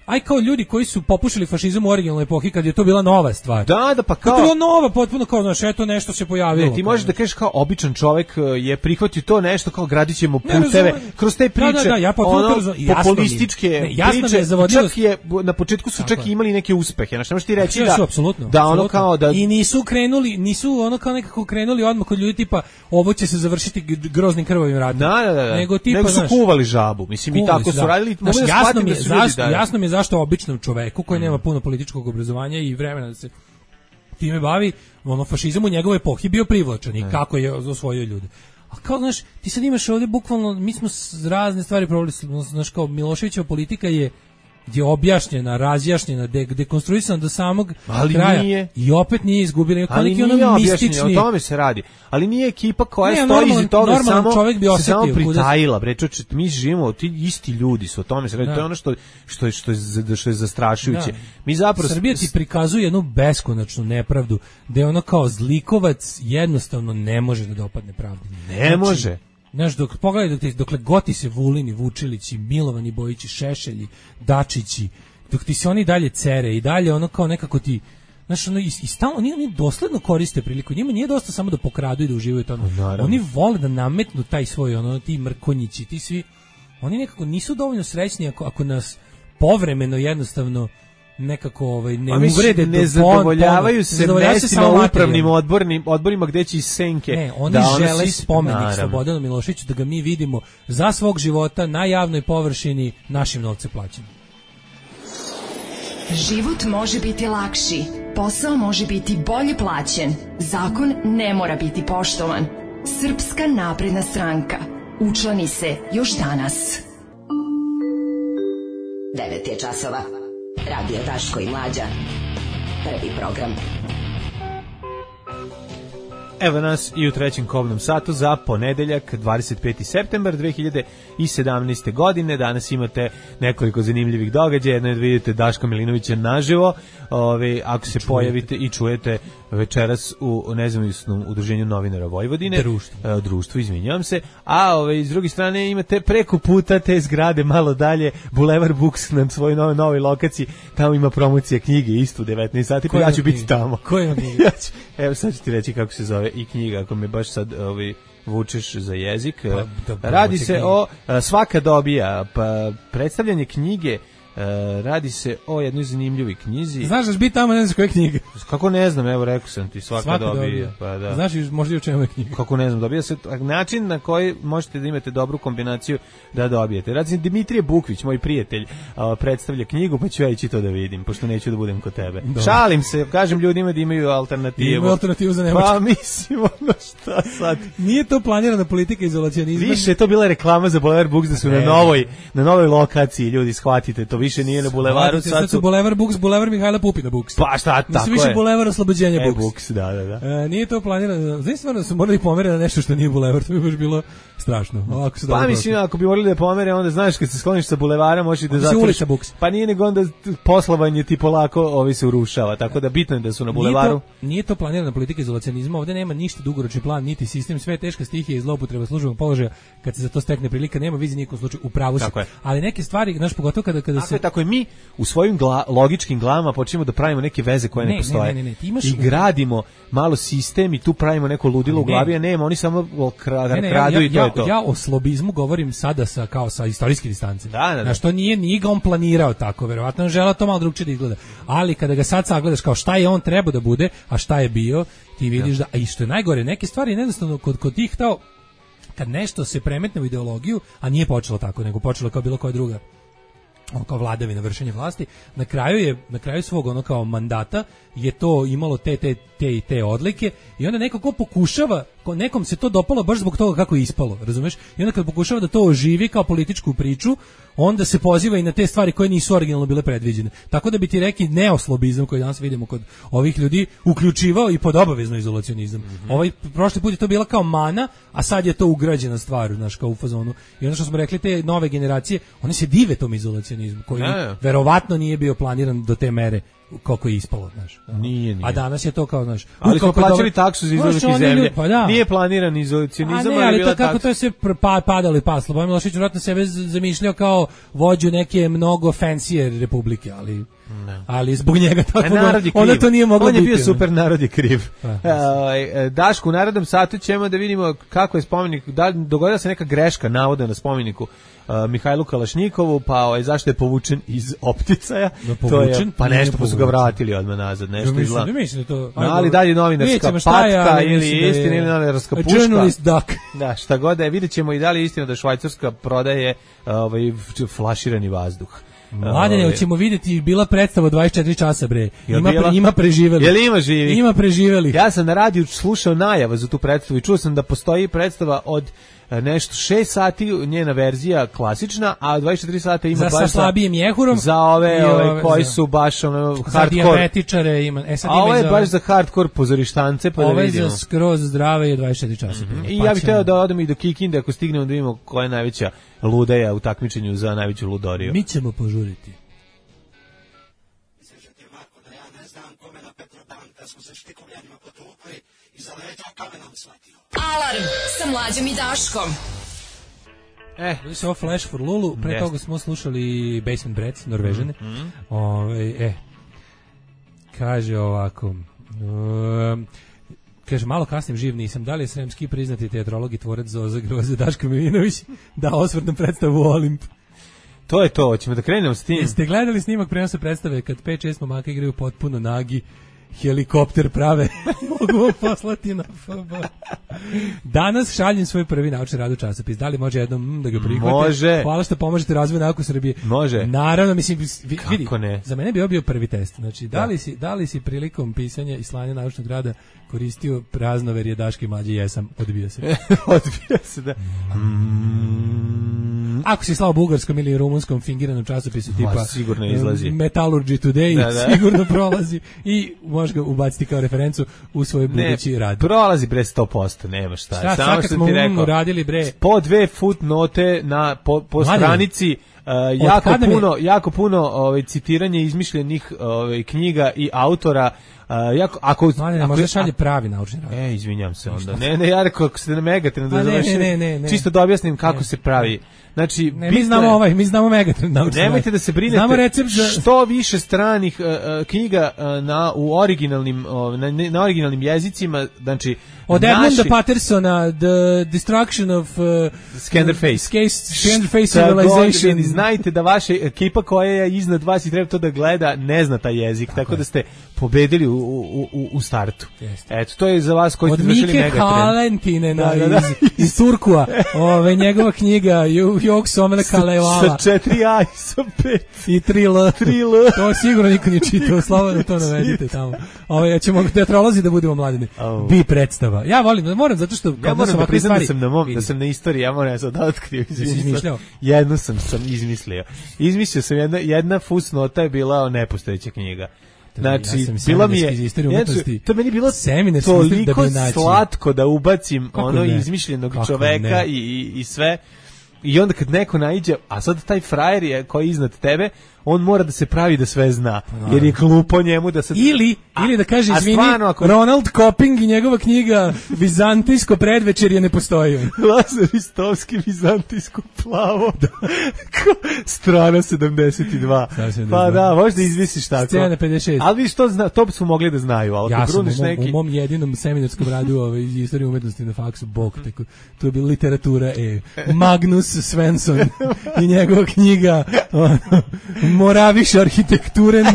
aj kao ljudi koji su popušili fašizam u originalnoj epohi kad je to bila nova stvar. Da, da, pa kao... To je bilo nova, potpuno kao, znaš, eto nešto se pojavilo. Ne, ti možeš da kažeš kao običan čovjek je prihvatio to nešto kao gradit ćemo puteve kroz te priče, da, da, da, ja ono, populističke ne, priče, je čak je, na početku su čak i imali neke uspehe, znaš, ne možeš ti reći da, su, apsolutno, da ono apsolutno. kao da... I nisu krenuli, nisu ono kao nekako krenuli odmah kod ljudi tipa, ovo će se završiti groznim krvavim ratom. Da, da, da, nego, tipa, nego su znaš, kuvali žabu, mislim i tako su radili, mogu da shvatim da su ljudi... Jasno mi je zašto običnom čoveku koji nema puno političkog obrazovanja i vremena da se time bavi, ono fašizam u njegovoj epohi bio privlačan i kako je osvojio ljude. A kao, znaš, ti sad imaš ovdje bukvalno, mi smo razne stvari provali, znaš, kao Miloševićeva politika je je objašnjena, razjašnjena, de, dekonstruisana do samog ali kraja nije. I opet nije izgubila. Ali nije ono mistični. O tome se radi. Ali nije ekipa koja ne, stoji iza toga samo, čovjek bi se samo pritajila. Bre, čoče, mi živimo, ti isti ljudi su, o tome se radi. Da. To je ono što, što, je, što, je, što je zastrašujuće. Da. Mi zapravo... Srbija ti prikazuje jednu beskonačnu nepravdu, da je ono kao zlikovac jednostavno ne može da dopadne pravdi. Ne znači, može. Znaš, dok pogledaj, dok ti, dokle goti se Vulini, Vučilići, Milovani Bojići, Šešelji, Dačići, dok ti se oni dalje cere i dalje ono kao nekako ti, znaš, ono, i, i stalno, oni, oni dosledno koriste priliku, njima nije dosta samo da pokradu i da uživaju to, ono. Oni vole da nametnu taj svoj, ono, ti mrkonjići, ti svi, oni nekako nisu dovoljno srećni ako, ako nas povremeno jednostavno nekako ovaj ne uvrede, ne zadovoljavaju se mestima u upravnim odbornim odborima gde će iz senke. Ne, oni da žele si... spomenik Slobodanu Miloševiću da ga mi vidimo za svog života na javnoj površini našim novcem plaćen. Život može biti lakši, posao može biti bolje plaćen, zakon ne mora biti poštovan. Srpska napredna stranka. Učlani se još danas. devet je časova. Radio Daško i Mlađa. Prvi program. Evo nas i u trećem kobnom satu za ponedeljak, dvadeset peti septembar dve hiljade sedamnaeste. godine. Danas imate nekoliko zanimljivih događaja. Jedno je da vidite Daška Milinovića naživo, ove, ako se čujete. Pojavite i čujete večeras u nezavisnom udruženju novinara Vojvodine. Društvo. E, društvo, izvinjavam se. A ove, s druge strane imate preko puta te zgrade malo dalje, Bulevar Books na svojoj novoj, novoj lokaciji. Tamo ima promocija knjige isto u devetnaest sati, pa ja ću biti tamo. Ko ima knjige? ja ću, evo sad ću ti reći kako se zove i knjiga, ako me baš sad ovaj, vučeš za jezik. Pa, da, radi se knjige. O Svaka dobija, pa predstavljanje knjige. Uh, radi se o jednoj zanimljivoj knjizi. Znaš da će biti tamo, ne znaš koje knjige? Kako ne znam, evo rekao sam ti, svaka, svaka dobija. dobija. Pa, da. Znaš možda i u čemu je knjiga? Kako ne znam, dobija se način na koji možete da imate dobru kombinaciju da dobijete. Radi se Dimitrije Bukvić, moj prijatelj, uh, predstavlja knjigu, pa ću ja ići to da vidim, pošto neću da budem kod tebe. Dobre. Šalim se, kažem ljudima da imaju alternativu. Imaju alternativu za Nemačku. Pa mislim, ono šta sad. Nije to planirana politika izolacionizma. Više je to bila reklama za Bulevar Books da su ne. na novoj na novoj lokaciji, ljudi, shvatite, to više nije na Bulevaru. Sad, sad su Bulevar Books, Bulevar Mihajla Pupina Books. Pa šta, tako je. Više Bulevar Oslobođenja Books. E, Books, da, da, da. E, nije to planirano. Znači, stvarno su morali pomere na nešto što nije Bulevar, to bi baš bilo strašno. Ovako pa mislim, ako bi morali da pomere, onda znaš, kad se skloniš sa Bulevara, možeš da zatvoriš. Pa nije nego onda poslovanje ti polako ovi se urušava, tako da bitno je da su na Bulevaru. Nije to, nije to planirana politika izolacionizma, ovde nema ništa dugoročni plan, niti sistem, sve teška stihija i zloupotreba službenog položaja, kad se za to stekne prilika, nema vizije nijekom slučaju, u pravu se. Ali neke stvari, znaš, pogotovo kada kada tako se je, tako je, mi u svojim gla, logičkim glavama počinjemo da pravimo neke veze koje ne, ne postoje. Ne, ne, ne, ne. Imaš... I gradimo malo sistem i tu pravimo neko ludilo u glavi, a nema, oni samo kradu ne, ne, ja, i to ja, je to. Ja o slobizmu govorim sada sa, kao sa istorijske distance. Da, da, da. Na što nije, nije ga on planirao tako, verovatno on želeo to malo drugčije da izgleda. Ali kada ga sad sagledaš kao šta je on trebao da bude, a šta je bio, ti vidiš da, a i što je najgore, neke stvari jednostavno kod, kod tih tao, kad nešto se premetne u ideologiju, a nije počelo tako, nego počelo kao bilo koja druga ono kao vladavina, vršenje vlasti, na kraju je na kraju svog ono kao mandata je to imalo te te te i te odlike i onda neko ko pokušava, ko nekom se to dopalo baš zbog toga kako je ispalo, razumeš? I onda kad pokušava da to oživi kao političku priču, onda se poziva i na te stvari koje nisu originalno bile predviđene. Tako da bi ti rekli neoslobizam koji danas vidimo kod ovih ljudi uključivao i pod obavezno izolacionizam. Mm-hmm. Ovaj prošli put je to bila kao mana, a sad je to ugrađena stvar, znaš, kao u fazonu. I onda što smo rekli, te nove generacije, oni se dive tom izolacionizmu koji ne. verovatno nije bio planiran do te mere koliko je ispalo, znaš. Nije, nije. A danas je to kao, znaš. Ali smo plaćali taksu za izlazak iz zemlje. Pa da. Nije planiran izolacionizam, ali, ali to kako taksa. To je sve pa, padalo i paslo. Slobodan Milošević vjerojatno sebe zamišljao kao vođu neke mnogo fancier republike, ali ne. Ali zbog njega tako onda to nije moglo biti. On je bio super, narod je kriv. Pa, Daško, u narodnom satu ćemo da vidimo kako je spomenik, da dogodila se neka greška navoda na spomeniku Uh, Mihajlu Kalašnjikovu, pa ovaj, zašto je povučen iz opticaja, no, povučen, to je, pa nešto pa su ga vratili odmah nazad, nešto ja, izgleda. Mislim, to, no, ali dalje novinarska patka je, ili istina ili novinarska puška. Journalist duck. Da, šta god da je, vidjet ćemo i da li je istina da Švajcarska prodaje ovaj, flaširani vazduh. Mladene, Ove. hoćemo vidjeti, bila predstava dvadeset četiri časa, bre. Jel Ima, bila? pre, ima preživeli. Jel ima živi? Ima preživeli. Ja sam na radiju slušao najavu za tu predstavu i čuo sam da postoji predstava od e, nešto šest sati, njena verzija klasična, a dvadeset četiri sata ima za baš sa slabijim jehurom za ove, i ove koji za, su baš ono za hardcore. dijabetičare ima. E sad a ima ovo je za, baš za hardcore pozorištance, pa da ovo je vidimo. za skroz zdrave je dvadeset četiri časa. Mm-hmm. Pa I ja bih ćemo- hteo da odemo i do Kikinde ako stignemo da vidimo koja je najveća ludeja u takmičenju za najveću ludoriju. Mi ćemo požuriti. Alarm sa Mlađom i Daškom. Eh, Bili su ovo Flash for Lulu, pre Jeste. toga smo slušali Basement Brats, Norvežane. Mhm. Ove, e, kaže ovako, um, kaže, malo kasnim živ nisam, da li je sremski priznati teatrolog i tvorac Zoza Groze Daško Milinović da osvrt na predstavu u Olimp? to je to, hoćemo da krenemo s tim. Jeste gledali snimak prenosa predstave kad pet šest momaka igraju potpuno nagi, helikopter prave, mogu vam poslati na F B. Danas šaljem svoj prvi naučni rad u časopis. Da li može jednom mm, da ga prihvate? Može. Hvala što pomažete razvoju nauke u Srbiji. Može. Naravno, mislim, vi- Kako vidi, ne? za mene bi ovo bio prvi test. Znači, da Da. li si, da li si prilikom pisanja i slanja naučnog rada koristio praznoverje Daške i Mlađe? Jesam, odbio se. Odbija se da. Ako si slao bugarskom ili rumunskom fingiranom časopisu tipa Ma, sigurno izlazi. Metallurgy Today, Da, da. sigurno prolazi i možeš ga ubaciti kao referencu u svoj Ne, budući rad. prolazi bre sto posto, nema šta. Šta, Samo sad kad što smo ti um rekao, uradili, bre. po dve footnote na po, po Mladene, stranici uh, jako kad nam je- puno jako puno ovaj citiranje izmišljenih ovaj knjiga i autora. Uh, jako, ako Mladene, ako možda je- šalje pravi naučni rad. E, izvinjam se onda. Ne, ne, ja rekao, ako ste na Megatrend, A ne, da ne, završim, ne, ne, ne. čisto da objasnim kako Ne. se pravi. Znači, Ne, bitno mi znamo je- ovaj, mi znamo Megatrend naučni Nemojte rad. da se brinete. Znamo recept za... Što više stranih uh, uh, knjiga uh, na u originalnim uh, na, na originalnim jezicima, znači Od Edmunda naši- Pattersona, The Destruction of uh, Scanderface. Scanderface Šta god, Civilization. vi znajte da vaša ekipa koja je iznad vas i treba to da gleda, ne zna taj jezik, tako, da ste pobedili u, u, u, u startu. Jeste. Eto, to je za vas koji Od ste završili Mike Megatrend. Halentinena Da, da, da. iz, iz Turkua, ove, njegova knjiga Ju- Jog Somele Kalevala Sa četiri A i sa pet. i tri L. tri L. To sigurno niko nije čitao, slobodno to navedite tamo. Ove, ja ćemo teatrolozi da budemo mladini. Au. Bi predstava. Ja volim, moram zato što Ja kad moram su da ovakve priznam da stvari- sam na mom, da vidi. sam na istoriji, ja moram sad da otkrio. izvinite. izmišljao? Jednu sam sam izmislio. Izmislio sam jedna jedna fusnota je bila nepostojeća knjiga. Znači, Ja sam bila mi je, seminarski iz istorije znači, umetnosti. to meni bilo Seminarski iz istorije da toliko bi naći. slatko da ubacim Kako ono ne? izmišljenog Kako čoveka ne? i, i, i sve. I onda kad neko naiđe, a sad taj frajer je koji je iznad tebe, on mora da se pravi da sve zna, jer je glupo njemu da se... Ili, ili da kaže, a izvini, stvarno, ako- Ronald Copping i njegova knjiga Vizantijsko predvečerje ne postoji. Lazar Istovski, Vizantijsko plavo. Strana sedamdeset dva. Strana sedamdeset Pa dva. da, možda izmisliš tako. Scena pedeset šest. Ali vidiš, to, zna, to su mogli da znaju. Ali Ja ako sam u gruneš mom, neki... u mom jedinom seminarskom radu ovaj, iz istorije umetnosti na faksu, bog, tako, to je bila literatura, e, Magnus Svensson i njegova knjiga ono, Moraviš arhitekturen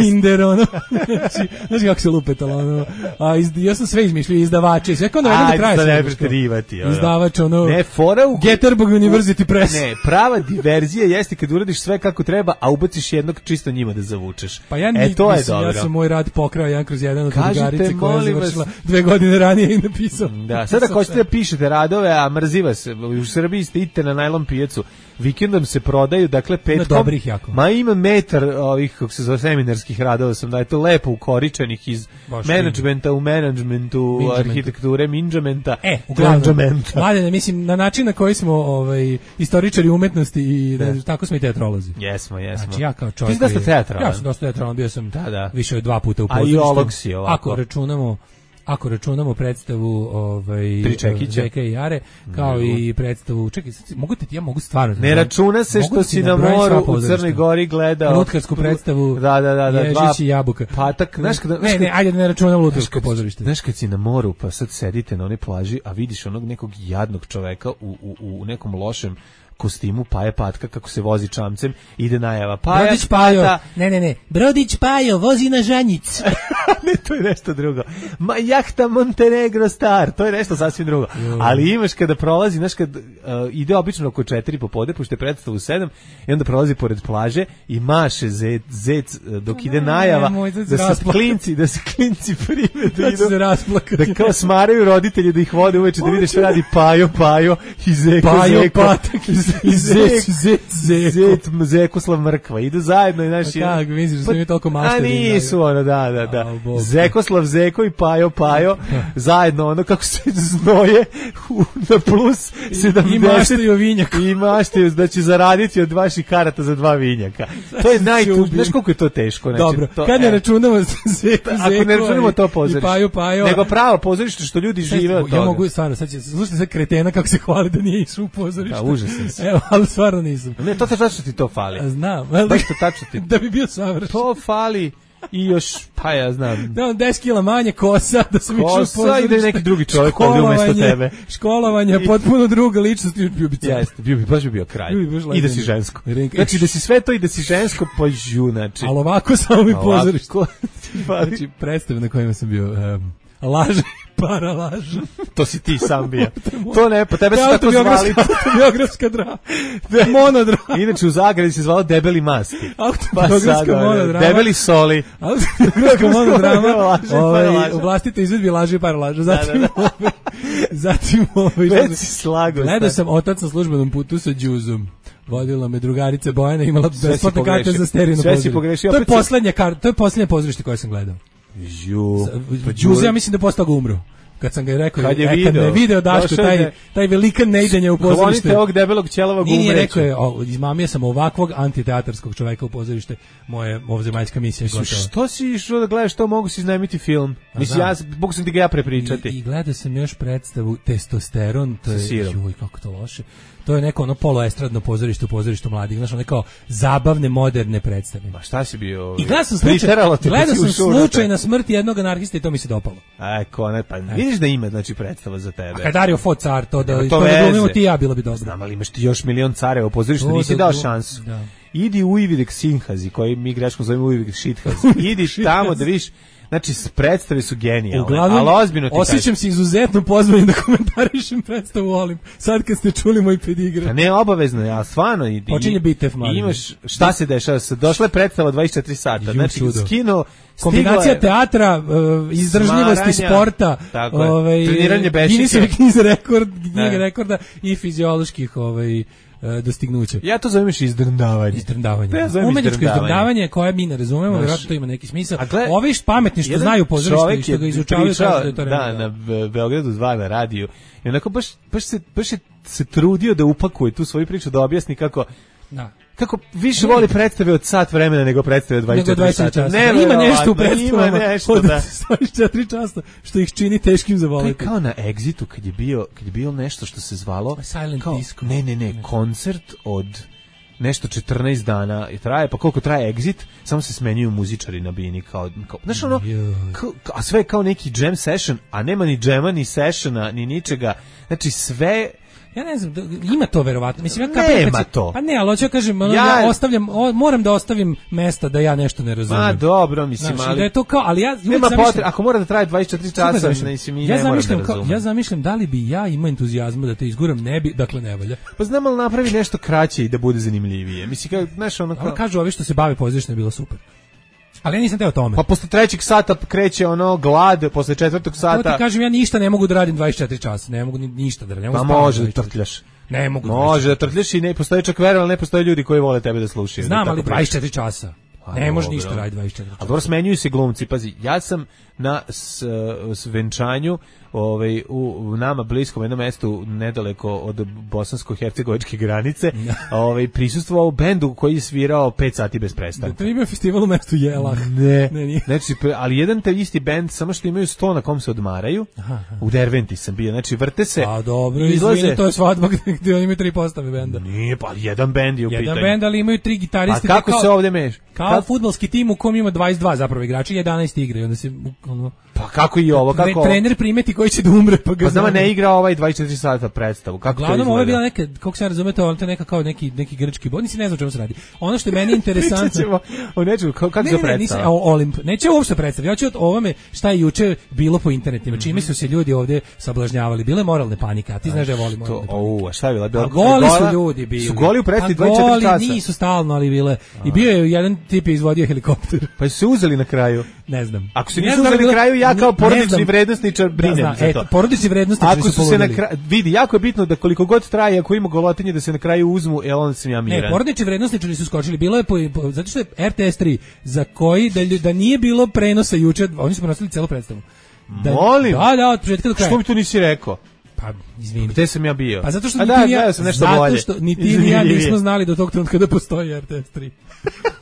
Inder, ono, znači, znaš kako se lupetalo, ono, a iz, ja sam sve izmišljio, izdavače, i sve kao da vedem do Ajde, kraja sad sve ne izmišljao. preterivati, ono. Izdavač, ono, Ne, fora u... Gettysburg University Press. Ne, prava diverzija jeste kad uradiš sve kako treba, a ubaciš jednog čisto njima da zavučeš. Pa ja, e, ni, to je mislim, dobro. ja sam moj rad pokrao jedan kroz jedan od Kažite, drugarice koja je molim vas- završila dve godine ranije i napisao. Da, sada ako hoćete da pišete radove, a mrzi vas, u Srbiji ste idite na najlon pijacu, vikendom se prodaju, dakle petkom... Ima dobrih jako. Ma ima metar ovih, kako se zove, seminarskih radova sam, da je to lepo ukoričenih iz Baš menadžmenta u menadžmentu, Minđamentu. arhitekture, minđamenta, E, uglavnom, glanđamenta. Mladene, mislim, na način na koji smo ovaj, istoričari umetnosti i Da. ne, tako smo i teatrolozi. Jesmo, jesmo. Znači, ja kao čovjek... Ti si dosta koji je- teatralan. Ja sam dosta teatralan, bio sam Da, da. više od dva puta u A i pozorištu. ovog si ovako. Ako računamo ako računamo predstavu ovaj Tri čekića. Zeka i Jare, kao i predstavu, čekaj, sad, mogu ti, ja mogu stvarno... Ne računa se mogu što ti si na nabrojim sva moru u pozorišta. Crnoj Gori gledao Lutkarsku predstavu, Da, da, da, da, Ježić i Jabuka. Patak, znaš kada... Ne, ne, ajde da ne računam Lutkarsko pozorište. Znaš kad si na moru, pa sad sedite na onoj plaži, a vidiš onog nekog jadnog čoveka u, u, u nekom lošem kostimu Paje Patka kako se vozi čamcem, ide najava Paja Brodić Pajo, Pata. ne, ne, ne, Brodić Pajo vozi na žanjic. Ne, to je nešto drugo. Ma jahta Montenegro Star, to je nešto sasvim drugo. Ali imaš kada prolazi, znaš kad uh, ide obično oko četiri popodne, pošto je predstav u sedam, i onda prolazi pored plaže i maše zec, zec dok ide najava da se klinci, da se klinci prime da idu, da kao smaraju roditelji da ih vode uveče da vide šta radi Pajo, Pajo i Zeko, Pajo, Zeko Patak i Zec, Zec, Zeko. Zekoslav Mrkva, idu zajedno i znaš... Kako, misliš da su mi toliko mašteri? A nisu, ono, da, da, da. Zekoslav, Zeko i Pajo, Pajo, zajedno, ono, kako se znoje na plus sedamdeset. I maštaju vinjak. I maštaju da će zaraditi od vaših karata za dva vinjaka. To je najtužnije. Znaš koliko je to teško? Znači, dobro, to, kad ne e, računamo Zeko, ako ne računamo to pozorište, i Pajo, Pajo, nego pravo pozorište što ljudi žive od toga. Ja mogu stvarno, sad će, slušajte sad kretena kako se hvali da nije išao u pozorište. Da, užasan si. Evo, ali stvarno nisam. Ne, to te tačno ti to fali. A znam. Baš to tačno ti. Da bi bio savršen. To fali i još, pa ja znam. Da, on deset kila manje kosa, da sam išao u pozorište. Kosa i da je neki drugi čovjek ovdje umjesto tebe. Školovanje, potpuno druga ličnost, bio bi car. Jeste, bio bi, baš bi bio kralj. I da si žensko. Znači da si sve to i da si žensko, pa žu, znači. Ali ovako samo mi pozorište. Znači, predstave na kojima sam bio... Um, laž, para laž. To si ti sam bio. To ne, po tebe su tako zvali. Autobiografska drama. Monodrama. Inače u Zagradi se zvalo Debeli masti. Autobiografska monodrama. Debeli soli. Autobiografska monodrama. U vlastite izvedbi laži, para laža. Zatim, zatim, već si slago. Gledao sam Otac na službenom putu sa Đuzom. Vodila me drugarica Bojana, imala besplatne karte za stereo pozorište. Sve si pogrešio. To je poslednja karta, to je poslednje pozorište koje sam gledao. Ju, Đuze, ja mislim da posle toga umro. Kad sam ga rekao, kad je e, video, kad me video Daško, taj, taj velikan neidenje u pozorište. Klonite ovog debelog ćelavog umreća. Nije rekao je, o, izmamio sam ovakvog antiteatarskog čoveka u pozorište, moje ovzemaljska misija je gotova. Što si išao da gledaš to, mogu si iznajmiti film? Mislim, ja, mogu sam ti ga ja prepričati. I, i gledao sam još predstavu Testosteron, to je, juj, kako to loše. To je neko ono poluestradno pozorište u pozorištu mladih, znaš, ono kao zabavne, moderne predstave. Ma šta si bio? I gledao sam slučaj, gledao sam slučaj na smrti jednog anarhista i to mi se dopalo. Aj, kone, pa vidiš da ima, znači, predstava za tebe. A kad Dario Fo car, to da, to da glumimo ti ja, bilo bi dobro. Znam, ali imaš ti još milion careva u pozorištu, to nisi da, dao šansu. Da. Idi u Ividek Sinhazi, koji mi greškom zovemo u Ividek Šithazi. Idi tamo da vidiš. Znači, predstave su genijalne, uglavnom, ali ozbiljno ti osjećam kažem. Se izuzetno pozvanim da komentarišem predstavu Olim. Sad kad ste čuli moj pedigre. A ne, obavezno, ja stvarno. I, počinje Bitev, mali. Imaš, šta se dešava? Došla je predstava dvadeset četiri sata. Ju, znači, skino, kombinacija teatra, uh, izdržljivosti sporta, ovaj, treniranje bešike. Guinnessove knjize rekord, knjige rekorda i fizioloških ovaj, dostignuća. Ja to zovem izdrndavanje. Izdrndavanje. Ja umetničko izdrndavanje koje mi ne razumemo, vjerojatno to ima neki smisao. Ovi pametni što znaju pozorište i što ga izučavaju kažu da je to da, na Beogradu dva na radiju. I onako baš, baš, se, baš se, se trudio da upakuje tu svoju priču, da objasni kako... Da. Kako više voli predstave od sat vremena nego predstave od dvadeset četiri sata. Ne, ima nešto u predstavama ima nešto, od da. dvadeset četiri časa što ih čini teškim za voliti. To je kao na Exitu kad je bio, kad je bilo nešto što se zvalo Silent kao, Disco. Ne, ne, ne, koncert od nešto četrnaest dana i traje, pa koliko traje Exit, samo se smenjuju muzičari na bini kao, kao znaš ono, kao, a sve je kao neki jam session, a nema ni džema, ni sessiona, ni ničega, znači sve. Ja ne znam, ima to verovatno. Mislim, ja nema se, to. Pa ne, ali hoću kažem, ono, ja, ja ostavljam, o, moram da ostavim mesta da ja nešto ne razumijem. Ma dobro, mislim, znači, ali da je to kao, ali ja nema potrebe, ako mora da traje dvadeset četiri časa, mislim, ja ne moram da razumem. Ja zamišljam da li bi ja imao entuzijazma da te izguram, ne bi, dakle ne valja. Pa znam, ali napravi nešto kraće i da bude zanimljivije. Mislim, kao, znaš, ono kao... Ali kažu ovi što se bave pozorištem je bilo super. Ali ja nisam teo tome. Pa posle trećeg sata kreće ono glad, posle četvrtog sata... To ti kažem, ja ništa ne mogu da radim dvadeset četiri časa, ne mogu ni, ništa da radim. Pa može da trtljaš. Ne mogu. Može da trtljaš i ne postoji čak verovali, ne postoje ljudi koji vole tebe da slušaju. Znam, ali dvadeset četiri časa. A, ne može ništa raditi dvadeset četiri časa. A dobro, smenjuju se glumci, pazi, ja sam na s, s venčanju ovaj, u, u nama bliskom jednom mestu nedaleko od bosansko-hercegovačke granice ovaj, prisustvovao bendu koji je svirao pet sati bez prestanka. To ima festival u mestu Jelah. Ne, ne nije. Znači, ali jedan te isti bend, samo što imaju sto na kom se odmaraju, aha, aha. U Derventi sam bio, znači vrte se. A dobro, izlaze... izvini, to je svadba gdje oni imaju tri postave benda. Nije, pa jedan bend je u jedan pitanju. Jedan bend, ali imaju tri gitariste. A kako kao, se ovdje meš? Kao Kad... fudbalski tim u kom ima dvadeset dva zapravo igrači, jedanaest igre i onda se ono, pa kako i ovo, kako trener primeti koji će da umre, pa ga pa znamo ne igra ovaj dvadeset četiri sata predstavu. Kako to Uglavnom, izgleda? ovo je bila neka, kako se razumete, ovo je neka kao neki, neki grčki bod, nisi ne znam čemu se radi. Ono što je meni interesantno... o nečemu, kako ne, se ne, predstava? Nisam, o, Olimp, neće uopšte predstaviti. Ja ću od ovome šta je juče bilo po internetima, čime su se ljudi ovde sablažnjavali. Bile moralne panike, a ti znaš da ja volim moralne panike. O, a šta je bila? bila a goli su ljudi bili. Su goli u predstavi pa dvadeset četiri goli časa? Nisu stalno, ali bile. I bio je jedan tip je izvodio helikopter. Pa su se uzeli na kraju? Ne znam. Ako se nisu uzeli na kraju, ja kao porodični vrednosničar brinem da, za to. E, porodični vrednosničari ako su, su se na kraju, vidi, jako je bitno da koliko god traje, ako ima golotinje, da se na kraju uzmu, e onda sam ja miran. Ne, porodični vrednosničari su skočili. Bilo je po, po, zato što je R T S tri za koji da, da nije bilo prenosa juče, oni su prenosili celu predstavu. Da, Molim. Da, da, od početka do kraja. Što mi to nisi rekao? Pa, izvini. Gde sam ja bio? Pa zato što A ni da, ti ni ja, sam nešto zato bolje. što ni ti ni ja nismo znali do tog trenutka da postoji R T S tri.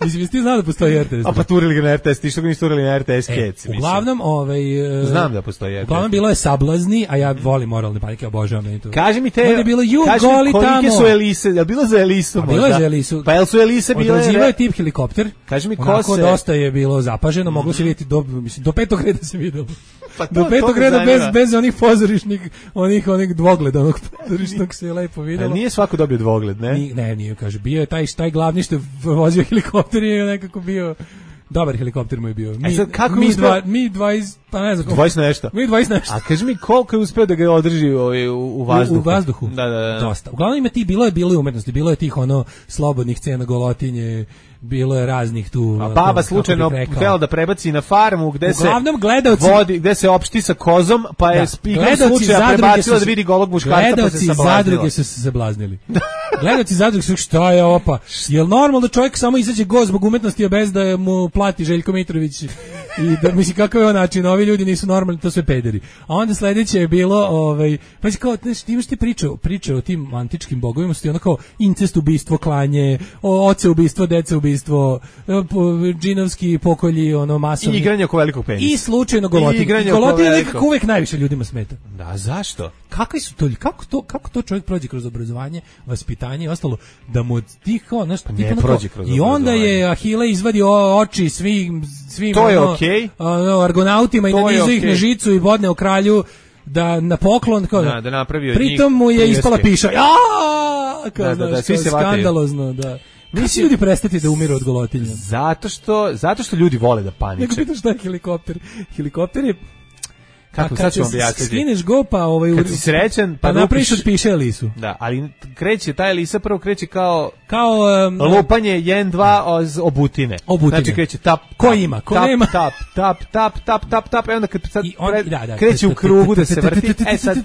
Mislim, ti znao da postoji R T S tri. A pa turili ga na R T S, ti što ga nisi turili na R T S e, Kec. Uglavnom, ovaj... Znam da postoji R T S. Uglavnom, bilo je sablazni, a ja volim moralne panike, obožavam meni to. Kaži mi te, onda je bilo, ju, kaži goli mi kolike tamo. su Elise, je li bilo za Elisu A možda? bilo je za Elisu. Pa jel su Elise bile... Odrađivao je tip helikopter. Kaži mi ko onako se... dosta je bilo zapaženo, moglo se vidjeti do, mislim, do petog reda se videlo. Pa to, do petog reda zanima. bez, bez onih pozorišnih, onih, onih dvogleda, onog pozorišnog se je lepo videlo. Pa nije svako dobio dvogled, ne? Ni, ne, nije, kaže, bio je taj, taj glavni što je vozio helikopter je nekako bio... Dobar helikopter mu je bio. Mi, e sad, kako mi, uspeo... dva, mi dvadeset, pa ne znam. dvadeset nešto. Mi dvadeset nešto. A kaži mi koliko je uspeo da ga održi u, u, u vazduhu? U, u vazduhu? Da, da, da. Dosta. Uglavnom ima ti, bilo je bilo i umetnosti, bilo je tih ono slobodnih scena golotinje, bilo je raznih tu. A baba slučajno htjela da prebaci na farmu gde uglavnom, se gledalci, vodi, gde se opšti sa kozom, pa je spikom slučaja prebacila da vidi golog muškarca pa se sablaznila. Gledalci zadruge su se zablaznili. Gledalci zadruge su, šta je opa? Jel normalno da čovjek samo izađe go zbog umetnosti, a bez da mu plati Željko Mitrović? I da, mislim, kakav je on način, ovi ljudi nisu normalni, to sve pederi. A onda sledeće je bilo, ovaj, pa si kao, znaš, ti imaš ti pričao, pričao o tim antičkim bogovima, su ti ono kao incest ubistvo, klanje, o, oce ubistvo, dece ubistvo, džinovski pokolji, ono, masovni. I igranje oko velikog penisa. I slučajno golotinje. Golotinje nekako uvek najviše ljudima smeta. Da, zašto? Kakvi su to, kako to, kako to čovjek prođe kroz obrazovanje, vaspitanje i ostalo, da mu tih kao, znaš, pa ne prođe kroz i onda je Ahile izvadio oči svim, svim to je ono, okej. Okay. argonautima i nanizao okay. ih na žicu i bodneo kralju da na poklon kao da, da napravio pritom mu je prijeske. Ispala piša. Ja! Kao, da, da, da, znaš, svi se skandalozno, da. Nisi ljudi prestati da umiru od golotinja. Zato što, zato što ljudi vole da paniče. Nego pitaš šta je helikopter. Helikopter je kako sad ću objasniti. Skineš go pa ovaj kad si srećan pa, pa napraviš od piše Elisu. Da, ali kreće taj Elisa prvo kreće kao kao um, lupanje jedan dva obutine. obutine. Znači kreće tap ko ima, ko tap, nema. Tap tap tap tap tap tap i onda kad sad on, pred, da, da, kreće u krugu da se vrti. E sad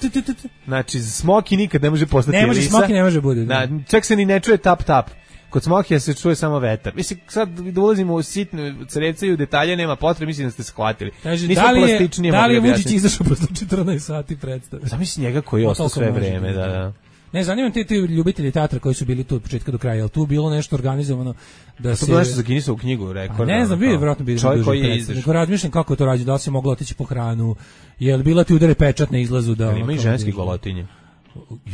znači Smoky nikad ne može postati ne može, Elisa. Smoky ne može bude. Da, čak se ni ne čuje tap tap. Kod Smokija se čuje samo vetar. Mislim, sad da ulazimo u sitne crece i u detalje, nema potrebe, mislim da ste shvatili. Kaže, da li je, da li je Vučić izašao posle četrnaest sati predstave? Zamisli njega koji je ostao sve vreme, da, da. Ne, zanimam te, te ljubitelji teatra koji su bili tu od početka do kraja, ali tu bilo nešto organizovano da se... To je nešto za Guinnessovu knjigu, rekord. Ne znam, bio je vjerojatno bio čovjek koji je izašao. Nego razmišljam kako je to rađeno, da li se moglo otići po hranu, je li bila ti udare pečat na izlazu da... Ima i ženski golotinje.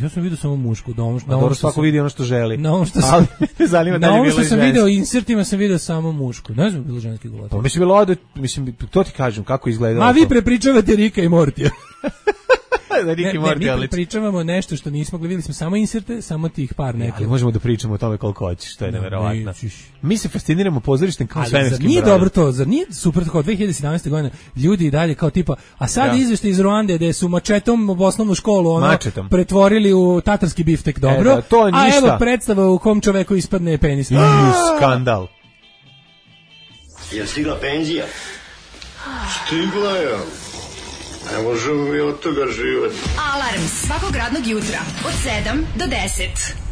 Ja sam vidio samo mušku, da ono što, na ono svako vidi ono što želi. Na ono što sam, ali ne zanima da na je ono bilo što sam ženski. video insertima sam video samo mušku. Ne znam bilo ženski golotinje. Pa mislim bilo ode, mislim to ti kažem kako izgleda. Ma vi prepričavate Rika i Mortija. da Rick ne, i Morty, ne, mi pričamo nešto što nismo gledali, smo samo inserte, samo tih par nekih. Ali možemo da pričamo o tome koliko hoćeš, što je neverovatno. Mi se fasciniramo pozorištem kao svemirskim. Nije dobro to, zar nije super tako, dve hiljade sedamnaeste. godine ljudi i dalje kao tipa, a sad izveštaj iz Ruande gde su mačetom u osnovnu školu ono mačetom pretvorili u tatarski biftek, dobro, e, da, to a evo predstava u kom čoveku ispadne penis. I skandal. Je stigla penzija? Stigla je. Ne možemo mi od toga živati. Alarm svakog radnog jutra od sedam do deset.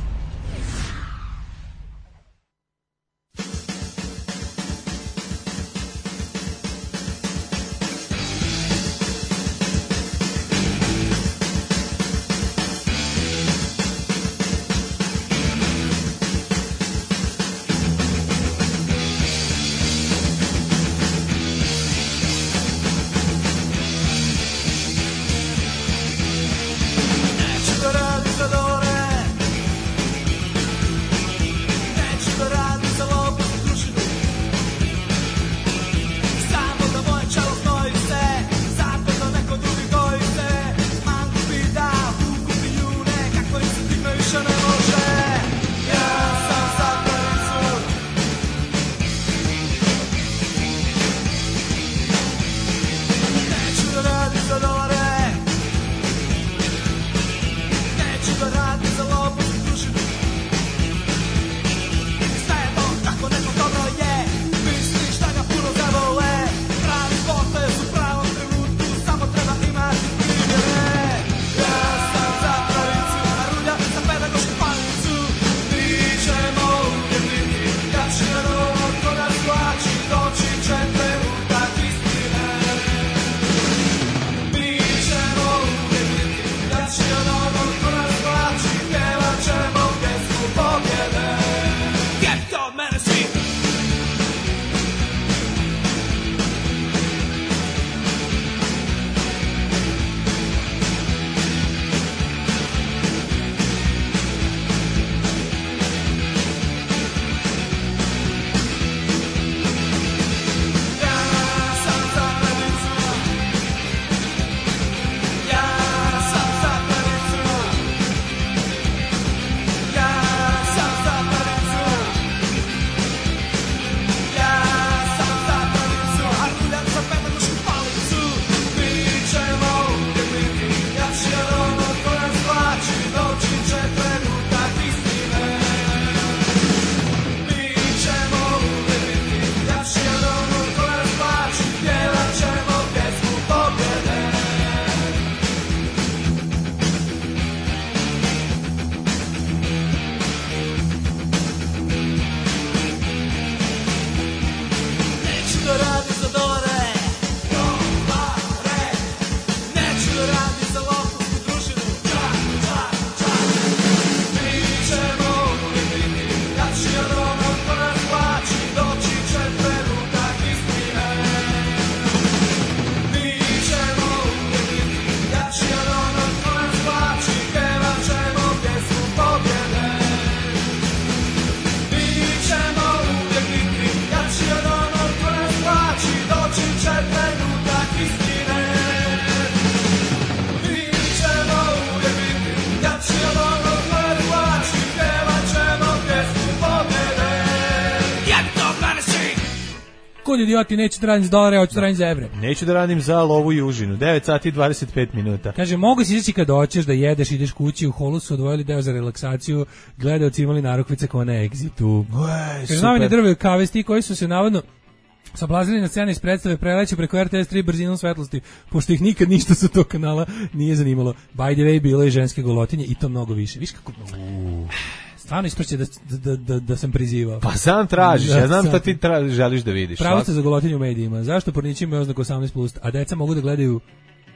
kud idioti, neću da radim za dolare, hoću da radim za evre. Neću da radim za lovu i užinu. devet sati i dvadeset pet minuta. Kaže, mogu si izaći kad hoćeš da jedeš, ideš kući, u holu su odvojili deo za relaksaciju, gledaoci imali narukvice kao na Exitu. Kaže, novine drve kavesti koji su se navodno sablazili na sceni iz predstave preleće preko R T S tri brzinom svetlosti, pošto ih nikad ništa sa tog kanala nije zanimalo. By the way, bilo je ženske golotinje i to mnogo više. Viš kako... Uh. Stvarno isprće da, da, da, da sam prizivao. Pa sam tražiš, ja znam da ti tra, želiš da vidiš. Pravo ste za golotinju u medijima. Zašto pornići imaju oznaku osamnaest plus, a deca mogu da gledaju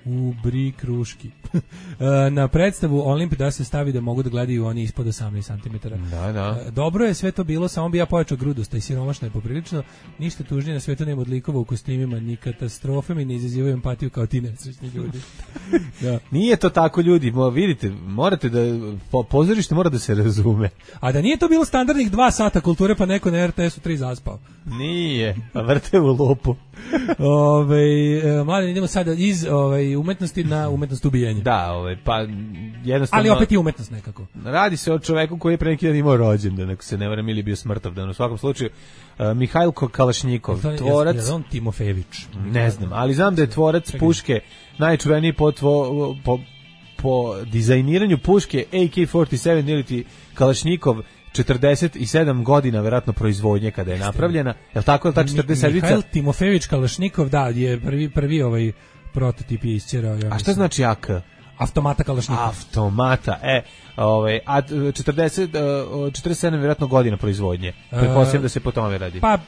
u bri kruški. Na predstavu Olimp da se stavi da mogu da gledaju oni ispod osamnaest centimetara. Da, da. Dobro je sve to bilo, samo bi ja pojačao grudost, i siromašno je poprilično. Ništa tužnije na svetu nema od likova u kostimima, ni katastrofe mi ne izazivaju empatiju kao ti nesrećni ljudi. Da. Nije to tako, ljudi, Mo, vidite, morate da, po, pozorište mora da se razume. A da nije to bilo standardnih dva sata kulture, pa neko na R T S-u tri zaspao. Nije, pa vrte u lupu. Ove, mladen, idemo sada iz ove, umetnosti na umetnost ubijanja. Da, ove, pa jednostavno... Ali opet i umetnost nekako. Radi se o čoveku koji je pre neki dan imao rođendan, ako se ne varam, ili bio smrtovdan. U svakom slučaju, uh, Mihajl Kalašnikov, tvorac... Je on Timofejević? Ne znam, ali znam da je tvorac Čekaj. puške najčuveniji po, tvo, po, po dizajniranju puške A K četrdeset sedam ili ti Kalašnikov, četrdeset sedam godina verovatno proizvodnje kada je napravljena. Je li tako, je li ta četrdeset sedam? Mihajl Timofejević Kalašnikov, da, je prvi, prvi ovaj prototip je isćerao. Ja a šta znači A K? Automata Kalašnikov. Automata, e, ovaj, a četrdeset, četrdeset sedam vjerojatno godina proizvodnje. Pretpostavljam da se po tome radi. Pa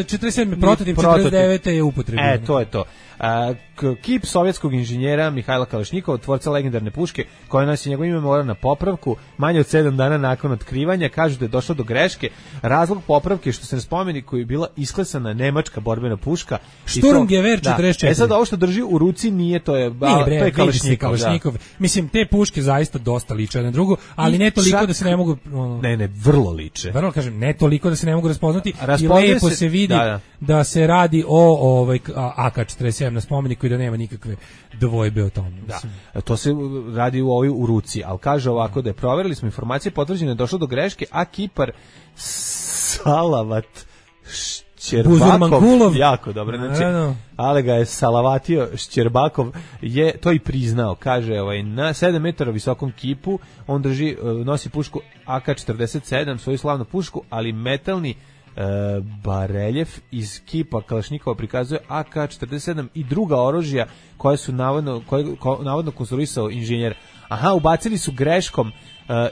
četrdeset sedam prototip, četrdeset devet je upotrebljen. E, to je to. A, kip sovjetskog inženjera Mihajla Kalašnikova, tvorca legendarne puške, koja nosi njegovo ime, mora na popravku manje od sedam dana nakon otkrivanja. Kažu da je došlo do greške. Razlog popravke što se ne spomeni koji je bila isklesana nemačka borbena puška. Sturmgewehr četrdeset četiri. E sad ovo što drži u ruci nije, to je, ba, nije, bre, to je Kalašnikov. Kalašnikov. Mislim, te puške zaista dosta liče na drugu, ali I ne toliko čak, da se ne mogu... Ono, ne, ne, vrlo liče. Vrlo, kažem, ne toliko da se ne mogu raspoznati. I lepo se, se vidi da, da. da se radi o ovaj, A K četrdeset sedam na spomeniku i da nema nikakve dvojbe o tome. Da. To se radi u ovoj u ruci, ali kaže ovako da je proverili smo informacije, potvrđeno je došlo do greške, a kipar Salavat Šćerbakov, jako dobro, znači, ali ga je salavatio Šćerbakov, je to i priznao, kaže, ovaj, na sedam metara visokom kipu, on drži, nosi pušku A K četrdeset sedam, svoju slavnu pušku, ali metalni E, bareljef iz kipa Kalašnikova prikazuje A K četrdeset sedam i druga oružja koje su navodno, koje, ko, navodno konstruisao inženjer. Aha, ubacili su greškom e,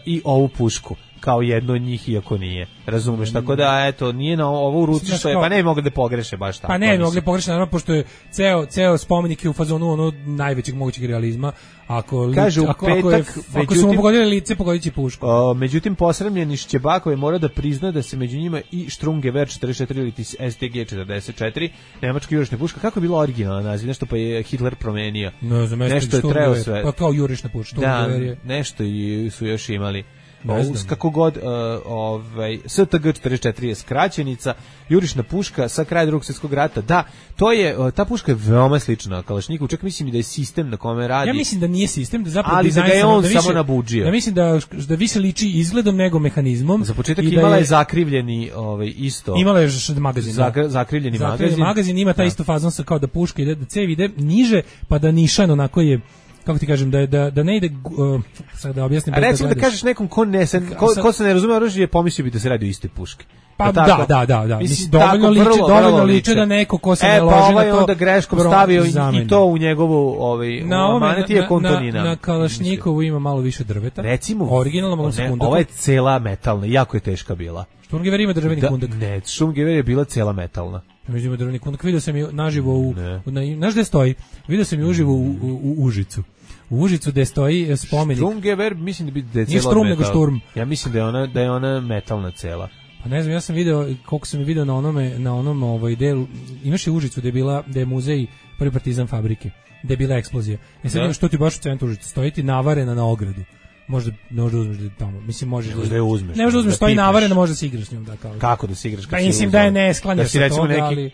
i ovu pušku kao jedno od njih, iako nije. Razumeš, tako da, eto, nije na ovo u ruci što je, pa ne mogli da pogreše baš tako. Pa ne, mogli da pogreše, naravno, pošto je ceo, ceo spomenik je u fazonu ono najvećeg mogućeg realizma. Ako, kaže, ako, petak, ako, je, međutim, ako su mu pogodili lice, pogodit će pušku. O, međutim, posramljeni Šćebakov je mora da prizna da se među njima i Sturmgewehr četrdeset četiri ili S T G četrdeset četiri, nemačka jurišna puška. Kako je bila originalna naziv? Nešto pa je Hitler promenio. No, za nešto je treo sve. Pa kao jurišna puška. Da, nešto i su još imali. O, kako god, uh, ovaj, S T G četrdeset četiri je skraćenica, jurišna puška sa kraja Drugog svjetskog rata. Da, to je, uh, ta puška je veoma slična Kalašniku, čak mislim i da je sistem na kome radi. Ja mislim da nije sistem, da zapravo ali da ga je on da više, samo nabuđio. Ja mislim da, da više liči izgledom nego mehanizmom. Za početak imala da je, je zakrivljeni ovaj, isto. Imala je magazin. Zakr, zakrivljeni, zakrivljeni magazin. magazin ima taj isto fazon sa kao da puška ide, da cev ide niže, pa da nišan onako je, kako ti kažem, da da da ne ide, uh, sad da objasnim. A recimo da, da kažeš nekom ko ne se ko, ko se ne razume oružje, pomislio bi da se radi o istoj puški. Pa da, da, da, da, da. Mislim, dovoljno liče, vrlo, dovoljno vrlo liče da neko ko se e, ne loži pa ovaj na to. Onda greškom stavio i to u njegovu ovaj maneti je kontonina. Na, na Kalašnikovu ima malo više drveta. Recimo, originalno malo se kundak. Ova je cela metalna, jako je teška bila. Sturmgewehr ima drveni da, kundak. Ne, Sturmgewehr je bila cela metalna. Međutim, drveni kundak vidio sam je naživo u, na, znaš gde stoji? Vidio sam je uživo u, u, u Užicu. U Užicu gde stoji spomenik. Sturmgewehr, mislim da bi da je cela metal. Nego šturm. Ja mislim da je ona da je ona metalna cela. Pa ne znam, ja sam video koliko sam video na onome na onom ovaj delu. Imaš je Užicu gde je bila da je muzej prvi partizan fabrike, gde je bila eksplozija. E sad da. Što ti baš u centru Užice stoji ti navarena na ogradu. Možda možda uzmeš da tamo. Mislim možeš da je uzmeš. Ne možeš da uzmeš, stoji navarena, možda se igraš s njom da kao. Kako da se igraš? Pa mislim da je ne sklanja da se toga, neki... ali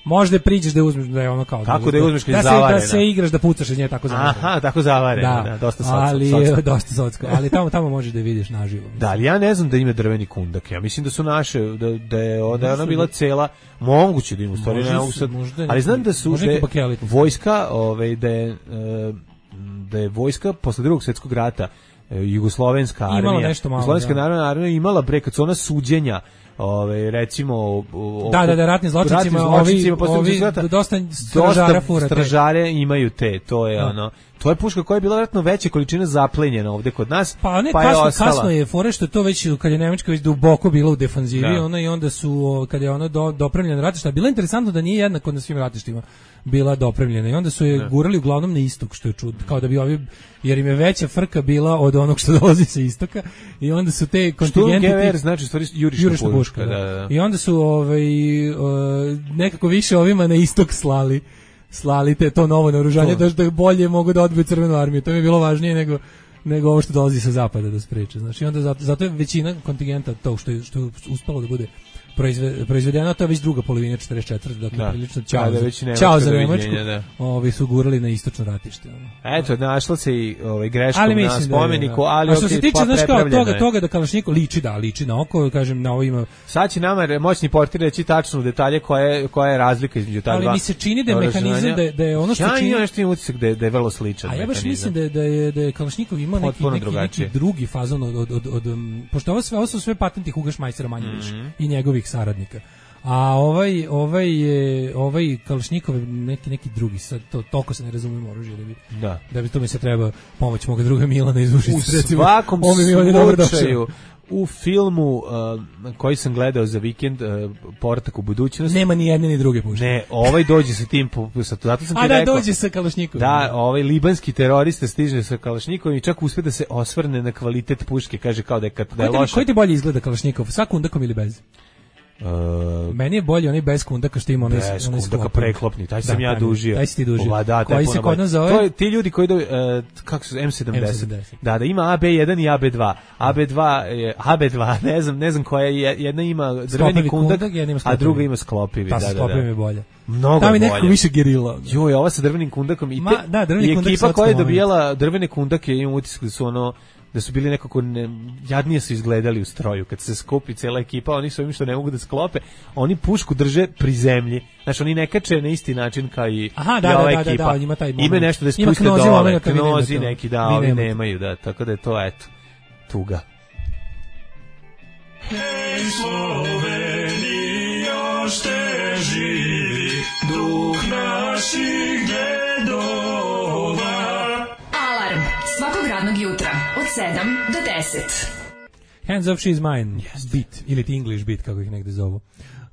Možda priđeš da uzmeš da je ono kao kako da je uzmeš kad je da se, zavarena. Da se igraš da pucaš iz nje tako zavarena. Aha, tako zavarena, da, da dosta socko. Ali socko. dosta socko, ali tamo tamo možeš da je vidiš naživo. Da, ali ja ne znam da ima drveni kundak. Ja mislim da su naše da da je da je ona bila cela, moguće da ima u stvari, ne mogu sad. Ali znam da su da vojska, ovaj da je da je vojska posle Drugog svjetskog rata, jugoslovenska armija, jugoslovenska narodna armija imala bre kad su ona suđenja, ove recimo o, da da da ratni zločincima, ovi ovi dosta stražara furate. Stražare imaju te, to je da. Ono to je puška koja je bila vjerojatno veće količine zaplenjena ovde kod nas, pa, ne, pa kasno, je ostala. Kasno je fore što to već kad je Nemačka već duboko bila u defanzivi, da. Ona i onda su kad je ona do, dopremljena ratišta, bilo interesantno da nije jednako na svim ratištima bila dopremljena i onda su je da. Gurali uglavnom na istok, što je čudno, kao da bi ovi, jer im je veća frka bila od onog što dolazi sa istoka i onda su te kontingenti Sturmgewehr znači stvari jurišna, jurišna puška, puška da. Da, da. I onda su ovaj uh, nekako više ovima na istok slali slali te to novo naoružanje da da bolje mogu da odbiju crvenu armiju. To mi je bilo važnije nego nego ovo što dolazi sa zapada da spreče. Znači onda zato, zato je većina kontingenta to što je, što je uspelo da bude proizvedeno, to je već druga polovina četrdeset četvrte dakle da. Prilično ćao da, za, ćao za Nemačku, da. Ovi su gurali na istočno ratište. Eto, našla se i ovaj greškom na spomeniku, da, ali a što se tiče znaš kao toga, toga da Kalašnjikov liči, da, liči na oko, kažem, na ovo ima... Sad će nama moćni portir reći tačno detalje koje, koja je razlika između ta ali dva. Ali mi se čini da je mehanizam, da je, da je ono što ja čini... Ja nešto imam utisak da je, da je vrlo sličan mehanizam. A ja baš mehanizam. mislim da je, da je, da je Kalašnjikov imao neki, neki, neki drugi fazon od, od, od, od, od pošto ovo, sve, ovo su sve patenti Huga Šmajsera manje više mm-hmm. i njegovih saradnika. A ovaj ovaj je ovaj Kalašnjikov neki neki drugi sad to toliko se ne razumemo oružje da bi da da bi to mi se treba pomoć moga druga Milana iz Užica recimo. U svakom slučaju u filmu uh, koji sam gledao za vikend uh, Portak u budućnost nema ni jedne ni druge puške. Ne, ovaj dođe sa tim sa zato sam ti A da rekao. dođe sa Kalašnjikovim. Da, ovaj libanski terorista stiže sa Kalašnjikovim i čak uspe da se osvrne na kvalitet puške, kaže kao da je kad da je loše. Koji ti bolje izgleda Kalašnjikov, sa kundakom ili bez? Uh, Meni je bolje onaj bez kundaka što ima onaj bez kundaka preklopni, taj sam da, ja dužio. Taj si ti dužio. Ova, da, koji se kod nas zove? To je ti ljudi koji do, uh, kako su M sedamdeset. Da, da ima A B jedan i A B dva. A B dva je A B dva, ne znam, ne znam koja je, jedna ima drveni kundak, kundak a druga ima sklopivi, ta da, da, da. Sklopivi je bolje. Mnogo bolje. Tamo je nekako više gerila. Joj, ova sa drvenim kundakom i, te, Ma, da, drveni i kundak ekipa koja je dobijala drvene kundake, imam utisak da su ono da su bili nekako ne, jadnije su izgledali u stroju kad se skupi cela ekipa, oni su ovim što ne mogu da sklope, oni pušku drže pri zemlji, znači oni ne kače na isti način kao i, Aha, da, i ova da, ekipa. Da, da, ima taj moment. Ima nešto da spuste dole, knozi neki, da, ovi nemaju, da, tako da je to, eto, tuga. Hej Slovenija, još te živi duh naših dedova. Alarm svakog radnog jutra od sedam do deset. Hands Off She's Mine, yes. Beat, ili ti English beat, kako ih negde zovu.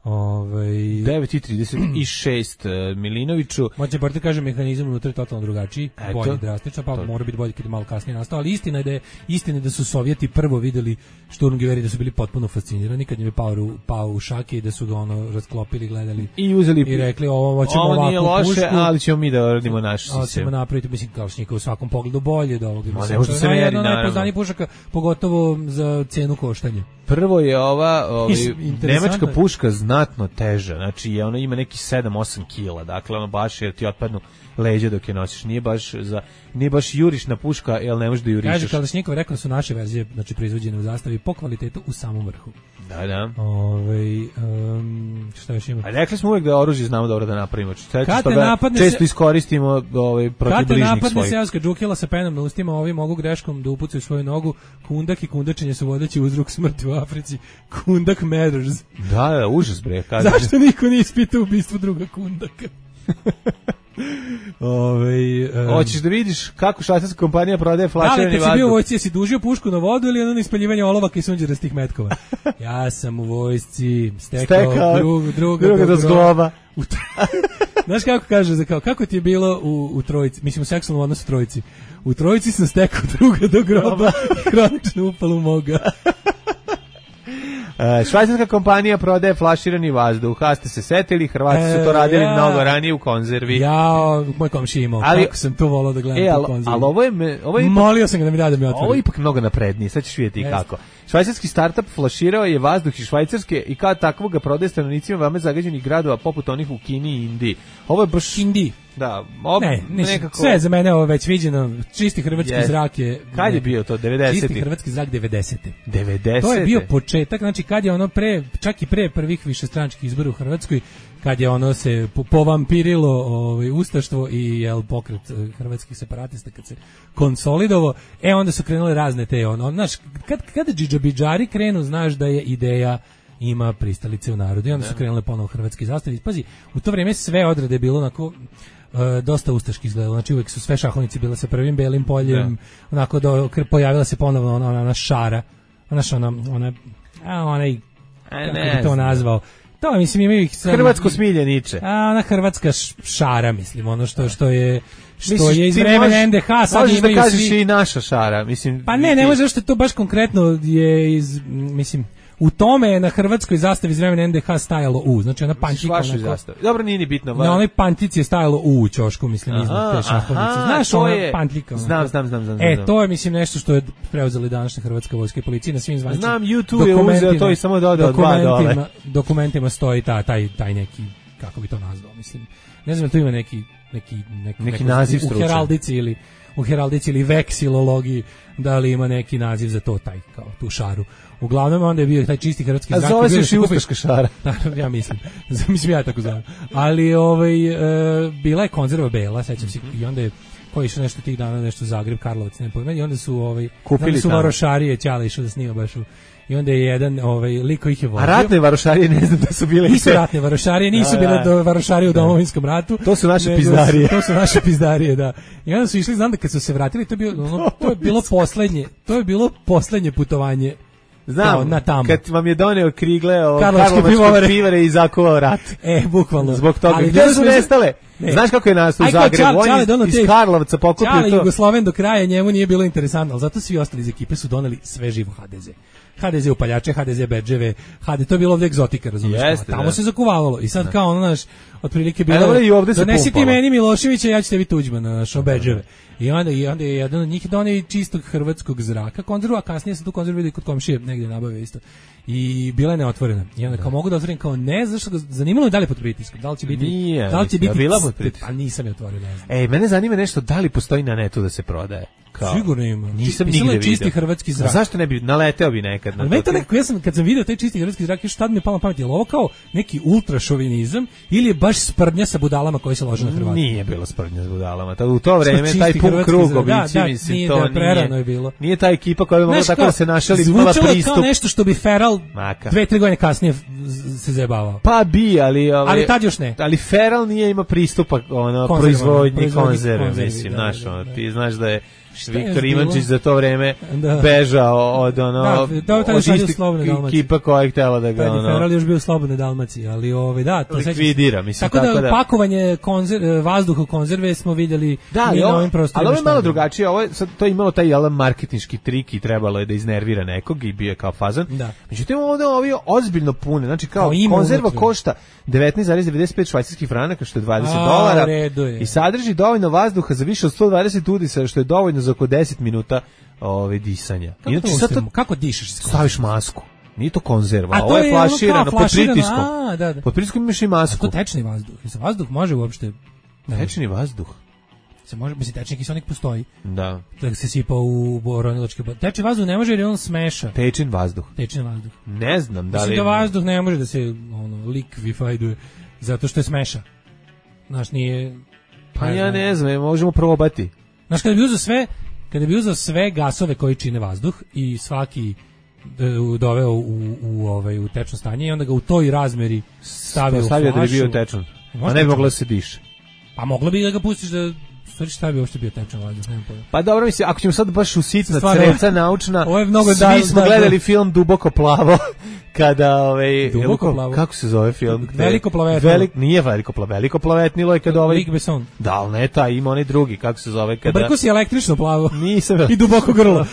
Ovaj devet i trideset šest Milinoviću. Moćni portir kaže mehanizam unutra je totalno drugačiji, bolji drastično, pa to mora biti bolji kad je malo kasnije nastao, ali istina je da je istina da su Sovjeti prvo videli Sturmgewehri, da su bili potpuno fascinirani kad im je pao, pao u šake i da su ga ono rasklopili, gledali i uzeli i rekli ovo ćemo ovako nije loše, pušku, ali ćemo mi da radimo naš sistem. Ćemo napraviti, mislim, Kalašnjikov u svakom pogledu bolje do ovog. Ma ne može se meri, naravno. Najpoznatiji pušaka, pogotovo za cenu koštanja. Prvo je ova ovaj, nemačka puška znatno teža, znači je ona ima neki sedam osam kila, dakle ono baš jer ti otpadnu leđa dok je nosiš, nije baš za nije baš jurišna puška, jel ne možeš da jurišeš. Kaže Kalašnjikov, rekao su naše verzije, znači proizvođene u zastavi po kvalitetu u samom vrhu. Da, da. Ovaj um, šta još ima? A rekli smo uvek da oružje znamo dobro da napravimo. Često se, iskoristimo ovaj protiv bližnjih svojih. Kad napadne seoska džukila sa penom na ustima, ovi mogu greškom da upucaju svoju nogu. Kundak i kundačenje su vodeći uzrok smrti u Africi. Kundak matters. Da, da, užas bre. Kaže. Zašto niko nije ispitao ubistvo druga kundaka? Ove, um, hoćeš da vidiš kako švajcarska kompanija prodaje flaširani vazduh? Da, kad si bio u vojsci, jesi dužio pušku na vodu ili ono ispaljivanje olovaka i sunđerastih metkova? Ja sam u vojsci stekao, stekao drug, druga, druga do zgloba. Znaš kako kaže, kao, kako ti je bilo u, u trojici, mislim u seksualnom odnosu trojici? U trojici sam stekao druga do groba i hronično upalu moga. Uh, švajcarska kompanija prodaje flaširani vazduh. A ste se setili, Hrvati su to radili e, ja, mnogo ranije u konzervi. Ja, moj komši imao, ali, kako sam to volao da gledam e, tu konzervi. Ali ovo je... Me, ovo je ipak, molio sam ga da mi da da mi otvori. Ovo je ipak mnogo naprednije, sad ćeš vidjeti kako. Švajcarski startup flaširao je vazduh iz Švajcarske i kao takvog ga prodaje stanovnicima veoma zagađenih gradova poput onih u Kini i Indiji. Ovo je baš... Indiji. Da, ob, ne, niš, nekako... sve za mene ovo već viđeno, čisti hrvatski yes. zrak je... Kad je bio to, devedesetih? Čisti hrvatski zrak devedesete. devedesete? To je bio početak, znači kad je ono pre, čak i pre prvih višestranačkih izbora u Hrvatskoj, kad je ono se povampirilo ovaj, ustaštvo i jel, pokret hrvatskih separatista, kad se konsolidovo, e onda su krenule razne te, ono, znaš, kad, kada džidžabidžari krenu, znaš da je ideja ima pristalice u narodu i onda su krenule ponovo hrvatski zastavi. Pazi, u to vrijeme sve odrede bilo onako uh, dosta ustaški izgledalo, znači uvijek su sve šahovnici bile sa prvim belim poljem, da. onako do, pojavila se ponovno ona, ona šara, ona, ona, ona, a, onaj, kako bi to nazvao, to mislim imaju ih sam, hrvatsko smiljeniče. A ona hrvatska šara, mislim, ono što što je što Misliš, je iz vremena en de ha, sad možeš imaju da kažeš svi... i naša šara, mislim. Pa ne, ne može što to baš konkretno je iz, mislim, u tome je na hrvatskoj zastavi iz vremena en de ha stajalo U, znači ona pantika onako. Dobro, nije ni bitno. Na onoj pantici je stajalo U u ćošku, mislim, iznad te šahovnice. Znaš, ona je pantlika. Znam, znam, znam, znam. E, to je, mislim, nešto što je preuzeli današnja hrvatska vojska i policija na svim zvaničnim. Znam, YouTube je uzeo to i samo dodao dva dole. Dokumentima stoji ta, taj, taj neki, kako bi to nazvao, mislim. Ne znam, tu ima neki, neki, neki, neki naziv stručan. U heraldici ili u heraldici ili veksilologiji, da li ima neki naziv za to, taj, kao tu šaru. Uglavnom onda je bio taj čisti hrvatski zrak. A zove se još i ustaška šara. Ja mislim. Mislim ja tako zovem. Ali ovaj, e, bila je konzerva bela, sećam se, i onda je koji su nešto tih dana, nešto Zagreb, Karlovac, ne pojma, i onda su, ovaj, kupili su varošarije, Ćale išao da snima baš u, i onda je jedan, ovaj, liko ih je vodio. A ratne varošarije, ne znam da su bile... Nisu ratne varošarije, nisu bile do varošarije u Domovinskom ratu. To su naše pizdarije. To su naše pizdarije, da. I onda su išli, znam da kad su se vratili, to je bilo, ono, to je bilo poslednje, to je bilo poslednje putovanje. Znam, na tamo. Kad vam je doneo krigle o karlovačke pivare i zakovao rat. E, bukvalno. Zbog toga. Ali gdje su nestale? Ne. Znaš kako je nastao u Zagrebu? On iz Karlovca pokupio to. Čale Jugosloven do kraja, njemu nije bilo interesantno, ali zato svi ostali iz ekipe su doneli sve živo ha de ze. ha de ze upaljače, ha de ze bedževe, ha de ze, to je bilo ovdje egzotika, razumiješ? Jeste, tamo da. se zakuvavalo i sad da. Kao ono, naš, otprilike bilo, e, donesi ti meni Miloševića, ja ću tebi Tuđmana, naš, bedževe. I onda, i onda je jedan od njih donio čistog hrvatskog zraka konzervu, a kasnije sam tu konzervu vidio kod komšije, negdje nabavio isto. I bila je neotvorena. I onda kao mogu da otvorim, kao ne, zašto ga zanimalo je da li pod pritiskom, da li će biti, Nije, da li će biti, bila pod pritiskom. A nisam je otvorio, ne znam. Ej, mene zanima nešto, da li postoji na netu da se prodaje? Kao, sigurno ima. Nisam nigde vidio. Čisti hrvatski zrak. A zašto ne bi, naleteo bi nekad? Ali meni to nekako, ja sam, kad sam vidio taj čisti hrvatski zrak, još tad mi je palo na pamet, je li ovo kao neki ultrašovinizam ili je baš sprdnja sa budalama koji se lože na Hrvati? Nije bilo sprdnja sa budalama. U to vreme, taj pun krug obici, da, mislim, nije, to da, prerano nije, je bilo. Nije ta ekipa koja bi mogla tako da se našali, imala pristup. Zvučalo kao nešto što bi Feral Maka. dve, tri godine kasnije se zajebavao. Pa bi, ali... Ove, ali tad još ne. Ali Feral nije ima pristupa ono, proizvodnji konzerve, mislim, da, znaš, da, da, da. ti znaš da je Viktor Ivančić za to vreme da. bežao od ono da, da, od istih ekipa koja je htjela da ga ono... Feral još bio u Slobodnoj Dalmaciji, ali ove, da, to likvidira, mislim. Tako, tako da, da pakovanje konzer, vazduha u konzerve smo vidjeli da, i na ovim prostorima. Ali ovo je malo drugačije, ovo je, sad, to je imalo taj jel, marketinški trik i trebalo je da iznervira nekog i bio je kao fazan. Da. Međutim, ovdje ovo ozbiljno pune, znači kao konzerva košta devetnaest zarez devedeset pet švajcarskih franaka, što je dvadeset dolara i sadrži dovoljno vazduha za više od sto dvadeset udisa, što je dovoljno za oko deset minuta ove disanja. Kako, Inači, to, sad to, kako dišeš? Staviš masku. Nije to konzerva, ovo je flaširano pod pritiskom. A, da, da. Pod pritiskom imaš i masku. A to tečni vazduh. Se vazduh može uopšte... Tečni vazduh? Se može, mislim, tečni kiselnik postoji. Da. Da se sipa u boronilačke... Tečni vazduh ne može jer on smeša. Tečni vazduh? Tečni vazduh. Ne znam da li... Mislim da vazduh ne može da se ono, likvifajduje, zato što je smeša. Znaš, nije... Pa ja ne znam, možemo probati. Znaš, kada bi uzeo sve... Kada bi uzeo sve gasove koji čine vazduh i svaki doveo u, u, ovaj, u tečno stanje i onda ga u toj razmeri stavio, stavio u flašu. Da bi bio tečan. A ne bi moglo da se diše. Pa moglo bi da ga pustiš da... Stvari šta bi uopšte bio tečan vazduh, nemam pojma. Pa dobro, mislim, ako ćemo sad baš usitna creca naučna, ovo je mnogo svi da, smo da, gledali da. film Duboko plavo, kada, ovaj, Duboko plavo? Kako se zove film? Veliko plavetnilo. Velik, nije veliko plavetnilo, veliko plavetnilo je kada ovaj... Luc Besson. Da, ali ne taj, ima onaj drugi, kako se zove kada... Brko si električno plavo. Nisam... I duboko grlo.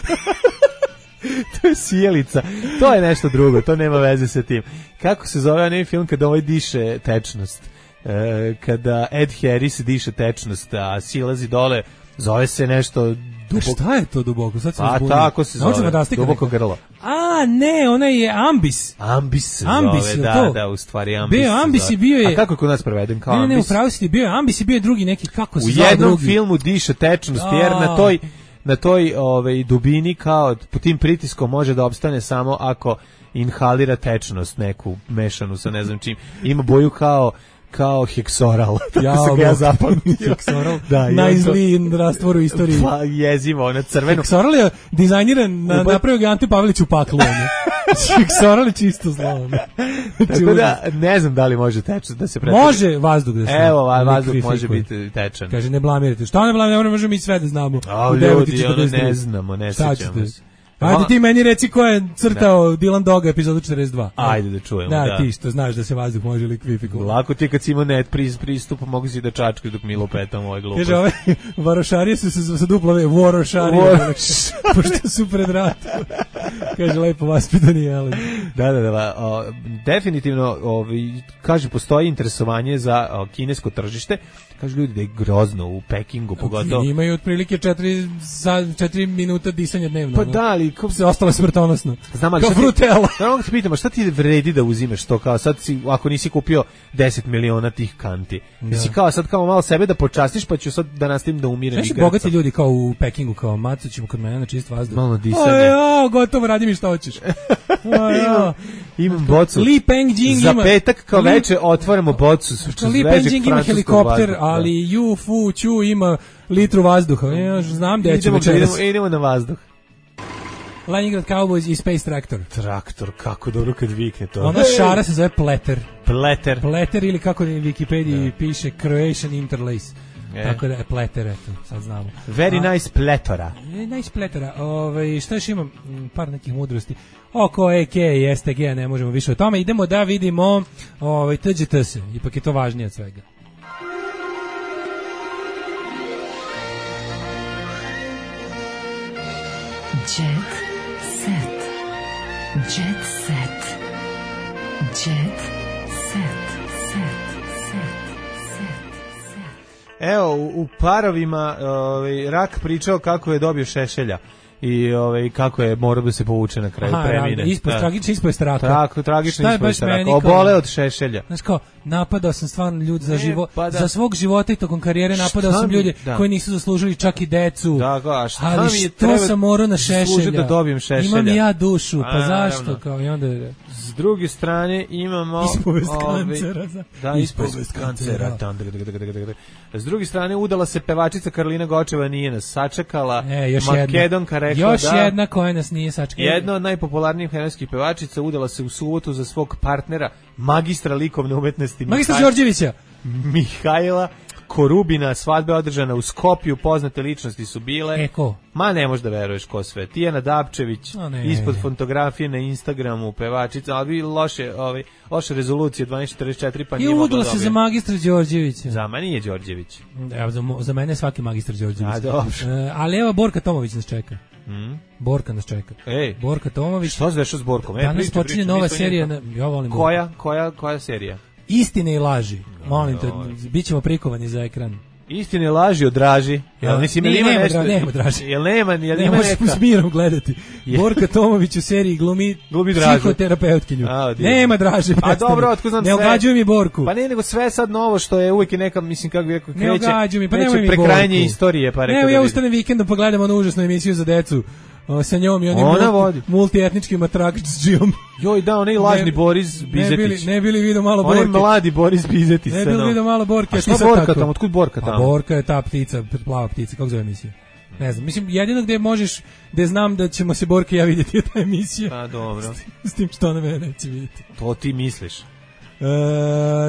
to je sjelica. To je nešto drugo, to nema veze sa tim. Kako se zove onaj film kada ovaj diše tečnost? E, kada Ed Harris diše tečnost, a silazi dole, zove se nešto duboko. Šta je to duboko? Sad se a uzbudim. tako se zove, duboko grlo. A, ne, ona je ambis. Ambis se ambis, zove, da, to? da, u stvari ambis. Bio ambis i bio je... A kako je kod nas preveden kao ne, ambis? Ne, ne, upravo si ti bio je ambis i bio je drugi neki, kako se u zove jednom drugi? filmu diše tečnost, A. jer na toj, na toj ovaj, dubini kao pod tim pritiskom može da opstane samo ako inhalira tečnost neku mešanu sa ne znam čim. Ima boju kao kao heksoral. Ja, tako se ga ja zapamtio. Heksoral, da, najzliji rastvor u istoriji. Pa jezivo, ona crveno. Heksoral je dizajniran, na, Uba... napravio ga Ante Pavelić u paklu. Heksoral je čisto zlo. Tako da, ne znam da li može tečnost da se pretvori. Može vazduh da se... Evo, vazduh može biti tečan. Kaže, ne blamirate. Šta ne blamirate, ne možemo mi sve da znamo. A, ljudi, ono ne znamo, ne sjećamo se. Ajde ti meni reci ko je crtao Dylan Doga epizodu četrdeset dva. Ajde da čujemo. Da, da. ti što znaš da se vazduh može likvifikovati. Lako ti kad si imao net pristup, mogu si da čačkaš dok Milo petam ovaj glupost. Kaže, ove varošarije su se sa duplove, vorošarije, pošto su pred ratom. Kaže, lepo vaspitani, ali... Da, da, da. O, definitivno, ovi, kaže, postoji interesovanje za o, kinesko tržište. Kažu ljudi da je grozno u Pekingu, pogotovo. Imaju otprilike četiri, četiri minuta disanja dnevno. Pa da, ali... Ko se ostalo smrtonosno. Znam, ali kao frutela. Znam, da te pitamo, šta ti vredi da uzimaš to kao sad si, ako nisi kupio deset miliona tih kanti? Da. Si kao sad kao malo sebe da počastiš, pa ću sad da nastavim da umirem i grca. Bogati ljudi kao u Pekingu, kao maco ćemo kod mene na čist vazduh. Malo disanje. O, gotovo, radi mi šta hoćeš. imam, imam bocu. Li Pengjing za ima. Za petak kao Li... veče otvaramo bocu. Li Pengjing ima helikopter, vazduh, ali Yu Fu Chu ima litru vazduha. Ja znam da ćemo večeras. Idemo, idemo na vazduh. Leningrad Cowboys i Space Tractor. Traktor, kako dobro kad vikne to. Ona šara se zove Pleter. Pleter. Pleter ili kako na Wikipediji da. piše Croatian Interlace. E. Tako da je Pleter, eto, sad znamo. Very A, nice pletora. Nice pletora. Ove, šta još imam? Par nekih mudrosti. Oko E K i S T G, ne možemo više o tome. Idemo da vidimo ovaj, T G T se. Ipak je to važnije od svega. Jet set. Jet set. Jet set. Set. Set. Set. Evo, u, u parovima ovaj, Rak pričao kako je dobio šešelja i ovaj, kako je morao da se povuče na kraju Aha, premine. Ispod, tragično ispod straka. Tako, tragično ispod straka. Obole od šešelja. Znaš kao, napadao sam stvarno ljudi za, živo, pa da. za svog života i tokom karijere, napadao sam ljude da. koji nisu zaslužili čak i decu. Da, a šta ali mi je što sam morao na šešelja? Da dobijem šešelja. Imam i ja dušu, pa a, zašto? Naravno. Kao, i onda... S druge strane imamo... Ispovest ovi, kancera. Da, ispovest kancera. S druge strane, udala se pevačica Karolina Gočeva, nije nas sačekala. E, još Makedonka jedna. rekla još da... jedna koja nas nije sačekala. Jedna od najpopularnijih hrvatskih pevačica udala se u subotu za svog partnera, magistra likovne umetnosti. Magistra Mihaj... Đorđevića. Mihajla Korubina, svadba održana u Skopju, poznate ličnosti su bile. E, ko? Ma ne možeš da veruješ ko sve. Tijana Dapčević, ispod fotografije na Instagramu, pevačica, ali vi loše, ovaj, loše rezolucije dvanaest četrdeset četiri, pa nije mogla udala se za magistra Đorđevića. Za mene nije Đorđević. Evo, za, za mene je svaki magistar Đorđević. A, dobro. E, ali evo, Borka Tomović nas čeka. Mm. Borka nas čeka. Ej, Borka Tomović. Što se dešava s Borkom? E, danas počinje nova serija. Na, ja volim koja, koja, koja serija? Istine i laži. Molim te, bit ćemo prikovani za ekran. Istine laži odraži. Jel mislim ne, ima nema, nešto? Nema draži. Jel nema, jel ne ima neka? Ne možeš s mirom gledati. Borka Tomović u seriji glumi, glumi psihoterapeutkinju. A, nema draže. A dobro, otko znam sve. Ne ogađuj mi Borku. Pa ne, nego sve sad novo što je uvijek neka, mislim kako bi rekao, kreće. Ne ogađuj mi, pa nemoj mi Borku. Prekrajanje istorije, pa rekao. Ne, ja ustanem vikendom pa gledam onu užasnu emisiju za decu. O, sa njom i onim multi, multietničkim atrakcijom. Joj, da, onaj lažni ne, Boris Bizetić. Ne bili, ne bili vidio malo Borke. Onaj mladi Boris Bizetić. Ne bili vidio malo Borke. A šta Borka tamo? Otkud Borka tamo? A Borka je ta ptica, plava ptica, kako zove emisija? Ne znam, mislim, jedino gde možeš, gde znam da ćemo se Borke ja vidjeti je ta emisija. Pa dobro. S tim, s tim što na mene neće vidjeti. To ti misliš. E,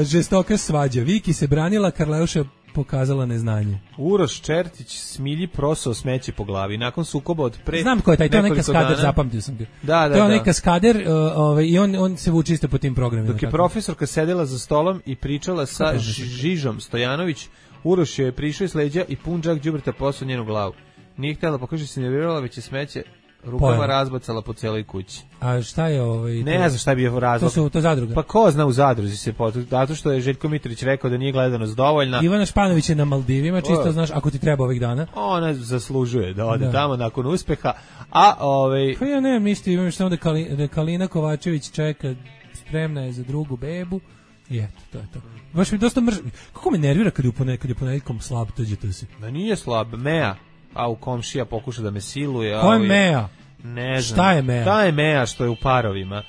žestoka svađa. Viki se branila, Karleuša pokazala neznanje. Uroš Čertić smilji prosao smeće po glavi nakon sukoba od pre. Znam ko je taj, to je onaj kaskader, zapamtio sam ga. Da, da, to je onaj da. kaskader uh, ovaj, i on, on se vuče isto po tim programima. Dok je tako. profesorka sedela za stolom i pričala sa Žižom Stojanović, Uroš je prišao iz leđa i pun džak đubreta posao njenu glavu. Nije htjela, pokaže se nervirala, već je smeće Rukama Pojela. razbacala po celoj kući. A šta je ovaj? Ne znam šta je bio razlog. To su to zadruga. Pa ko zna u zadruzi se potu, zato što je Željko Mitrović rekao da nije gledanost dovoljna. Ivana Španović je na Maldivima, čisto O. znaš, ako ti treba ovih dana. Ona zaslužuje da ode Da. tamo nakon uspeha, a ovaj Pa ja ne, mislim, imam samo da, Kali, da Kalina Kovačević čeka, spremna je za drugu bebu i eto, to je to. Baš mi dosta mrž... Kako me nervira kad je u ponedjeljkom, kad je u ponedjeljkom slab, tuđe to si. da nije slab, Mea, a u komšija pokuša da me siluje. Ko je ali- Mea? Ne znam. Šta je Mea? Šta je Mea što je u parovima?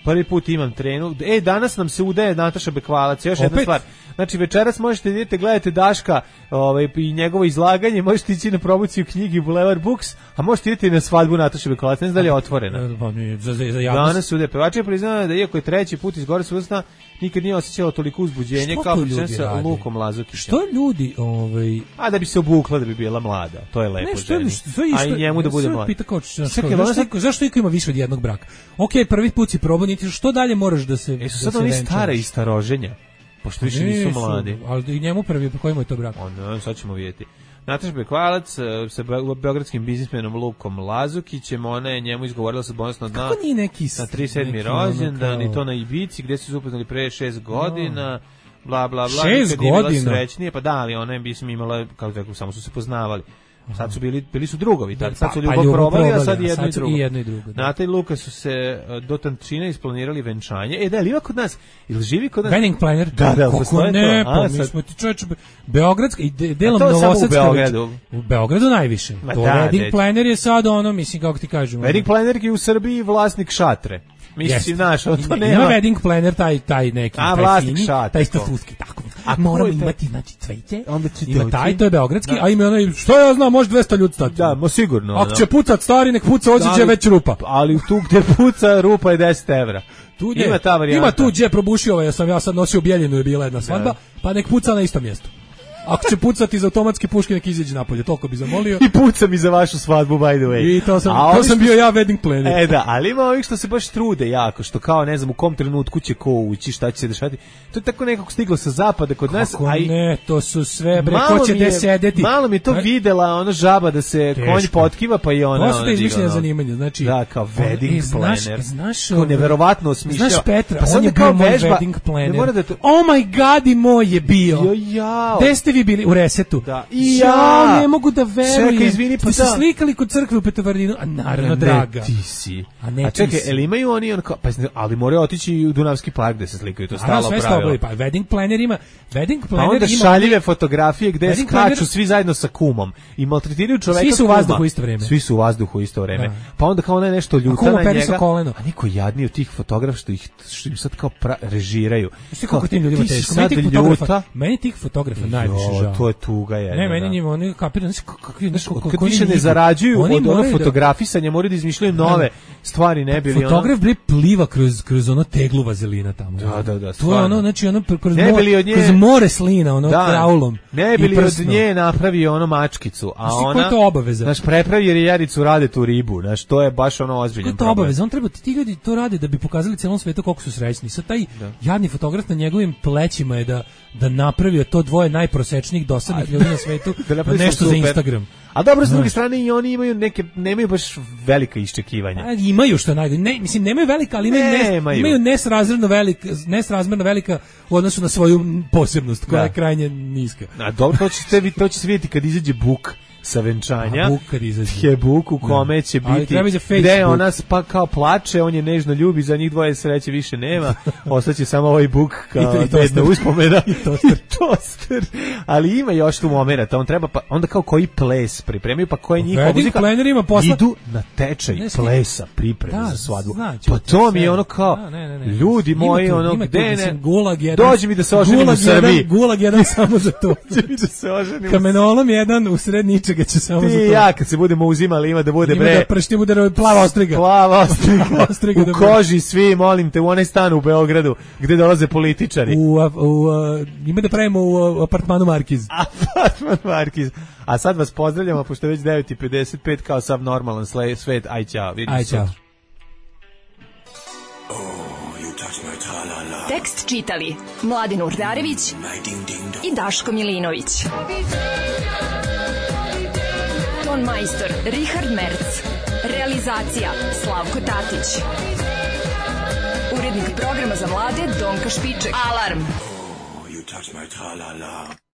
Prvi put imam trenu. E, danas nam se udaje Nataša Bekvalac. Još jedna Opet? stvar. Znači, večeras možete idete, gledate Daška ovaj, i njegovo izlaganje, možete ići na promociju knjigi Boulevard Books, a možete iditi na svadbu Nataše Bekvalac. Ne znam da li je otvorena. Pa nije, za, za, za javnost. Danas se udaje. Pevač je priznala da iako je treći put iz gore susna, nikad nije osjećala toliko uzbuđenje Što kao to pričam ljudi sa rade? Lukom Lazukićem. Što ljudi, ovaj... A da bi se obukla da bi bila mlada. To je lepo Ne, što, ženi. što, što, A i njemu da bude mlad. mlad. Pita kao, znaš, Čekaj, kao, ona zašto, sad- iko- zašto iko ima više od jednog braka? Ok, prvi put si probao, niti što dalje moraš da se E su da sad se oni venčaš? stara i staroženja, pošto više nisu mladi. Ali i njemu prvi, po kojemu je to brak? Ono, sad ćemo vidjeti. Nataša Bekvalac eh, sa be- beogradskim biznismenom Lukom Lazukićem, ona je njemu izgovorila sa bonusno dna Kako nije neki... na tri sedmi neki ono rođendan i kao- to na Ibici gdje su se upoznali pre šest godina, bla bla bla. Šest nikad nije bila godina? Srećnije, pa da, ali ona je mislim imala, kako da rekao, samo su se poznavali. Sad su bili bili su drugovi, Da, tako sad su pa- ljubav pa ljubav probali, a probali, sad a i jedno sad i su drugo. i jedno i drugo, da. Nata i Luka su se eh, do tančine isplanirali venčanje. E da, li ima kod nas? Ili živi kod nas? Wedding planner? Da, da, Kako postoji ne, to. pa A, mi sad- smo ti čovječe, Beogradska i de, delom A to je samo u Novosadska. Beogradu. već- U Beogradu najviše. Ma To da, wedding deć. planner je sad ono, mislim, kako ti kažem. ono- Wedding planner je u Srbiji vlasnik šatre. Mislim, Jeste. znaš, ono to Ima- nema. Ima wedding planner taj taj neki, A, taj vlasnik fini, šatra, taj to. stafuski, tako. A A ko moramo je taj? imati znači cveće. Onda će Ima doći. taj, to je beogradski, Da. a ima onaj, što ja znam, može dvesta ljudi stati. Da, mo sigurno. Ako ono. će pucat stari, nek puca, ođe Ali- već rupa. Ali tu gde puca rupa je deset evra. Tu Ima ta varijanta. Ima tu gdje probušio, ovaj, ja sam ja sad nosio Bijeljinu, je bila jedna svadba, pa nek puca na isto mjesto. Ako će pucati iz automatske puške, nek izađe napolje, toliko bi zamolio. I puca mi za vašu svadbu, by the way. I to sam, A to ovi sam što- bio ja wedding planner. E da, ali ima ovih što se baš trude jako, što kao ne znam u kom trenutku će ko ući, šta će se dešavati. To je tako nekako stiglo sa zapada kod nas, Kako a i ne, to su sve, bre, malo ko će mi gde je- sedeti. Malo mi je to A- videla ona žaba da se Teško. konj potkiva, pa i ona. To su ona te izmišljene digla, ono. zanimanja, znači... Da, kao wedding E, znaš- planner. Znaš, Kao ovaj, neverovatno osmišljava. Znaš Petra, Pa sad on je da kao bio moj vežba- wedding planner. Ne mora da to- Oh my god, i moj je bio. Jo, jao. Gde ste vi bili? U Resetu. Da. I ja. ja. ne mogu da verujem. Čekaj, izvini, pa Ste se da. slikali kod crkve u Petovardinu? A naravno, Ne, draga. ti si. A ne A ti čekaj, si. jel imaju oni on kao, pa ali moraju otići i u Dunavski park da se slikaju, to je Naravno, stalo sve pravilo. stobovi, pa wedding planner ima, wedding Pa planner onda ima... šaljive fotografije gde Wedding skaču planner- svi zajedno sa kumom i maltretiraju čoveka. Svi su u kuma. vazduhu u isto vreme. Svi su u vazduhu u isto vreme. Da. Pa onda kao ona je nešto A ljuta kuma na peri sa njega. koleno. A niko jadniji od tih fotografa što ih što im sad kao pra, režiraju. Znaš ti koliko tim ljudima Ti si teško? sad Meni tih fotografa, ljuta. meni tih fotografa najviše Jo, žao. to je tuga je. Ne, meni njima, oni kapiraju, znaš kakvi, znaš kako Kad oni više ne njih- zarađuju oni od ono moraju da- fotografisanja, moraju da izmišljaju nove stvari, ne bili ono. Fotograf bre pliva kroz kroz ono teglu vazelina tamo. Da, da, da, To je stvarno. ono, znači ono pr- kroz Ne more, bili od nje- kroz more slina, ono kraulom. Ne i bili od prsnom. nje napravio ono mačkicu, a Znaš ti koja ona je to obaveza? Naš prepravi jer Jaricu rade tu ribu, znaš, to je baš ono Kako ozbiljan je to problem. obaveza? On treba, ti ljudi to rade da bi pokazali celom svetu koliko su srećni. Sad taj jadni fotograf na njegovim plećima je da da napravio to dvoje najprosečnijih dosadnih ljudi na svetu, Da napravi nešto super. za Instagram. A dobro, s druge Znaš. strane i oni imaju neke, nemaju baš velika iščekivanja. A, imaju što je najgore. Ne, mislim, nemaju velika, ali imaju, nes, Nemaju. imaju nesrazmjerno velika, nesrazmjerno velika u odnosu na svoju posebnost, koja Da. je krajnje niska. A dobro, to će se vi to će se vidjeti kad izađe Buk sa venčanja. A Buk kad izađe. Je Buk u kome će Ali biti treba iza gde Facebook. ona pa kao plače, on je nežno ljubi, za njih dvoje sreće više nema. Ostaće samo ovaj Buk kao I to- i toster. bedna uspomena. I toster. toster. Ali ima još tu momenata, on treba pa onda kao koji ples pripremio, pa koja je njihova Wedding muzika. planner ima posla- Idu na tečaj Ne, sli- plesa, pripreme Da, za svadbu. znači, Pa to mi je sve. ono kao Da, ne, ne, ne. ljudi Ima moji, tu- ono ima tu, gde mislim, ne. gulag jedan, Dođi mi da se oženim u gulag jedan- Srbiji. Gulag jedan samo za to. Dođi mi da se oženim. u Kamenolom jedan u sred ničega će samo Ti za to. i ja kad se budemo uzimali ima da bude Ima bre da pršti bude plava ostriga. plava ostriga, Ostriga u da bude. koži svi, molim te, u onaj stan u Beogradu gde dolaze političari. U, a, u, a, ima da pravimo u a, apartmanu Markiz. Apartman Markiz. A sad vas pozdravljamo, pošto je već devet i pedeset pet kao sav normalan sle, svet. Aj, ćao. Vidimo Aj, se čao. sutra. Tekst čitali Mladin Urdarević i Daško Milinović. Ton majstor Richard Merc. Realizacija Slavko Tatić. Urednik programa za mlade Donka Špiček. Alarm! You touch my tra-la-la.